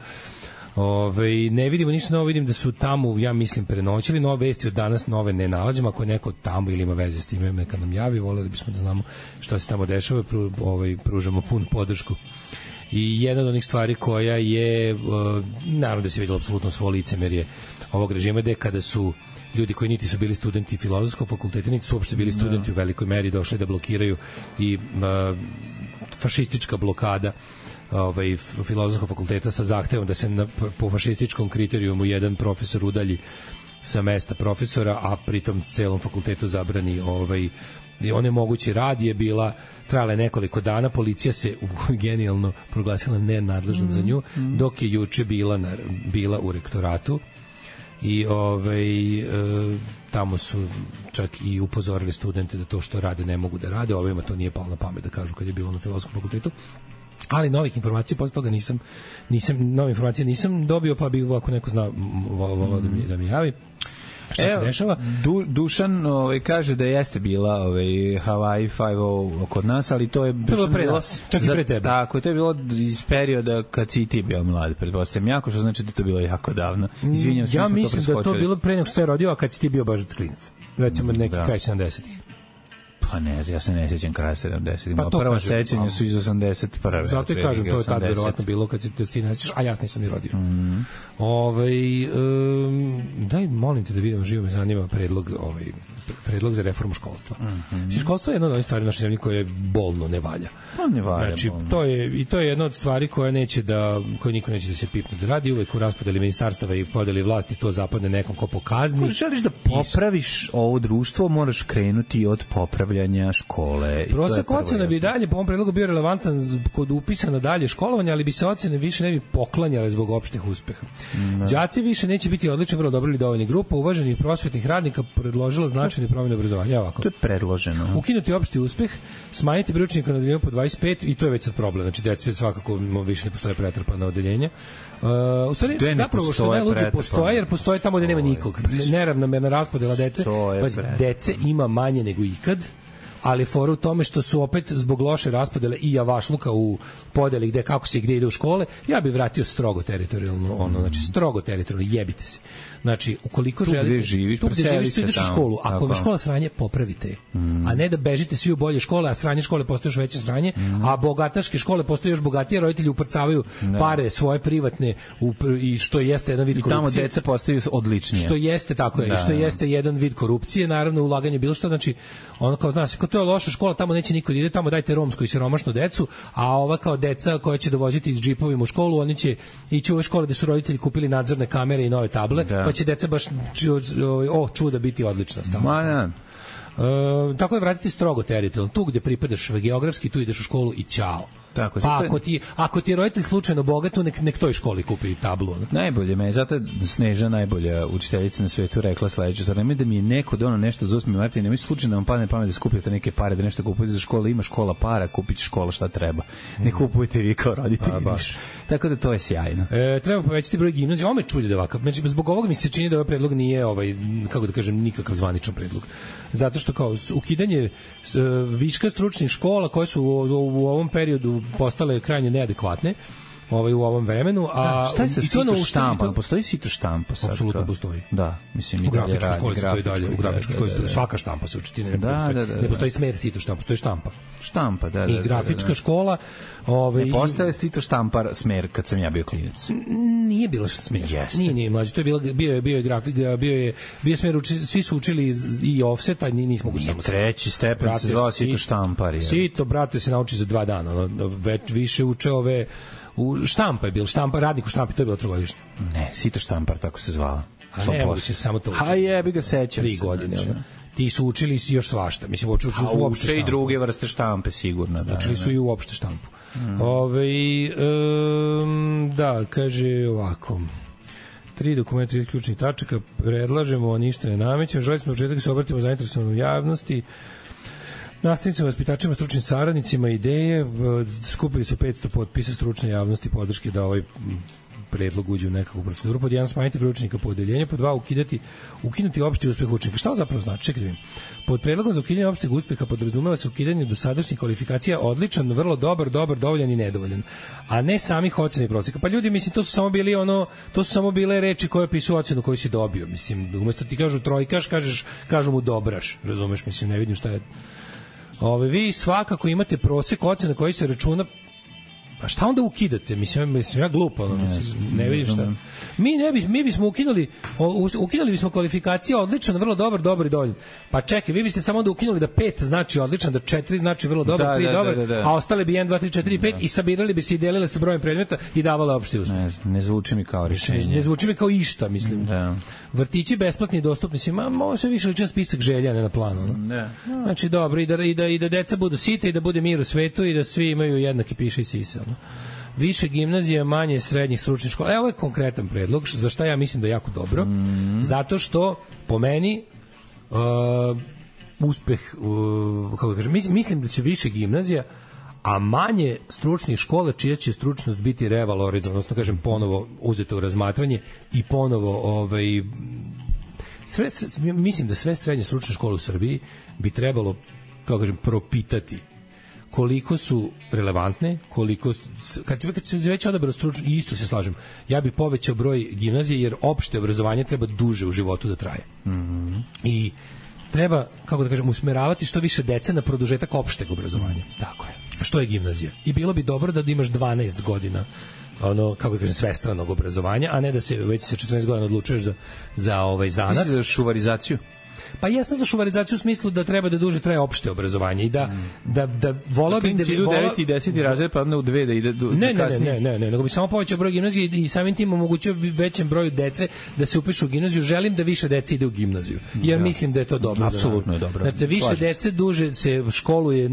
Ove, ne vidimo ništa novo, vidim da su tamo, ja mislim, prenoćili nove vesti od danas, nove ne nalazimo, ako je neko tamo ili ima veze s time, neka nam javi, voleli bismo da znamo šta se tamo dešava, pru, ovaj, pružamo pun podršku. I jedna od onih stvari koja je, uh, naravno da se vidjelo apsolutno svo licemerje ovog režima, da je kada su ljudi koji niti su bili studenti filozofskog fakulteta, niti su uopšte bili studenti u velikoj meri došli da blokiraju i uh, fašistička blokada ovaj filozofskog fakulteta sa zahtevom da se na, po fašističkom kriterijumu jedan profesor udalji sa mesta profesora, a pritom celom fakultetu zabrani ovaj onemogući rad, je bila trajala je nekoliko dana, policija se genijalno proglasila nenadležnom mm. za nju, dok je juče bila na, bila u rektoratu i ovaj e, tamo su čak i upozorili studente da to što rade ne mogu da rade, ovima to nije palo na pamet da kažu kad je bilo na Filozofskom fakultetu. Ali novih informacija posle toga nisam nisam nove informacije nisam dobio, pa bih ako neko zna voleo da mi da mi javi. Šta Evo, se dešava? Du, Dušan ovaj, kaže da jeste bila ovaj, Hawaii Five-O kod nas, ali to je bilo pre nas, čak i pre tebe. Tako, to je bilo iz perioda kad si ti bio mlad, pretpostavljam jako, što znači da to bilo jako davno. Izvinjam se, ja mislim to da to bilo pre nego što se rodio, a kad si ti bio baš klinac. Recimo neki da. Kraj sedamdesetih. Pa ne, ja se ne sjećam kraja sedamdesetih. Pa prva sećanja su iz osamdeset prve. Zato i kažem, to je tad verovatno bilo kad se ti ne sjećaš, a ja nisam ni rodio. Mm. Ovaj um, daj, molim te da vidimo, živo me zanima predlog, ovaj, predlog za reformu školstva. Mm -hmm. Školstvo je jedna od ovih stvari u našoj zemlji koje bolno ne valja. Pa ne valja. Znači, to je, i to je jedna od stvari koja neće da, koje niko neće da se pipne da radi, uvek u raspodeli ministarstava i podeli vlasti to zapadne nekom ko pokazni. Ako želiš da popraviš ovo društvo, moraš krenuti od popravljanja škole. Prosek ocena bi dalje po ovom predlogu bio relevantan kod upisa na dalje školovanje, ali bi se ocene više ne bi poklanjale zbog opštih uspeha. Mm. Đaci više neće biti odlični, vrlo dobro ili dovoljni. Grupa uvaženih prosvetnih radnika predložila značajne promene obrazovanja. Ovako. To je predloženo. Ukinuti opšti uspeh, smanjiti broj učenika na odeljenju po dvadeset pet i to je već sad problem. Znači, dece svakako više ne postoje pretrpana odeljenja. Uh, u stvari, zapravo što najluđe postoje, jer postoje tamo gde nema nikog. Neravnomerna raspodela dece. Dece ima manje nego ikad, ali fora u tome što su opet zbog loše raspodele i javašluka u podeli gde kako se gde ide u škole, ja bih vratio strogo teritorijalno, ono, znači strogo teritorijalno, jebite se. Znači, ukoliko želite, gde živiš, tu gde živiš, tu ideš u školu. Ako je škola sranje, popravite. Mm. A ne da bežite svi u bolje škole, a sranje škole postoje još veće sranje, mm. a bogataške škole postoje još bogatije, roditelji uprcavaju ne. pare svoje privatne u, i što jeste jedan vid korupcije. I tamo deca postaju odličnije. Što jeste, tako je, da, i što jeste jedan vid korupcije, naravno ulaganje bilo što, znači, ono kao, znaš, ako to je loša škola, tamo neće niko da ide, tamo dajte romsku i siromašnu decu, a ova kao deca koja će dovoziti iz džipovima u školu, oni će ići u ove škole gde su roditelji kupili nadzorne kamere i nove table, da. Pa će deca baš o čuda biti odlična stavka. Ma ja. E, tako je vratiti strogo teritorijalno. Tu gde pripadaš geografski, tu ideš u školu i ćao. Tako, pa ako ti, ako ti je roditelj slučajno bogat, nek, nek toj školi kupi tablu. Ne? Najbolje me, zato je Sneža najbolja učiteljica na svetu rekla sledeću stvar, nemoj da mi je neko dono nešto za usmi Martin, nemoj slučajno da vam padne pamet da skupite neke pare, da nešto kupujete za školu, ima škola para, kupite škola šta treba. Ne kupujete vi kao roditelji. Tako da to je sjajno. E, treba povećati broj gimnazija. Ovo me čudi da ovakav. Znači, zbog ovoga mi se čini da ovaj predlog nije, ovaj, kako da kažem, nikakav zvaničan predlog. Zato što kao ukidanje uh, viška stručnih škola koje su u, u, u ovom periodu postale krajnje neadekvatne, ovaj u ovom vremenu, a da, šta je sa sito štampa? To... Postoji sito štampa sad? Apsolutno postoji. Da, mislim i u grafičkoj školi stoji dalje, u grafičkoj školi stoji svaka štampa se uči, ne, da, da, da, ne postoji smer sito štampa, postoji štampa. Štampa, da, da. I grafička da, da. škola, ovaj ne postaje sito štampar smer kad sam ja bio klinac. Nije bilo smer. Jeste. Nije, nije mlađi, to je bilo bio je bio je grafik, bio je bio smer uči, svi su učili i ofset, a nismo mogli samo treći stepen se zvao sito štampar. Sito, brate, se nauči za dva dana, ono, već više uče ove u štampa je bil, štampa, radnik u štampi, to je bilo trogodišnje. Ne, sito štampar, tako se zvala. A ne, moguće samo to učiti. A jebi ga, sećam Tri godine, znači. Ti su učili si još svašta. Mislim, uči, uči, u uopšte štampu. I druge vrste štampe, sigurno. Da, učili su i u uopšte štampu. Mm. Ove, um, da, kaže ovako. Tri dokumenta, tri ključnih tačaka, predlažemo, a ništa ne namećemo. Želi smo početak da se obratimo zainteresovanom javnosti, nastavnicima, vaspitačima, stručnim saradnicima ideje. Skupili su petsto potpisa stručne javnosti podrške da ovaj predlog uđe u nekakvu proceduru. Pod jedan, smanjiti broj učenika po odeljenju, pod dva, ukidati, ukinuti opšti uspeh učenika. Šta ovo zapravo znači? Čekaj da vidim. Pod predlogom za ukidanje opšteg uspeha podrazumeva se ukidanje dosadašnjih kvalifikacija odličan, vrlo dobar, dobar, dovoljan i nedovoljan, a ne samih ocena i proseka. Pa ljudi, mislim, to su samo bili ono, to su samo bile reči koje opisuju ocenu koju si dobio. Mislim, umesto ti kažu trojkaš, kažeš, kažu mu dobraš. Razumeš? Mislim, ne vidim šta je. Ove, vi svakako imate prosek ocena koji se računa. A šta onda ukidate? Mislim, mislim ja glupo, ono, mislim, ne vidim šta. Mi ne bi, mi bismo ukinuli, ukinuli bismo kvalifikacije odličan, vrlo dobar, dobar i dovoljan. Pa čekaj, vi biste samo da ukinuli da pet znači odličan, da četiri znači vrlo dobar, da, tri da, dobar, da, da, da. a ostale bi jedan, dva, tri, četiri, pet i sabirali bi se i delile sa brojem predmeta i davale opšti uspeh. Ne, ne zvuči mi kao rješenje. Ne, ne zvuči mi kao išta, mislim. Da. Vrtići besplatni i dostupni, mislim, ma može se više ličan spisak želja, ne na planu. No? Ne. Znači, dobro, i da, i, da, i da deca budu sita i da bude mir u svetu i da svi imaju jednaki piše i sisa. No? Više gimnazija, manje srednjih stručnih škola. E, ovo je konkretan predlog, za šta ja mislim da je jako dobro. Mm. Zato što, po meni, uh, uspeh, uh, kako da kažem, mislim, mislim da će više gimnazija, a manje stručnih škola čija će stručnost biti revalorizovana, odnosno kažem ponovo uzeta u razmatranje i ponovo ovaj, sve, sve, mislim da sve srednje stručne škole u Srbiji bi trebalo, kako kažem, propitati koliko su relevantne, koliko kad se kad se već odabrao stručno, isto se slažem. Ja bih povećao broj gimnazije jer opšte obrazovanje treba duže u životu da traje. Mm-hmm. I treba, kako da kažem, usmeravati što više dece na produžetak opšteg obrazovanja. Tako je. Što je gimnazija. I bilo bi dobro da imaš dvanaest godina ono, kako da kažem, svestranog obrazovanja, a ne da se već sa četrnaest godina odlučuješ za, za ovaj zanat. Ti si za šuvarizaciju? Pa ja sam za šuvarizaciju u smislu da treba da duže traje opšte obrazovanje i da mm. da da volao bih da bi u devet i deset razred pa onda u dve da ide do ne, ne, ne, ne, ne, ne, nego bi samo povećao broj gimnazije i samim tim omogućio većem broju dece da se upišu u gimnaziju. Želim da više dece ide u gimnaziju. Jer ja. mislim da je to dobro. Apsolutno je dobro. Znači više Slažim dece duže se školuje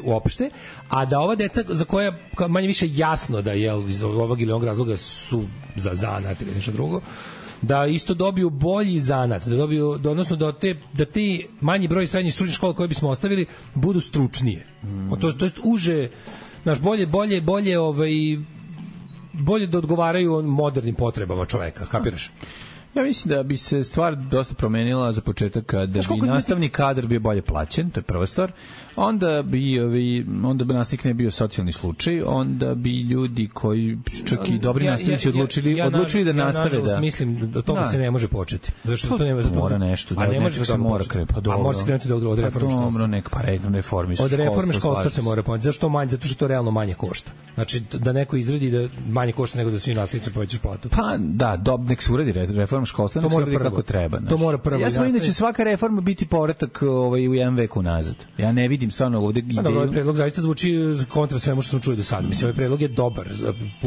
uopšte, a da ova deca za koja manje više jasno da je iz ovog ili onog razloga su za zanat ili nešto drugo, da isto dobiju bolji zanat, da dobiju, da, odnosno da te, da ti manji broj srednjih stručnih škola koje bismo ostavili budu stručnije. Mm. To, to jest uže, naš bolje, bolje, bolje, ovaj, bolje da odgovaraju modernim potrebama čoveka, kapiraš? Ja mislim da bi se stvar dosta promenila za početak kada bi nastavni kadar bio bolje plaćen, to je prva stvar. Onda bi ovi onda bi nastavnik ne bio socijalni slučaj, onda bi ljudi koji čak i dobri ja, nastavnici ja, odlučili ja, ja, odlučili da ja, nastave da. Mislim da toga da. se ne može početi. Zato što to nema za to. Mora nešto, da, ne može da mora krenuti. Pa dobro. A mora se krenuti od, od reforme školstva. Dobro, nek pa redno reformi školstva. Od reforme školstva se mora početi. Zašto manje? Zato što to realno manje košta. Znači da neko izradi da manje košta nego da svi nastavnici povećaju platu. Pa da, dob nek se uradi reforma školstva, to mora kako treba. To mora prvo. Ja sam inače svaka reforma biti povratak ovaj u jedan vek unazad. Ja ne vidim stvarno ovde ideju. Dobro, ovaj predlog zaista zvuči kontra svemu što smo čuli do sada. Mislim, ovaj predlog je dobar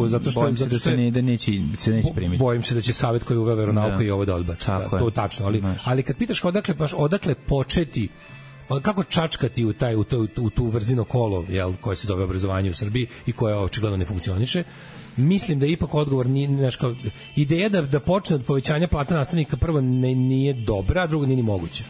zato što bojim se da se ne da neće se neće primiti. Bojim se da će savet koji uveo veronauku i ovo da odbaci. To je tačno, ali ali kad pitaš odakle baš odakle početi, kako čačkati u taj u to u tu vrzino kolo, jel, koje se zove obrazovanje u Srbiji i koje očigledno ne funkcioniše. Mislim da je ipak odgovor nije, znaš, kao, ideja da, da počne od povećanja plata nastavnika prvo ne, nije dobra, a drugo nije ni moguće.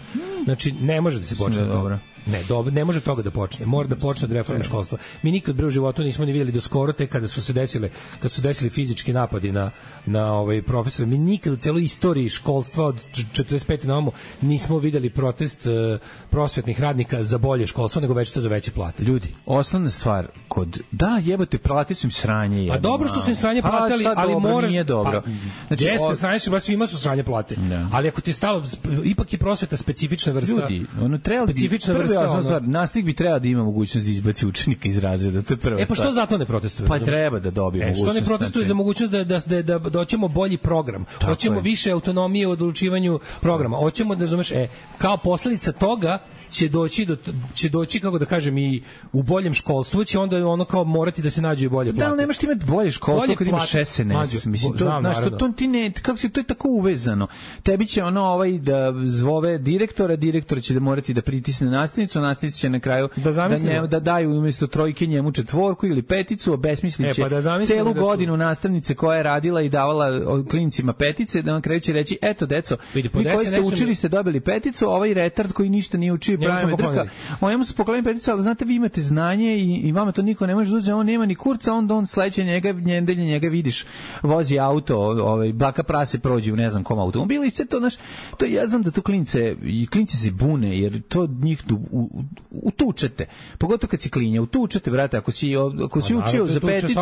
Znači, ne može da se počne od toga. Ne, dobro, ne može toga da počne. Mora da počne od reforme školstva. Mi nikad bre u životu nismo ni videli do skoro, tek kada su se desile, kad su desili fizički napadi na na ovaj profesora. Mi nikad u celoj istoriji školstva od četrdeset pete na ovamo nismo videli protest uh, prosvetnih radnika za bolje školstvo, nego već to za veće plate. Ljudi, osnovna stvar kod da jebote plate su im sranje jebno. A dobro što su im sranje platili, pa, ali moraš nije dobro. Pa, znači, jeste od... sranje su baš svima su sranje plate. Da. Ali ako ti je stalo, ipak je prosveta specifična vrsta. Ljudi, ono treba specifična vrsta. Osnovna stvar, nastavnik bi trebao da ima mogućnost da izbaci učenika iz razreda, to je prva stvar. E pa što zato ne protestuju? Pa treba da dobije e, mogućnost. Što ne protestuju znači... za mogućnost da da da da doćemo bolji program. Tako hoćemo je. Više autonomije u odlučivanju programa. Hoćemo da razumeš, e, kao posledica toga će doći do će doći kako da kažem i u boljem školstvu će onda ono kao morati da se nađe i bolje plate. Da, ali nemaš ti imati bolje školstvo bolje kad imaš S N S. Mislim to znam, znaš, to, to ti ne kako se to je tako uvezano. Tebi će ono ovaj da zvove direktora, direktor će da morati da pritisne nastavnicu, nastavnica će na kraju da, da, njemu, da daju umjesto trojke njemu četvorku ili peticu, obesmisliće e, pa da celu da godinu su... nastavnice koja je radila i davala klincima petice, da na kraju će reći eto deco, vidi, vi koji ste učili ste dobili peticu, ovaj retard koji ništa nije učio pravi drka. Njemu su poklonili peticu, ali znate vi imate znanje i, i vama to niko ne može da uzme, on nema ni kurca, onda on sledeće njega, njedelje njega vidiš, vozi auto, ovaj, baka prase prođe u ne znam kom automobilu i sve to, znaš, to ja znam da to klince, i klinci se bune, jer to njih u, u, utučete, pogotovo kad si klinja, utučete, brate, ako si, ako si učio za peticu,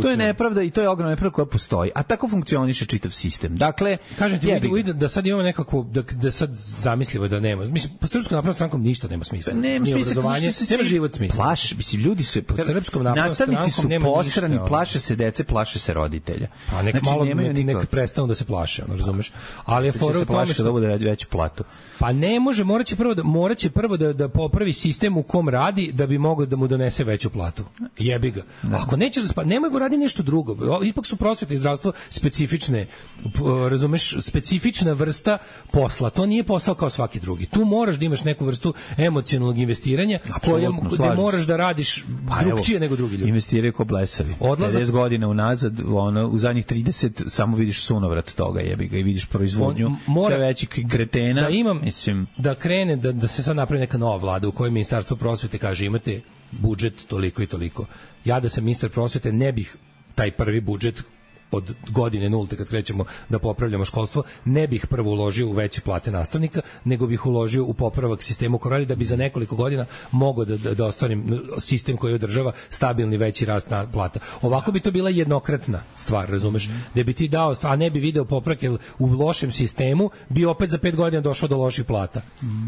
to je nepravda i to je ogromna nepravda koja postoji, a tako funkcioniše čitav sistem. Dakle, kažete mi da sad imamo nekako, da, da sad zamislimo da nema, mislim, po srpsku naprednom strankom ništa nema smisla. Nema ni smisla, obrazovanje, se nema život smisla. Plaš, mislim, ljudi su, Srpskom naprednom nastavnici su nema posrani, ništa, plaše se dece, plaše se roditelja. Pa nek Znači, malo nemaju nek, nikog. nek prestanu da se plaše, ono, razumeš? Ali je Će fora se u tome plaše što da bude veću platu. Pa ne može, moraće prvo da moraće prvo da da popravi sistem u kom radi da bi mogao da mu donese veću platu. Jebi ga. Ako nećeš da spa, nemoj da radi nešto drugo. O, ipak su prosveta i zdravstvo specifične, p- razumeš, specifična vrsta posla. To nije posao kao svaki drugi. Tu moraš da imaš neku vrstu emocionalnog investiranja koje gde moraš da radiš Pa drugčije evo, nego drugi ljudi. Investiraju ko blesavi. Odlazak- pedeset godina unazad, ono, u zadnjih trideset samo vidiš sunovrat toga, jebi ga, i vidiš proizvodnju On mora- sve većih kretena. Da imam, mislim, da krene, da, da se sad napravi neka nova vlada u kojoj ministarstvo prosvete kaže imate budžet toliko i toliko. Ja da sam ministar prosvete ne bih taj prvi budžet od godine nulte kad krećemo da popravljamo školstvo, ne bih prvo uložio u veće plate nastavnika, nego bih uložio u popravak sistema u korali da bi za nekoliko godina mogao da, da, da ostvarim sistem koji održava stabilni veći rast na plata. Ovako bi to bila jednokratna stvar, razumeš? Da bi ti dao, a ne bi video popravak, jer u lošem sistemu bi opet za pet godina došao do loših plata.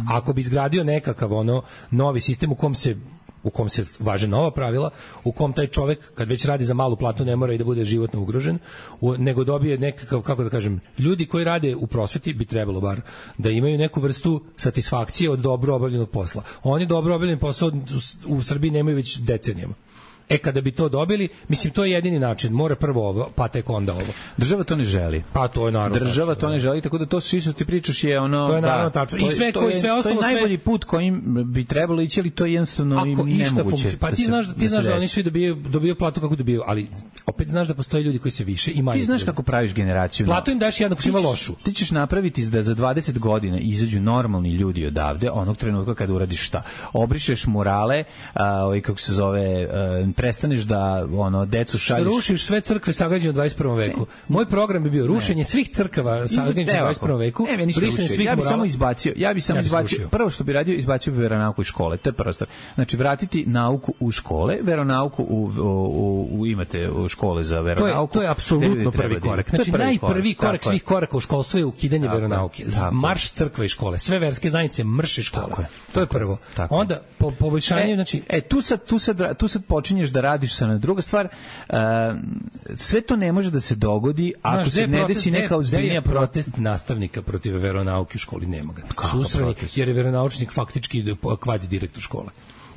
Ako bi izgradio nekakav ono novi sistem u kom se u kom se važe nova pravila, u kom taj čovek kad već radi za malu platu ne mora i da bude životno ugrožen, u, nego dobije nekakav, kako da kažem, ljudi koji rade u prosveti bi trebalo bar da imaju neku vrstu satisfakcije od dobro obavljenog posla. Oni dobro obavljen posao u, u Srbiji nemaju već decenijama. E, kada bi to dobili, mislim, to je jedini način. Mora prvo ovo, pa tek onda ovo. Država to ne želi. Pa to je naravno. Država tačno, to ne želi, tako da to svi što ti pričaš je ono... To je naravno da, tačno. I to je- sve, to koji, je- sve ostalo, To je sve- najbolji put kojim bi trebalo ići, ali to je jednostavno Ako i išta nemoguće. funkcionira, pa da ti se- znaš da ti da se znaš da oni desi. svi dobijaju dobijaju platu kako dobijaju, ali opet znaš da postoje ljudi koji se više i manje. Ti znaš trude. kako praviš generaciju. Platu im daš jednako, Ti ima ćeš- lošu. Ti ćeš napraviti da za dvadeset godina izađu normalni ljudi odavde, onog trenutka kada uradiš šta? Obrišeš murale, a, ovaj, kako se zove, a, prestaneš da ono, decu šalješ... Srušiš sve crkve sagrađene u dvadeset prvom veku. Moj program bi bio rušenje svih crkava sagrađenih u Evo dvadeset prvom veku. Ne, ništa brisanje rušio. svih Ja bih murala. samo izbacio, ja bih samo Ja bih izbacio. srušio. Prvo što bi radio, izbacio bi veronauku iz škole. To je prva stvar. Znači vratiti nauku u škole, veronauku u, u, u, u imate u škole za To je, veronauku. to je apsolutno Gde treba prvi da ide. korak. To je Znači, prvi najprvi korak tako je. svih koraka u školstvu je ukidanje Tako je, veronauke. tako je. Marš crkve i škole. Sve verske zajednice mrše škole. Tako je, To je prvo. tako je. Onda, po, poboljšanje, E, znači... e tu sad tu sad tu sad počinješ da radiš sa na druga stvar. Uh, sve to ne može da se dogodi ako Znaš, se gde je ne protest- desi gde je- neka gde je ozbiljnija protest nastavnika protiv veronauke u školi, nema ga. Susrani, protest? jer je veronaučnik faktički kvazi direktor škole.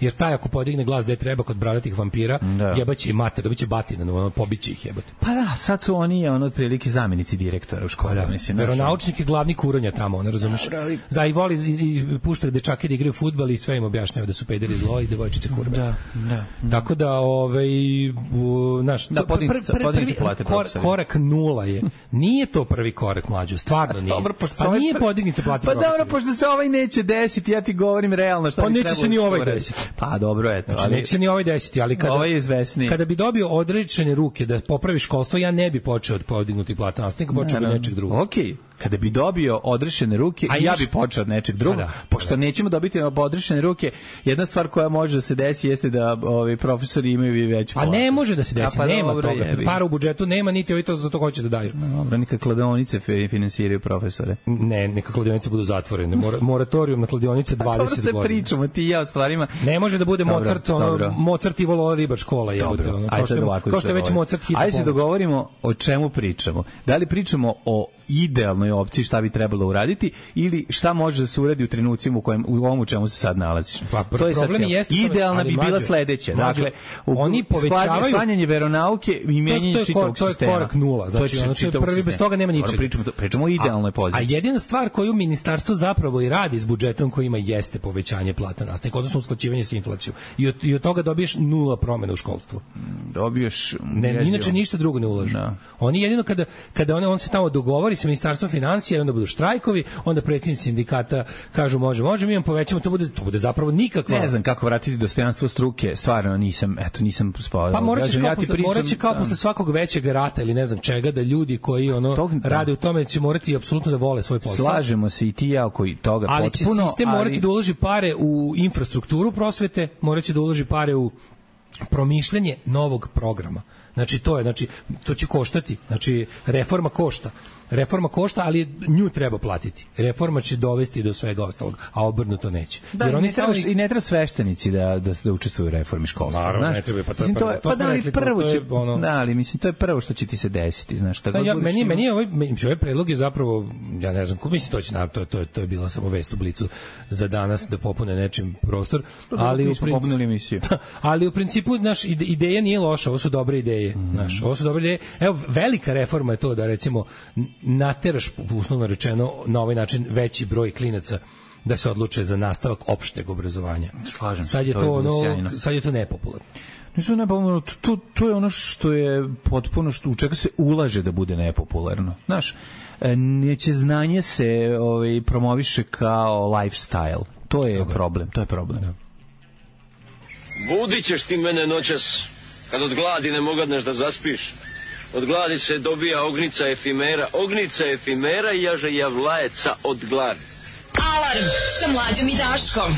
Jer taj ako podigne glas gde treba kod bradatih vampira, Da. jebaće i mater, dobiće batina, ono, pobiće ih jebate. Pa da, sad su oni ono otprilike zamenici direktora u školi, Da, mislim. znaš, veronaučnik je glavni kuronja tamo, ono, razumeš? Za i voli i, i pušta dečake da igraju fudbal i sve im objašnjava da su pederi zlo i devojčice kurve. Da, da. Tako da, ovaj, u, znaš, Da, to- podignite- pr- pr- podignite prvi plate kor, profesorima. korak nula je. Nije to prvi korak, mlađo, stvarno nije. Dobro, pošto pa ovaj nije pr- podignite plate Pa dobro, profesorima. pošto se ovaj neće desiti, ja ti govorim realno šta Pa bi neće trebalo se ni da ovaj uradi. desiti. Pa dobro, eto. Znači, ali- neće se ni ovaj desiti, ali kada, Ovaj je izvesniji. kada bi dobio odrečene ruke da popravi školstvo, ja ne bi počeo od podignuti plata nastavnika, počeo bi Naravno. nečeg drugog. Okej, kada bi dobio odrešene ruke, A ja imaš- bi počeo od nečeg drugog. Pa da, Pošto pa da. nećemo dobiti odrešene ruke, jedna stvar koja može da se desi jeste da ovi profesori imaju i veću A platu. ne može da se desi, A pa nema dobro, toga. jebi. Para u budžetu nema, niti ovi to za to hoće da daju. Dobro, neka kladionice fi- finansiraju profesore. Ne, neka kladionice budu zatvorene. Mora, moratorijum na kladionice Dobro dvadeset se godina. pričamo, ti i ja o stvarima. Ne može da bude Dobro, Mozart, ono, dobro. Mozart i Volo ribar škola, jebote, Dobro, ono, ajde kao što sad je, ovako kao što je da već se Mozart hitno Ajde se pomoć. dogovorimo o čemu pričamo. Da li pričamo o idealnoj opciji šta bi trebalo uraditi ili šta može da se uradi u trenucima u kojem u ovom u čemu se sad nalaziš. Pa, to je sad problem cijelo. jeste u tome, Idealna ali bi bila mlađe, sledeća. mlađe, Dakle, u, oni povećavaju- sklanjanje veronauke i To- to menjanje je kor- čitavog to je sistema. korak nula, znači, to je ono, to je čitavog prvi, bez sistema. toga nema Dobro, ničega. Pričamo, pričamo o idealnoj A poziciji. jedina stvar koju ministarstvo zapravo i radi s budžetom koji ima jeste povećanje plata nastavnika, odnosno usklađivanje sa inflacijom. I od, i od toga dobiješ nula promena u školstvu. Dobiješ Ne, jezivo. inače ništa drugo ne ulažu. Da. Oni jedino kada kada on, on se tamo dogovori sa ministarstvom finansija, onda budu štrajkovi, onda predsjednici sindikata kažu može, može, mi vam povećamo, to bude to bude zapravo nikakva. Ne znam kako vratiti dostojanstvo struke, stvarno nisam, eto nisam spao. Pa morat ćeš kao, ja ti posle, pričam, morat će kao da. posle svakog većeg rata ili ne znam čega, da ljudi koji ono Tog- da. rade u tome će morati apsolutno da vole svoj posao. Slažemo se i ti i ja oko toga Ali će potpuno, sistem ali- morati da uloži pare u infrastrukturu prosvete, morat će da uloži pare u promišljanje novog programa. Znači to je, znači to će koštati. Znači reforma košta. Reforma košta, ali nju treba platiti. Reforma će dovesti do svega ostalog, a obrnuto neće. Da, jer i, oni ne treba, stavili... i ne treba sveštenici da, da, da učestvuju u reformi školstva. Naravno, znaš? ne treba, pa to, mislim, to je, to pa da, ali rekli, prvo to će, je ono... da, ali mislim, to je prvo što će ti se desiti, znaš. Da, ja, meni, ima... meni je ovaj, ovaj predlog je zapravo, ja ne znam, ko mislim to će, to, to, to je bila samo vest u Blicu za danas da popune nečim prostor, ali u principu, ali u principu naš ideja nije loša, ovo su dobre ideje, mm. znaš, ovo su dobre ideje. Evo, velika reforma je to da recimo nateraš, uslovno rečeno, na ovaj način veći broj klinaca da se odluče za nastavak opšteg obrazovanja. Slažem sad je to, to ono, sad je to nepopularno. Nisu nepopularno, to, to je ono što je potpuno, što, u čega se ulaže da bude nepopularno. Znaš, neće znanje se ovaj, promoviše kao lifestyle. To je Dobre. problem, to je problem. Da. Budit ćeš ti mene noćas, kad od gladi ne mogadneš da zaspiš. Od gladi se dobija ognica efimera, ognica efimera i jaže javlajeca od gladi. Alarm sa Mlađom i Daškom.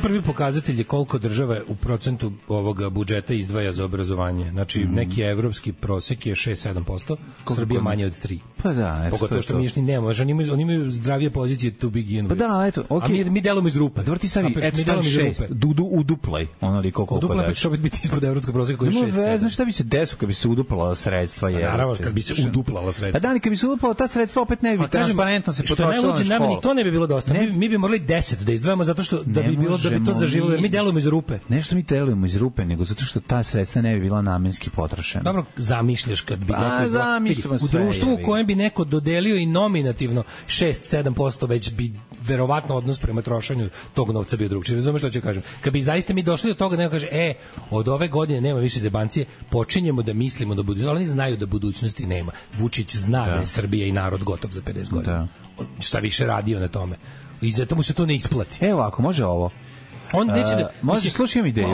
Prvi pokazatelj je koliko država u procentu ovog budžeta izdvaja za obrazovanje. Znači, mm. neki evropski prosek je šest do sedam posto, Srbija manje od tri. Pa da, eto. Pogotovo što mi još ni nemamo. Oni imaju, oni imaju zdravije pozicije to begin with. Pa da, eto, okej. Okay. A mi, mi delamo iz rupe. Pa dobro ti stavi, eto, stavi šest. Dudu uduplaj, onoliko koliko daš. Udupla će opet biti ispod evropskog proseka koji je šest. Ne znaš šta bi se desilo kad bi se uduplala sredstva? Je, naravno, kad bi se uduplala sredstva. Pa da, kad bi se uduplala ta sredstva opet ne bi transparentno se potrošilo na školu. Nama ni to ne bi bilo dosta. Mi, mi bi morali deset da izdvajamo zato što da bi bilo da bi to zaživelo, jer mi delujemo iz rupe. Nešto mi delujemo iz rupe, nego zato što ta sredstva ne bi bila namenski potrošena. Dobro, zamišljaš kad bi pa, neko zamišljamo u društvu u kojem bi neko dodelio i nominativno šest do sedam posto, već bi verovatno odnos prema trošenju tog novca bio drugčiji. Razumeš šta ću kažem? Kad bi zaista mi došli do toga da neko kaže, e, od ove godine nema više zebancije, počinjemo da mislimo da budućnosti, ali oni znaju da budućnosti nema. Vučić zna da, da je Srbija i narod gotov za pedeset godina. Da. Šta više radio na tome. I zato mu se to ne isplati. Evo, ako može ovo. On neće da, uh, može slušam ideju.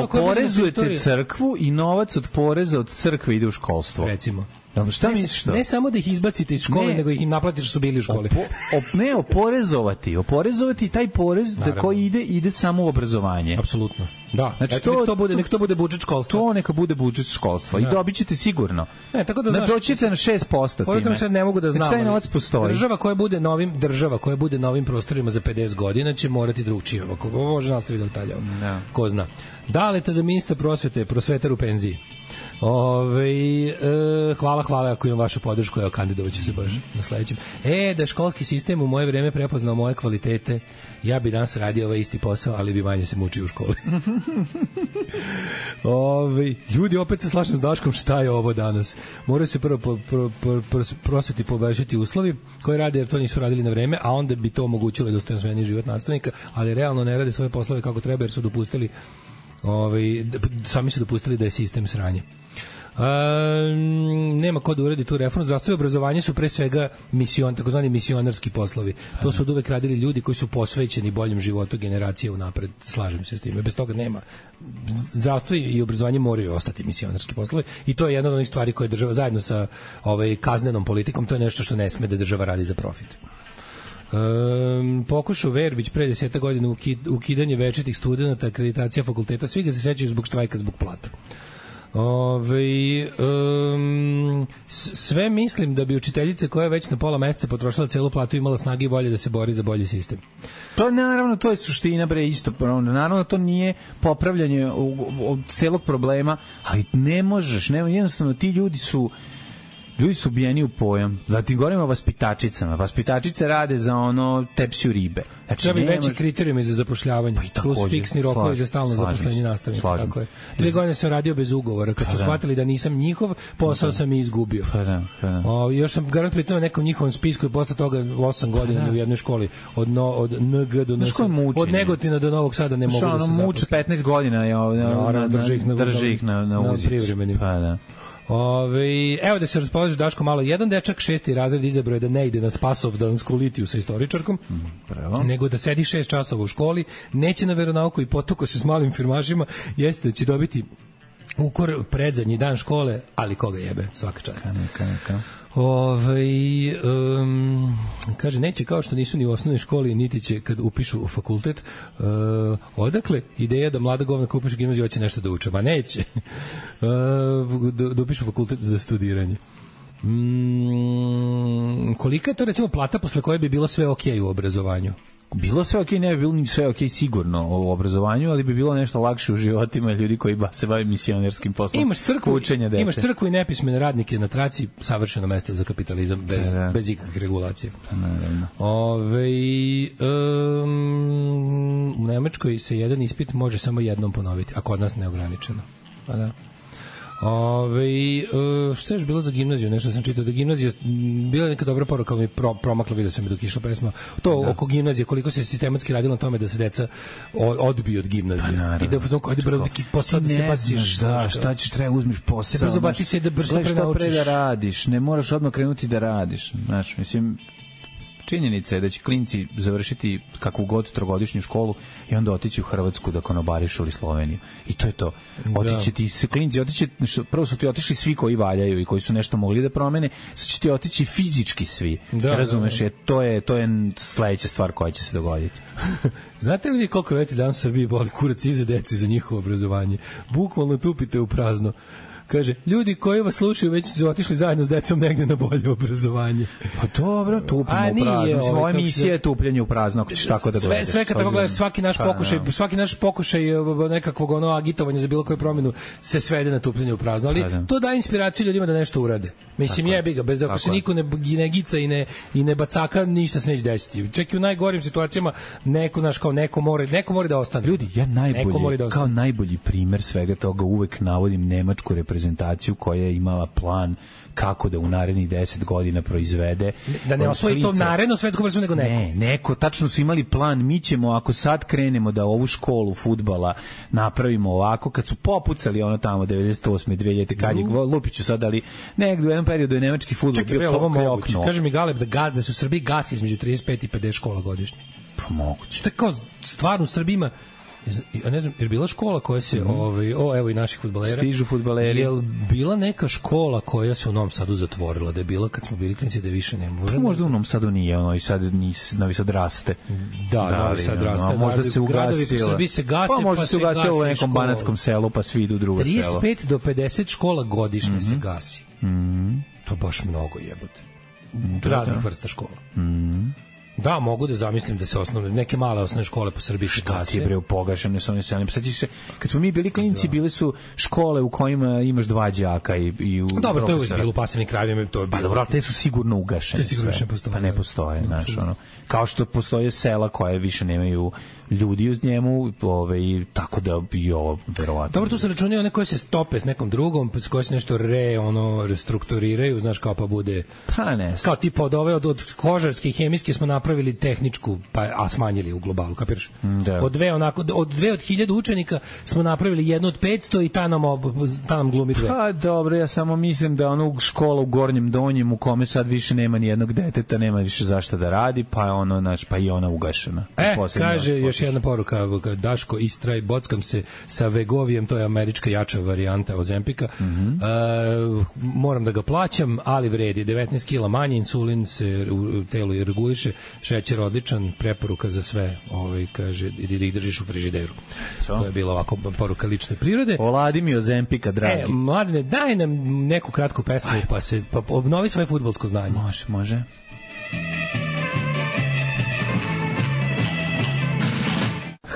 Oporezujete crkvu i novac od poreza od crkve ide u školstvo. Recimo. Ja, šta ne, misliš to? Ne samo da ih izbacite iz škole, ne, nego ih im naplatiš što su bili u školi. Opo, op, ne, oporezovati. Oporezovati taj porez da koji ide, ide samo u obrazovanje. Apsolutno. Da, znači, to, nek to bude, nek to bude budžet školstva. To neka bude budžet školstva. Da. I dobit ćete sigurno. Ne, tako da znaš, doćete na šest posto time. Povjetom sad ne mogu da znam. Znači, taj novac postoji. Država koja bude novim, država koja bude novim prostorima za pedeset godina će morati drugčije. Ovo može nastaviti detalje. Da. Ko zna. Daleta za ministra prosvete, prosvetar u penziji. Ove, e, hvala, hvala ako imam vašu podršku, evo kandidovaću se baš na sledećem. E, da školski sistem u moje vreme prepoznao moje kvalitete, ja bi danas radio ovaj isti posao, ali bi manje se mučio u školi. Ove, ljudi, opet se slažem s Daškom, šta je ovo danas? Moraju se prvo pro, pro, pro, pro, prosveti poboljšati uslovi koji rade, jer to nisu radili na vreme, a onda bi to omogućilo dostojanstveniji život nastavnika, ali realno ne rade svoje poslove kako treba, jer su dopustili ovaj, sami su dopustili da je sistem sranje. Um, nema ko da uredi tu reformu. Zdravstvo i obrazovanje su pre svega mision, takozvani misionarski poslovi. To su od uvek radili ljudi koji su posvećeni boljem životu generacije unapred. Slažem se s tim. Bez toga nema. Zdravstvo i obrazovanje moraju ostati misionarski poslovi i to je jedna od onih stvari koje država zajedno sa ovaj, kaznenom politikom, to je nešto što ne sme da država radi za profit. Um, pokušao Verbić pre deseta godina ukid, ukidanje večitih studenta, akreditacija fakulteta, svi ga se sećaju zbog štrajka, zbog plata. Ove, um, sve mislim da bi učiteljice koja je već na pola meseca potrošila celu platu imala snage i volje da se bori za bolji sistem. To naravno, to je suština, bre, isto. Naravno, to nije popravljanje od celog problema, ali ne možeš, ne, jednostavno ti ljudi su ljudi su ubijeni u pojam. Zatim govorimo o vaspitačicama. Vaspitačice rade za ono tepsiju ribe. Znači, treba bi veći kriterijumi za zapošljavanje. Pa plus fiksni rokovi za stalno zaposlenje nastavnika. Tako je. Dve godine sam radio bez ugovora. Kad su shvatili da nisam njihov, posao sam i izgubio. Pa da, pa da. O, još sam garant pitao nekom njihovom spisku i posle toga osam godina pa da. U jednoj školi. Od, no, od N G do N S. Od Negotina do Novog Sada ne mogu da se zaposlim. Muče petnaest godina. Je, no, drži ih na, drži ih na, na, na uzicu. Pa da. Ove, evo da se raspolaže Daško malo. Jedan dečak šesti razred izabrao je da ne ide na Spasovdansku litiju sa istoričarkom, Bravo. nego da sedi šest časova u školi, neće na veronauku i potoko se s malim firmašima, jeste da će dobiti ukor predzadnji dan škole, ali koga jebe, svaka čast. Kana, kana, kana. Ove, um, Kaže, neće kao što nisu ni u osnovnoj školi, niti će kad upišu u fakultet. Uh, odakle ideja da mlada govna kad upišu gimnaziju hoće nešto da uče? Ma neće. Uh, da, da upišu fakultet za studiranje. Mm, kolika je to recimo plata posle koje bi bilo sve okej u obrazovanju? Bilo sve okej, ne bi bilo ni sve okej sigurno u obrazovanju, ali bi bilo nešto lakše u životima ljudi koji ba, se bave misionerskim poslom. Imaš crkvu, učenja dece. Imaš crkvu i nepismene radnike na traci, savršeno mesto za kapitalizam bez, da, da. bez ikakvih regulacija. Naravno. Ove, um, u Nemačkoj se jedan ispit može samo jednom ponoviti, a kod nas neograničeno. Pa da. Ove, uh, šta je još bilo za gimnaziju? Nešto sam čitao da gimnazija bila neka dobra poruka, ali mi pro, promakla, vidio sam mi dok išla pesma. To da. Oko gimnazije, koliko se sistematski radilo na tome da se deca odbiju od gimnazije. Pa, i da uzmano, ajde brzo, posao da se baciš. Da, šta ćeš, treba uzmiš posao. Se brzo baci se da brzo pre naučiš. Pre da radiš, ne moraš odmah krenuti da radiš. Znaš, mislim, činjenica je da će klinci završiti kakvu god trogodišnju školu i onda otići u Hrvatsku da konobarišu ili Sloveniju. I to je to. Otići ti se klinci, otići, prvo su ti otišli svi koji valjaju i koji su nešto mogli da promene, sad će ti otići fizički svi. Da, razumeš, da, da. Je, to, je, to je sledeća stvar koja će se dogoditi. Znate li vi koliko roditelji danas u Srbiji boli kurac i za decu i za njihovo obrazovanje? Bukvalno tupite u prazno. Kaže, ljudi koji vas slušaju već su otišli zajedno s decom negde na bolje obrazovanje. Pa dobro, tupimo u prazno. Mislim, ova emisija je tupljenje u prazno, ako ćeš tako da gledaš. Sve, sve kad tako gledaš, svaki naš pa, pokušaj, no. svaki naš pokušaj nekakvog ono agitovanja za bilo koju promenu se svede na tupljenje u prazno. Ali pa, to daje inspiraciju ljudima da nešto urade. Mislim, tako, jebi ga, bez ako se niko ne, ne gica i ne, i ne bacaka, ništa se neće desiti. Čak i u najgorim situacijama neko, naš, kao neko mora, neko mora da ostane. Ljudi, ja najbolji, da kao najbolji primer svega toga uvek navodim nemačku reprezentaciju koja je imala plan kako da u narednih deset godina proizvede. Da ne osvoji to naredno svetsko prvenstvo nego neko. Ne, neko, tačno su imali plan, mi ćemo ako sad krenemo da ovu školu fudbala napravimo ovako, kad su popucali ono tamo devedeset osme dve hiljadite kad je Lupiću sad, ali negdje u jednom periodu je nemački fudbal bio pokreokno. Kaže mi Galeb da, gaz, da su u Srbiji gasi između trideset pet i pedeset škola godišnje. Pa moguće. Što je kao stvarno u Srbiji ima, ja ne znam, je bila škola koja se, mm. ovaj, o, evo i naših fudbalera. Stižu fudbaleri. Je bila neka škola koja se u Novom Sadu zatvorila, da je bila kad smo bili klinici da je više ne može? Pa možda u Novom Sadu nije, ono i sad nis, Novi Sad raste. Da, da Novi Sad raste. No, možda se ugasilo. Gradovi se gase, pa možda pa se ugasilo u nekom banatskom selu, pa svi idu u drugo selo. trideset pet do pedeset škola godišnje mm -hmm. se gasi. Mm -hmm. To baš mnogo jebote. Raznih da. vrsta škola. Mhm. Da, mogu da zamislim da se osnovne, neke male osnovne škole po Srbiji se gase. Šta ti je bre pogašene su one selene? Sad se, kad smo mi bili klinici, da. bile su škole u kojima imaš dva đaka i, i u dobro, to je uvijek bilo u pasivnim krajevima. To je bilo. Pa dobro, ali te su sigurno ugašene. Te sigurno ne postoje. Pa ne postoje, no, znaš, ono. Kao što postoje sela koje više nemaju ljudi uz njemu, ove, i tako da bi ovo verovatno. Dobro, tu se računaju one koje se stope s nekom drugom, s koje se nešto re, ono, restrukturiraju, znaš, kao pa bude... Pa ne. Kao tipa od ove, od, od kožarske i hemijske smo napravili tehničku, pa, a smanjili u globalu, kapiraš? Da. Od dve, onako, od dve od hiljadu učenika smo napravili jednu od petsto i ta nam, ta nam glumi dve. Pa dobro, ja samo mislim da ono škola u Gornjem Donjem u kome sad više nema ni jednog deteta, nema više zašto da radi, pa je ono, znači, pa i ona ugašena. E, kaže još jedna poruka, Daško, istraj, bockam se sa Vegovijem, to je američka jača varijanta Ozempika. Mm -hmm. e, moram da ga plaćam, ali vredi. devetnaest kila manje, insulin se u telu reguliše, šećer odličan, preporuka za sve, ovaj, kaže, ili da ih držiš u frižideru. So? To je bila ovako poruka lične prirode. Oladi mi Ozempika, dragi. E, mladine, daj nam neku kratku pesmu, Aj. pa se pa obnovi svoje fudbalsko znanje. Može, može.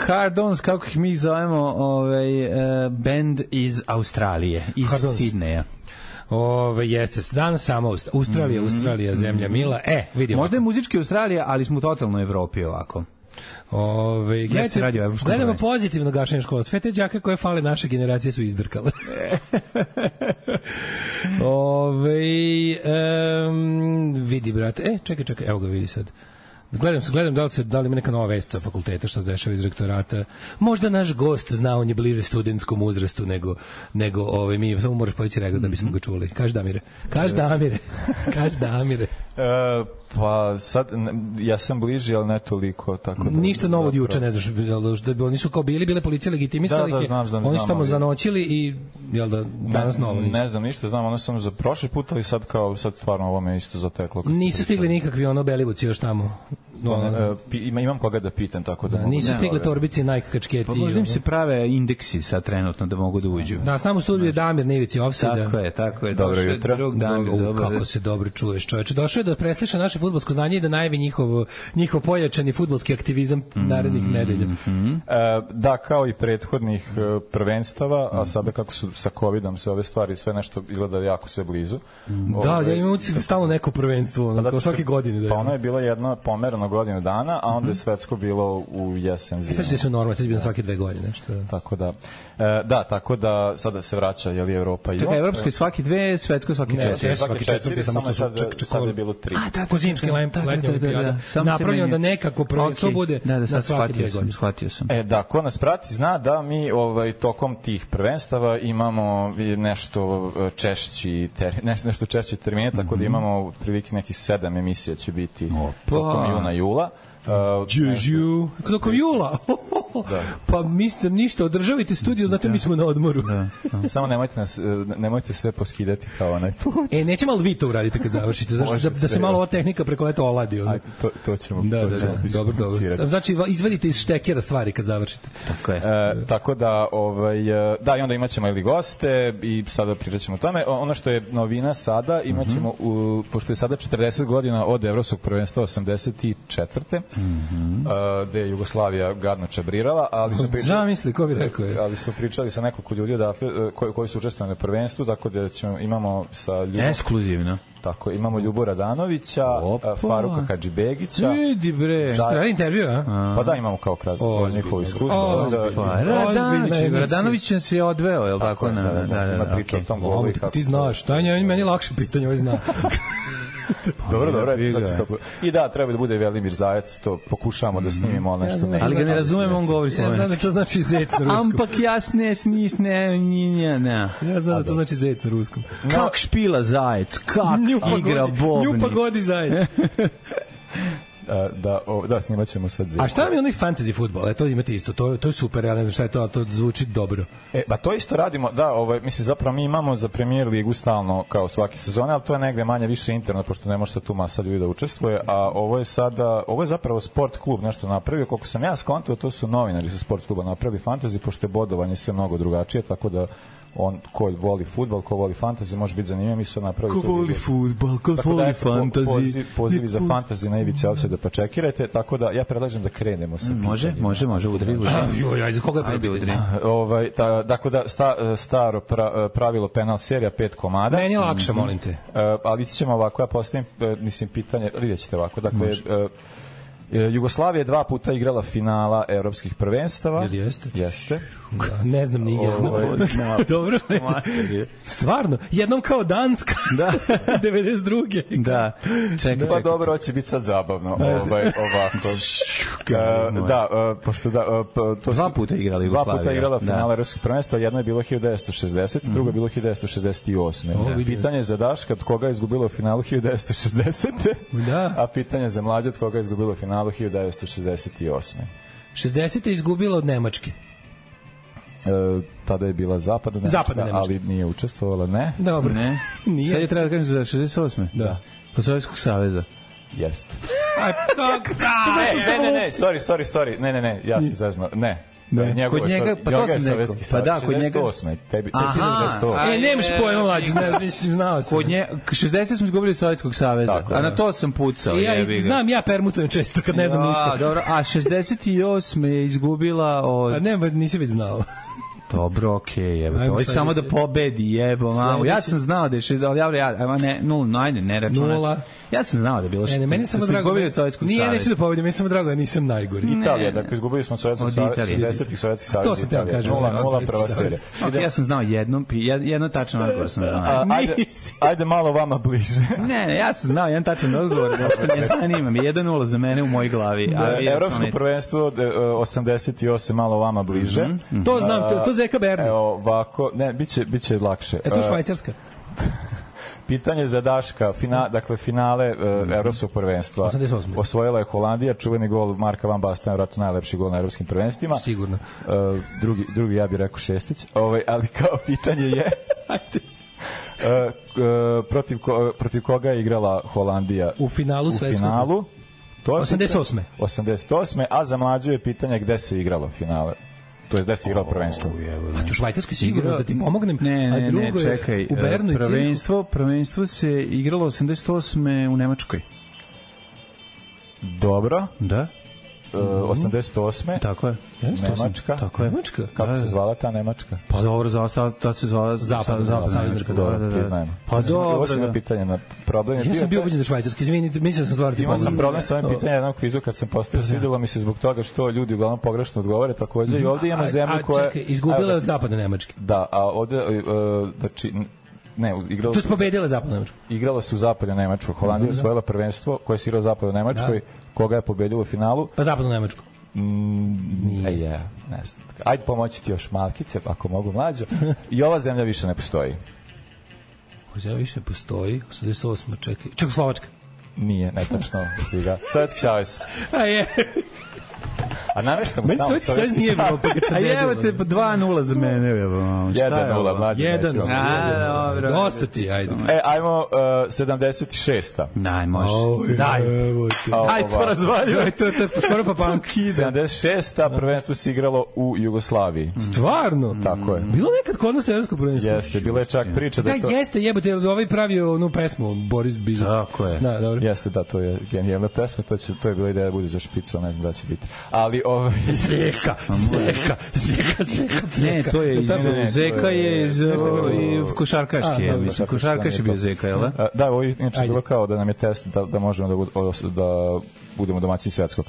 Hard Ons, kako ih mi zovemo, ovaj, uh, band iz Australije, iz Sidneja. Ove, jeste, danas samo Australija, mm -hmm. Australija, zemlja mila. E, vidimo. Možda je muzički Australija, ali smo totalno u Evropi ovako. Ove, gledajte, gledamo pozitivno gašenje škola. Sve te đake koje fale naše generacije su izdrkale. Ove, um, vidi, brate. E, čekaj, čekaj, evo ga vidi sad. Gledam se, gledam da li se da li ima neka nova vest sa fakulteta što se dešava iz rektorata. Možda naš gost zna, on je bliže studentskom uzrastu nego nego ovaj mi samo možeš poći rekao da bismo ga čuli. Kaži Damire. Kaži Damire. Kaži Damire. Uh, Pa sad, ja sam bliži, ali ne toliko. Tako da, ništa novo od juče, ne znaš, da bi oni su kao bili, bile policije legitimisali, da, da, znam, znam, oni su tamo ali... zanoćili i jel da danas ne, novo ništa. Ne znam ništa, znam, ono sam za prošli put, ali sad kao, sad stvarno ovo me isto zateklo. Nisu stigli nikakvi ono Belivuci još tamo. No, ne, ima, imam koga da pitam, tako da, da mogu... Nisu stigle torbici, Nike kačketi. Pa možda im se prave indeksi sad trenutno da mogu da uđu. Da, samo u studiju je Damir na ivici ofsajda. Tako je, tako je. Dobro jutro. Drug Damir, do, dobro. Kako se dobro čuješ, čoveče. Došao je da presliša naše fudbalsko znanje i da najavi njihov, njihov pojačani fudbalski aktivizam narednih mm, nedelja. Mm -hmm. e, da, kao i prethodnih prvenstava, a sada kako su sa covidom se ove stvari sve nešto izgleda jako sve blizu. Mm, da, ove, ja imam utisak stalno neko prvenstvo, ono, kao svake godine. Da pa ono je bilo jedno pomerano godinu dana, a onda je svetsko bilo u jesen zimu. Sad će se normalno, sad je bilo svake dve godine. Što... Tako da, e, da, tako da sada se vraća, je li Evropa i... Čekaj, evropsko svaki dve, svetsko svaki ne, četiri. Ne, svaki četvrti, samo što su ček, ček, sad je bilo tri. A, da, ko zimski letnja olimpijada. Napravljeno da nekako prvenstvo bude na svake dve godine. Shvatio sam. E, da, ko nas prati zna da mi ovaj, tokom tih prvenstava imamo nešto češći, ter, nešto češći termine, tako da imamo prilike nekih sedam emisija će biti tokom juna, jula. Đuđu, tokom jula. Da. Pa mislite ništa, održavajte studio, znate mi smo na odmoru. Da. Samo nemojte nas, nemojte sve poskidati kao onaj put. E, neće malo vi to uradite kad završite, zašto da, da se malo ova tehnika preko leta oladi. Ono. Aj, to, to ćemo. Da, da, da, dobro, dobro. Znači, izvedite iz štekera stvari kad završite. Tako je. E, tako da, ovaj, da, i onda imaćemo ili goste i sada pričat ćemo o tome. Ono što je novina sada, imaćemo, mm -hmm. u, pošto je sada četrdeset godina od Evropskog prvenstva osamdeset četvrte Mm-hmm. Uh, gde je Jugoslavija gadno čabrirala, ali smo pričali, misli, ko bi rekao je. ali smo pričali sa nekoliko ljudi odatle koji, koji su učestvovali na prvenstvu, tako da ćemo, imamo sa ljubom, ekskluzivno. Tako, imamo Ljubu Radanovića, Opa. Faruka Hadžibegića. Vidi bre. Šta je intervju, a? Pa da, imamo kao kratko njihovo iskustvo. Radanović, Radanović se je odveo, je li tako? Da, da, da. Ima priča o tom golu. Ti znaš, Tanja, meni lakše pitanje, ovaj zna. Dobro, dobro, i da, treba da bude Velimir Zajec, to pokušavamo da snimimo nešto. Ja ali ga ne razumem, on govori slovenski. Ja znam da to znači zec na ruskom. Ampak jasne, snis, ne, ne, ne. Ja znam da to znači zec na ruskom. Kak špila Zajec, kak igra bobni. Nju pagodi Zajec. da, o, da, snimat ćemo sad zec. A šta mi je onaj fantasy fudbal? E, to imate isto, to, to je super, ja ne znam šta je to, ali to zvuči dobro. E, ba to isto radimo, da, ovaj, mislim, zapravo mi imamo za Premier ligu stalno kao svake sezone, ali to je negde manje više interno, pošto ne može sa tu masa ljudi da učestvuje, a ovo je sada, ovo je zapravo sport klub nešto napravio, koliko sam ja skontao, to su novinari sa sport kluba napravili fantasy, pošto je bodovanje sve mnogo drugačije, tako da on ko voli fudbal, ko voli fantasy, može biti zanimljivo, mi su napravili ko voli fudbal, ko voli da, fantasy. Poziv, pozivi za fantasy na ivici ofsajda, pa čekirajte, tako da ja predlažem da krenemo sa može, može, može, udri, udri. Joj, ajde, koga je prvi udri? Ovaj, ta, dakle, da, sta, staro pra, pravilo penal serija, pet komada. Meni je lakše, molim te. Uh, ali ćemo ovako, ja postavim, uh, mislim, pitanje, vidjet ćete ovako, dakle, uh, Jugoslavija je dva puta igrala finala evropskih prvenstava. Jel jeste? Jeste. Da, ne znam ni jedno. Dobro. Stvarno, jednom kao Danska. Da. devedeset druge. Da. Čekaj, pa dobro, hoće biti sad zabavno. Ovaj, ovako. Uh, da, uh, pošto da, uh, to dva puta igrala Jugoslavija. Dva puta igrala finala evropskih prvenstva, jedno je bilo hiljadu devetsto šezdeset, mm. drugo je bilo hiljadu devetsto šezdeset osam. Da. Pitanje za Daška, od koga je izgubilo u finalu hiljadu devetsto šezdesete. Da. A pitanje za mlađe, od koga je izgubilo u finalu hiljadu devetsto šezdeset osam. šezdesete je izgubila od Nemačke. E, tada je bila zapadna Nemačka, zapadna Nemačka, ali nije učestvovala, ne. Dobro. Ne. Nije. Sad je treba da kažem za šezdeset osme. Da. Kod Sovjetskog saveza. Jeste. Aj, kako? Ne, ne, ne, sorry, sorry, sorry. Ne, ne, ne, ja sam zezno. Ne. Ne. Kod njega, pa to sam rekao. Pa da, kod njega. šezdeset osme. Tebi, tebi si šezdeset osme. E, nemaš pojma, mlađi, ne, mislim, znao sam. Kod nje, šezdeset smo izgubili Sovjetskog saveza, tako, a na to sam pucao. Ja znam, ja permutujem često kad ne znam ja, ništa. Dobro, a šezdeset osme je izgubila od... A ne, nisi već znao. Dobro, okej, okay, evo to. Hoće samo da pobedi, jebo, mamu. Ja sam znao da je šezdeset, ali ja, ja, ne, nula, ajde, ne računaš. Ja sam znao da je bilo šezdeset. Ne, ne, meni samo drago. Nije, neću da pobedim, meni samo drago da nisam najgori. Italija, dakle, izgubili smo Sovjetskog saveza, šezdesetih Sovjetskih saveza. To se teo kažem. Nula prva serija. Ja sam znao jednom, jedno tačan odgovor sam znao. Ajde malo vama bliže. Ne, ne, ja sam znao jedan tačan odgovor, da ne zanima mi, jedan nula za mene u mojoj glavi. Evropsko prvenstvo osamdeset osam malo vama bliže. To znam, to Zeka Berni. Evo, ovako, ne, biće, biće lakše. E to Švajcarska? Pitanje za Daška, fina, dakle finale uh, evropskog prvenstva. osamdeset osme. Osvojila je Holandija, čuveni gol Marka Van Basten, vjerojatno najlepši gol na evropskim prvenstvima. Sigurno. Uh, drugi, drugi ja bih rekao Šestić. Ovaj, ali kao pitanje je Ajde. uh, uh, protiv, ko, protiv koga je igrala Holandija u finalu svetskog? U finalu. To je osamdeset osme. osamdeset osme, a za mlađu je pitanje gde se igralo finale. To je gde se igralo prvenstvo. A tu u Švajcarskoj sigurno da ti pomognem. Ne, ne, a drugo ne, čekaj. U Bernu i prvenstvo, prvenstvo se igralo osamdeset osme u Nemačkoj. Dobro. Da. Uh, osamdeset osme Tako je. Nemačka. Tako je. Nemačka. Kako da, se zvala ta Nemačka? Pa dobro, za ostalo to se zvala Zapadna, Zapadna Nemačka. Dobro, da, priznajemo. Pa dobro. Ovo sam pitanje na problem. Ja sam bio ubeđen da švajcarski, izvinite, mislim da sam stvarno ti Imao sam pomogao. problem sa ovim pitanjem jednog kvizu kad sam postavio, svidjelo mi se zbog toga što ljudi uglavnom pogrešno odgovore takođe i ovdje imamo zemlju koja... A čekaj, izgubila je od zapadne Nemačke. Da, a ovdje, uh, znači, ne, igralo tu su... je pobedila zapadna Nemačka. Igralo se u zapadnoj Nemačkoj. Holandija osvojila prvenstvo koje se igralo u zapadnoj Nemačkoj, koga je pobedilo u finalu. Pa zapadnu Nemačku. Mm, e, je, ne znam. Ajde pomoći ti još malkice, ako mogu mlađo. I ova zemlja više ne postoji. Ova zemlja više ne postoji. osamdeset osme, čekaj. Čekoslovačka. Nije, netačno. Sovjetski savez. A je. A nameštamo meni tamo Sovjetski savez nije bilo. A evo te dva nula za mene. jedan nula, mlađe. jedan nula. Dosta ti, ajde. E, ajmo uh, sedamdeset šesta. Daj, može. Daj. Ajde, to razvaljuj. To je skoro pa punk. sedamdeset šesta prvenstvo se igralo u Jugoslaviji. Stvarno? Tako je. Bilo nekad kod nas evropsko prvenstvo? Jeste, bilo je čak priča da je to... Da, jeste, jebate, ovaj pravio onu pesmu, Boris Bizot. Tako je. Da, dobro. Jeste, da, to je genijalna pesma, to, će, to je bila ideja da bude za špicu, ne znam da će biti. Ali ovaj Zeka, Zeka, Zeka, Zeka. Ne, to je iz Zeka je iz košarkaški, je, mislim, košarkaš je bio Zeka, jel da? Da, ovo je inače bilo kao da nam je test da, da možemo da, bud, da budemo domaćini svetskog.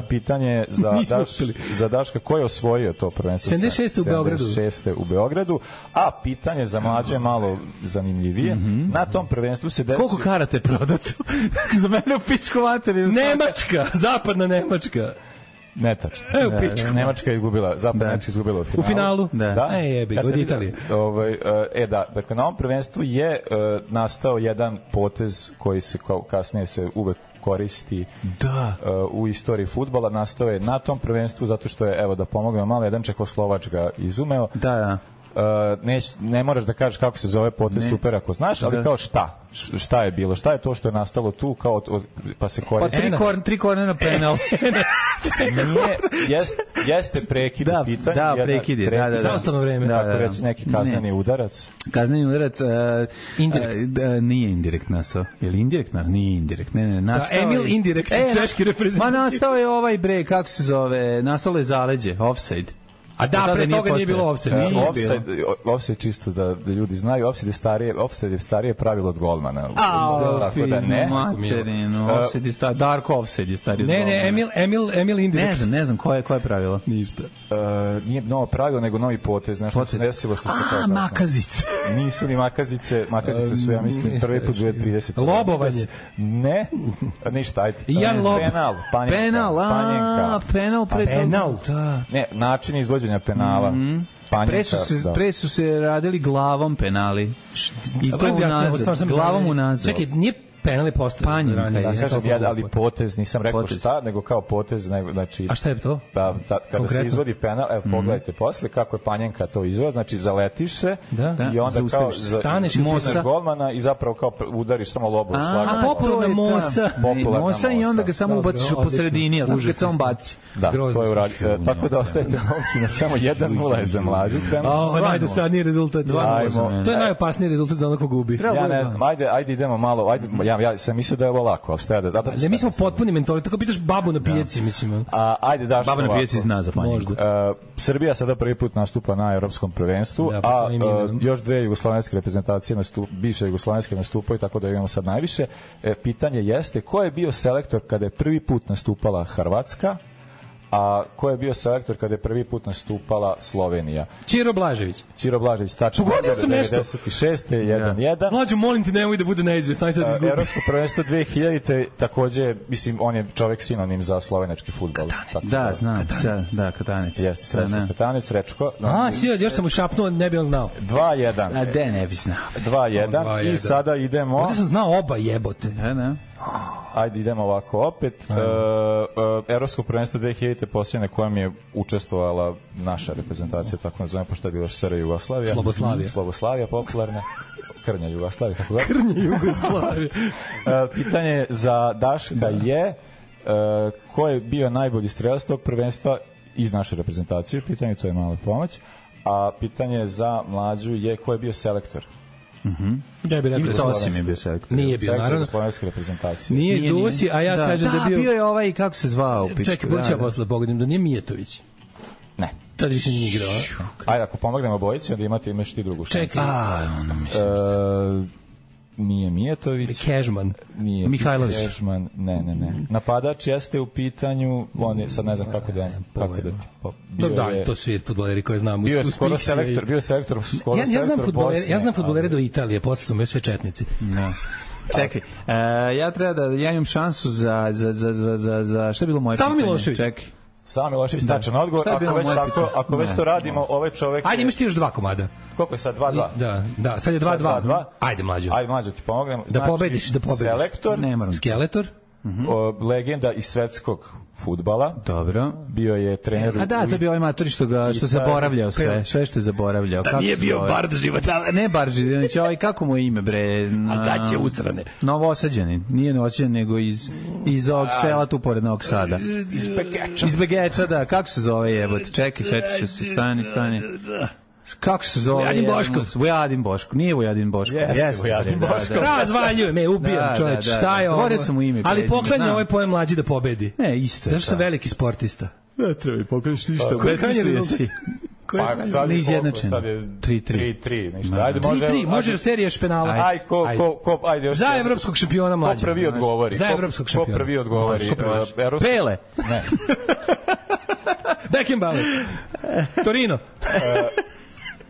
Pitanje za, Daš, za Daška, ko je osvojio to prvenstvo? sedamdeset šeste u Beogradu. sedamdeset šeste u Beogradu, a pitanje za mlađe je malo zanimljivije. Mm-hmm. Na tom prvenstvu se desio... Koliko karate prodato? Za mene u pičku materiju. Nemačka, zapadna Nemačka. Netačno. E, u pičku. Nemačka je izgubila, zapadna Nemačka je izgubila u finalu. U finalu? Da. da. E, jebi, od Italije. Ovaj, e, da, dakle, na ovom prvenstvu je uh, nastao jedan potez koji se kao, kasnije se uvek koristi da. Uh, u istoriji fudbala. Nastao je na tom prvenstvu zato što je, evo da pomognemo malo, jedan Čehoslovač ga izumeo. Da, da. Uh, ne, ne moraš da kažeš kako se zove potez, super ako znaš, ali da. Kao šta? Šta je bilo? Šta je to što je nastalo tu kao od, od, pa se koristi? Pa tri, kor, tri kornera penal. Nije, jest, jeste prekid da, pitanje. Da, prekid je. Da, da, da. Zaostano vreme. Da, da, da. Reći neki kazneni ne. udarac. Kazneni udarac. Uh, indirekt. Uh, da, nije indirekt nastao. Je li indirekt? Nije indirekt. Ne, ne, nastao da, Emil je, indirekt, e, češki reprezentativ. Ma nastao je ovaj bre, kako se zove, nastalo je zaleđe, offside. A da, pre toga nije, nije bilo offside. Uh, offside, offside čisto da, da ljudi znaju, offside je starije, offside je starije pravilo od golmana. A, tako da ne. Materinu, offside je starije, Darko offside je starije od ne, golmana. Ne, Emil, Emil, Emil indirekt. Ne znam, ne znam, koje, koje pravilo? Ništa. Uh, nije novo pravilo, nego novi potez. Znaš, potez. Što se desilo što se A, makazice. Nisu ni makazice, makazice su, ja mislim, prvi put dvije trideset. Lobovanje. Ne, ništa, ajde. Jan lob. Penal, panjenka. Penal, a, penal pre toga. Penal, da. Ne, način izvođenja penala. Mm-hmm. Pre su, se, da. pre su se radili glavom penali. I to unazad, glavom unazad. Čekaj, nije penali postavljeno. Panjenka, da, kažem, ja, ali potez, nisam rekao potez. Šta, nego kao potez, nego, znači... A šta je to? Da, da, kada Konkretno. Se izvodi penal, evo, mm. pogledajte posle kako je panjenka to izvod, znači zaletiš se da. I onda zaustaviš, kao staneš i mosa golmana i zapravo kao udariš samo lobu. A, popularna mosa. Mosa i onda ga samo ubaciš po sredini, ali kad se on baci. Da, to je uradio. Tako da ostajete novci na samo jedan nula je za mlađu. Ovo je najdosadniji rezultat. To je najopasniji rezultat za ono ko gubi. Ja ne znam, ajde, ajde idemo malo, ajde, ja, ja sam mislio da je ovo lako, ali šta ja da... da ne, mi smo potpuni mentoli, tako pitaš babu na pijaci, mislim. A, ajde, daš Baba na pijaci zna za panjenku. Uh, Srbija sada prvi put nastupa na evropskom prvenstvu, da, a uh, još dve jugoslovenske reprezentacije, nastup, bivše jugoslovenske nastupaju, tako da imamo sad najviše. E, pitanje jeste, ko je bio selektor kada je prvi put nastupala Hrvatska, A ko je bio selektor kada je prvi put nastupala Slovenija? Ćiro Blažević. Ćiro Blažević, tačno. Pogodio sam nešto. devedeset šeste jedan jedan. Mlađo, molim te, nemoj da bude neizvjesno, aj sad izgubim. Evropsko prvenstvo dve hiljadite takođe, mislim, on je čovek sinonim za slovenački fudbal. Da, znam, da, Katanec. Jeste, Srećko Katanec, Rečko. A, si, još sam mu šapnuo, ne bi on znao. dva jedan. A de, ne bi znao. dva jedan i sada idemo... Ovdje sam znao oba jebote. Da, da. Ajde, idemo ovako opet. E, e, Evropsko prvenstvo dve hiljadite posljednje na kojem je učestvovala naša reprezentacija, tako nazovem, pošto je bila S R Jugoslavija. Sloboslavija. Sloboslavija, popularna. Krnja Jugoslavija, tako da. Krnja Jugoslavija. e, pitanje za Daška da. je e, ko je bio najbolji strelac tog prvenstva iz naše reprezentacije. Pitanje, to je mala pomoć. A pitanje za Mlađu je ko je bio selektor. Mhm. Ja bih rekao Ivica Osim je bio selektor. Nije bio, naravno. Slovenske reprezentacije. Nije iz Dusi, a ja da, kažem da, da je bio... Da, bio je ovaj, kako se zvao? Čekaj, budući ja posle pogledim, da nije Mijetović. Ne. Tada više nije igrao. Ajde, ako pomognemo bojici, onda imate, imaš ti drugu šansu. Čekaj. A, ono mislim. E, nije Mijetović. Kežman. Nije Mihajlović. Kežman, ne, ne, ne. Napadač jeste u pitanju, on je, sad ne znam kako da, kako da ti... Dobro, da, to su fudbaleri koje znam. Bio je skoro selektor, bio je selektor, skoro ja, ja znam fudbalere, ja znam fudbalere ali... do Italije, posle su me sve četnici. Da. Čekaj, uh, ja treba da, ja imam šansu za, za, za, za, za, za šta je bilo moje Samo pitanje? Milošević. Čekaj. Samo Milošević, tačan odgovor. Ako već, tako, ako već to radimo, ovaj čovek... Ajde, imaš ti još dva komada. Koliko je sad? dva dva? Da, da, sad je dva dva. Ajde, Mlađo. Ajde, Mlađo, ti pomognem. Da pobediš, da pobediš. Selektor, Skeletor, o, legenda iz svetskog fudbala. Dobro. Bio je trener... A da, to je bio ovaj matori što, ga, što zaboravljao sve, sve što je zaboravljao. Da nije bio Bardživac. Da, ne Bardživac, ovaj, kako mu je ime, bre? A da će usrane. Novosađanin, nije Novosađanin, nego iz, iz ovog sela tu pored Novog Sada. Iz Begeča. Iz Begeča, da, kako se zove jebote? Čekaj, sveći se, stani, stani. Kako se zove? Vojadin Boško. Vojadin Boško. Nije Vojadin Boško. Jeste, yes, Vojadin Boško. Razvaljujem, me, ubijam, čoveč. Šta je ovo? Govorio sam mu ime. Ali poklanja ovaj pojem Mlađi da pobedi. Ne, isto. Zašto sam veliki sportista? Ne treba mi poklanjaš ništa. Koji je si? Pa sad je izjednačen. Sad je tri tri. tri tri, ništa. Ajde, može. tri tri, može u seriji špenala. Aj, ko, ko, ko, ajde još. Za evropskog šampiona Mlađa. Ko prvi odgovori? Za evropskog šampiona. Ko prvi odgovori? Pele. Ne. Beckenbauer. Torino.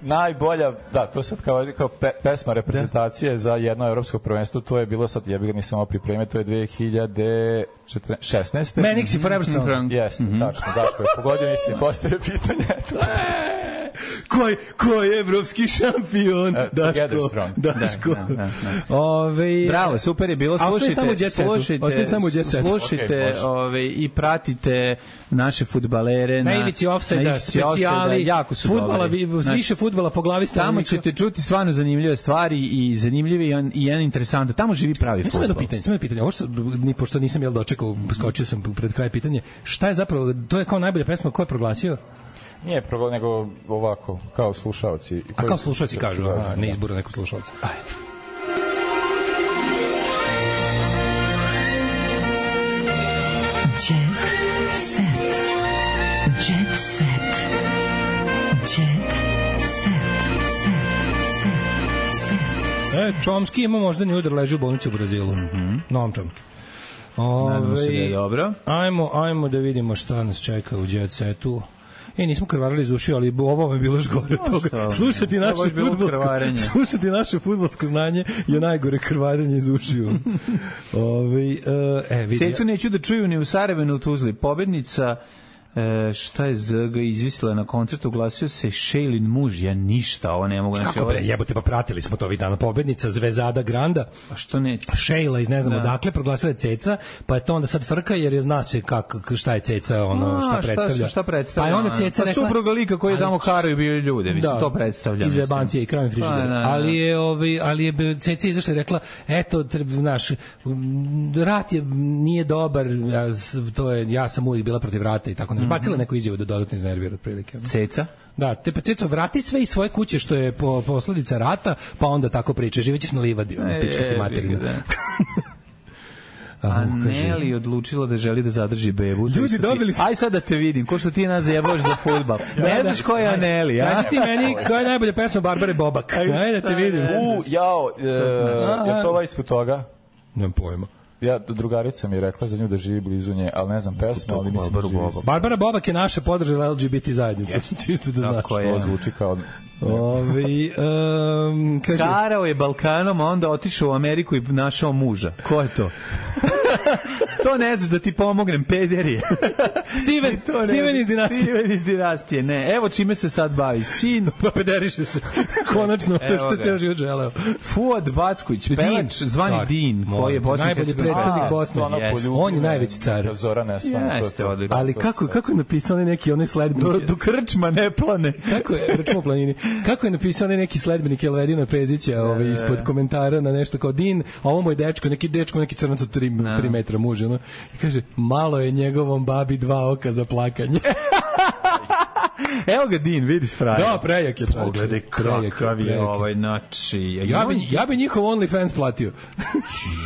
Najbolja, da, to sad kao, kao pe, pesma reprezentacije za jedno evropsko prvenstvo, to je bilo sad, ja bih ga nisam ovo pripremio, to je dve hiljade šesnaeste. Manix i Forever Strong. Jeste, mm-hmm. Tačno, Daško je pogodio, mislim, postoje pitanje. Ko je, ko je evropski šampion? Uh, Daško. Daško. Da, da, da, da. Ove, bravo, super je bilo. Slušajte, slušajte, slušajte, slušajte okay, ove, i pratite naše fudbalere na ivici ofsajda, specijali, jako su fudbala, znači, više fudbala po glavi stanovnika. Tamo ćete čuti stvarno zanimljive stvari i zanimljive i jedan interesantan. Tamo živi pravi fudbal. Samo jedno pitanje, samo jedno pitanje. Ovo što, ni pošto nisam jel dočekao, skočio sam pred kraj pitanje. Šta je zapravo, to je kao najbolja pesma, ko je proglasio? Nije prvo, nego ovako, kao slušaoci. A kao slušaoci kažu, a ne izbora neko slušaoca. Ajde. Jet set. Jet set. Jet set. Set. Set. E, Čomski ima možda ni udar, leži u bolnici u Brazilu. Mm-hmm. Novom Čomski. Nadamo se da je dobro. Ajmo, ajmo da vidimo šta nas čeka u Jet setu. E, nismo krvarili iz ušiju, ali ovo je bilo još gore od toga. Slušati naše fudbalsko, slušati naše fudbalsko znanje je najgore krvarenje iz ušiju. Ove, e, vidi. Cecu neću da čuju ni u Sarajevu, ni u Tuzli. Pobednica, e, šta je Z G izvisila na koncertu, oglasio se Šejlin muž, ja ništa, ovo ne mogu. Kako znači, bre, jebote, pa pratili smo to ovih dana. Pobednica Zvezada Granda. A što ne? Šejla iz ne znam odakle proglasila je Ceca, pa je to onda sad frka jer je zna se kako šta je Ceca, ono šta predstavlja. Šta, šta predstavlja? Pa je onda Ceca pa rekla supruga lika koji je tamo karaju bio ljude, mislim da, to predstavlja. Iz jebancije i krajem frižidera. Pa, ali je ovaj ali je Ceca izašla i rekla eto naš rat je nije dobar, ja, to je ja sam uvijek bila protiv rata i tako nešto. Bacila neku izjavu da dodatno iznervira otprilike. Ceca? Da, te pa Ceco, vrati sve iz svoje kuće što je po posledica rata, pa onda tako priče, živećeš na livadi, ono, e, pička ti materina. A Neli odlučila da želi da zadrži bebu. Ljudi dobili su... Aj sad da te vidim, ko što ti nas zajebavaš za fudbal. Ne znaš ko je Aneli, ja? Kaži ti meni koja je najbolja pesma Barbare Bobak. Ajde da te vidim. U, jao, je to ovaj ispod toga? Nemam pojma. ja, drugarica mi je rekla za nju da živi blizu nje, ali ne znam pesmu, ali mislim da živi. Barbara Bobak je naša podržala L G B T zajednicu. Yes. Čisto da znaš. To zvuči kao... Ovi, um, kaže... Karao je Balkanom, a onda otišao u Ameriku i našao muža. Ko je to? To ne znaš da ti pomognem, pederije. Steven, Steven iz dinastije. Steven iz dinastije, ne. Evo čime se sad bavi. Sin. Pa pederiše se. Konačno, to što je ceo život želeo. Fuad Backović, pevač, zvani car. Din, koji je Bosni. Najbolji predstavnik Bosne. Yes. On je najveći car. Zora Nesvana. Jeste, odlično. Ali kako, kako je napisao onaj neki onaj sledbenik? Do, do krčma ne plane. Kako je, račemo planini. Kako je napisao onaj neki sledbenik Elvedina Pezića ovaj, ispod komentara na nešto kao Din, a ovo moj dečko, neki dečko, neki crnac od tri metra muže. No? I kaže, malo je njegovom babi dva oka za plakanje. Evo ga Din, vidiš frajer. Da, prejak je. Pogledaj kakav je ovaj, znači... Ja bi, ja bi njihov OnlyFans platio.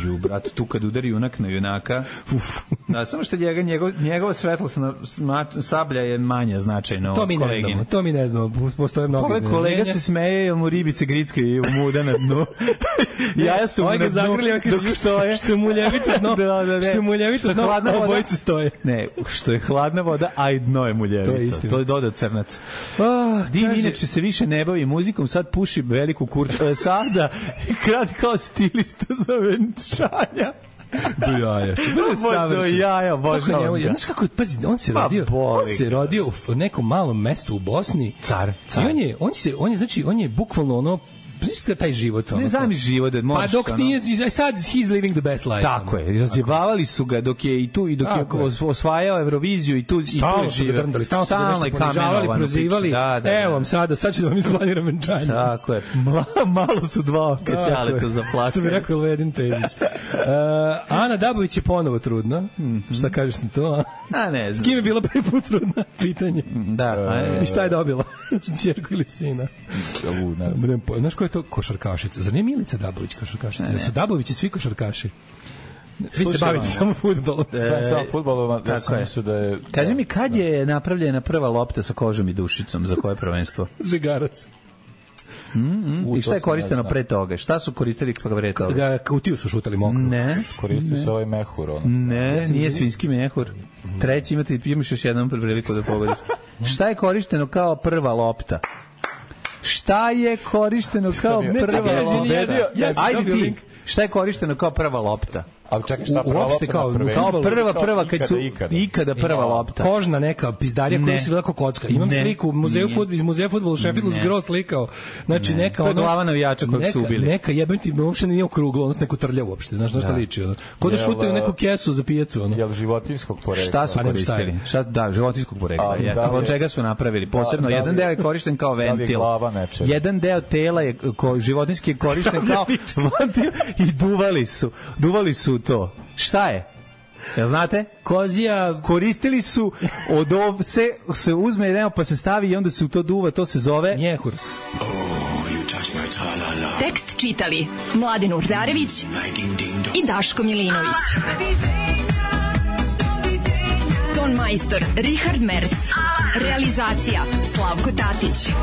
Žu, brat, tu kad udari junak na junaka. Uf. Da, samo što njega, njegov, njegova svetlosna sablja je manja značajno. To mi ne znamo, to mi ne znamo. Postoje mnogo iznenađenja. Kolega se smeje, jer mu ribice gritske i muda na dnu. Jaja su mu na dnu dok stoje. Što je muljevito dno, što je muljevito dno, obojice stoje. Ne, što je hladna voda, a i dno je muljevito. To je istina. To je dodat crnac. Oh, Din kaže... inače se više ne bavi muzikom, sad puši veliku kurču. E, sada krati kao stilista za venčanja. Do jaja. Do jaja, bože. Znaš kako je, pazi, on se rodio, on se rodio u nekom malom mestu u Bosni. Car. car. I on je, on se, on je, znači, on je bukvalno ono, Znaš taj život? Ne znam život da možeš. Pa dok nije, sad he's living the best life. Tako je, razjebavali su ga dok je i tu, i dok je osvajao Euroviziju i tu, i tu je živio. Drndali, stalno su ga nešto ponižavali, prozivali. Da, da, evo vam sada, sad ću da vam isplaniram venčanje. Tako je, malo su dva oka ćaleta za plakanje. Što bi rekao Elvedin Pezić. Uh, Ana Dabović je ponovo trudna. Mm-hmm. Šta kažeš na to? A ne znam. S kim je bila prvi put trudna? Pitanje. Da. I šta je dobila? Čerku ili sina? Znaš ko je to košarkašica? Zar nije Milica Dabović košarkašica? Ne, su Dabovići svi košarkaši? Vi se bavite samo fudbalom. E, samo fudbalom, da sam mislio da je... Kaži mi, kad je napravljena prva lopta sa kožom i dušicom? Za koje prvenstvo? Žegarac. Mm, mm. I šta je korišteno pre toga? Šta su koristili pre toga? Da, kautiju su šutali mokro. Ne. Koristio se ovaj mehur. Ono. Ne, nije svinjski mehur. Treći imate, imaš još jednom priliku da pogodiš. Šta je korišteno kao prva lopta? Šta je korišteno kao prva lopta? Ajde ti. Šta je korišteno kao prva lopta? Ali čekaj, šta prva lopta kao, na kao prva, prva, kad su ikada, ikada prva lopta. Kožna neka pizdarija koja se gleda kocka. Imam ne, sliku muzeju fudbal, iz muzeja fudbala u Sheffieldu zgro slikao. Znači ne. neka ono... To je glava navijača kojeg su ubili. Neka jebem ti, uopšte nije okruglo, odnosno neko trlja uopšte. Znaš na šta liči? Ono. Ko da šutaju neku kesu za pijecu. Ono. Jel životinjskog porekla? Šta su koristili? Šta, da, životinjskog porekla. Od čega su napravili? Posebno, jedan deo je korišten kao ventil. Jedan deo tela je životinjski je korišten kao ventil i duvali su. Duvali su to. Šta je? Jel znate? Kozija. Koristili su od ovce, se uzme jedan pa se stavi i onda se u to duva, to se zove njehur. Oh, tekst čitali Mladin Urdarević i Daško Milinović. Ton majstor Richard Merc. Realizacija Slavko Tatić.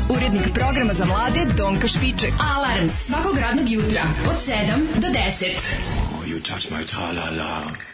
Urednik programa za mlade Donka Špiček. Alarms svakog radnog jutra od sedam do deset. You touch my tra-la-la.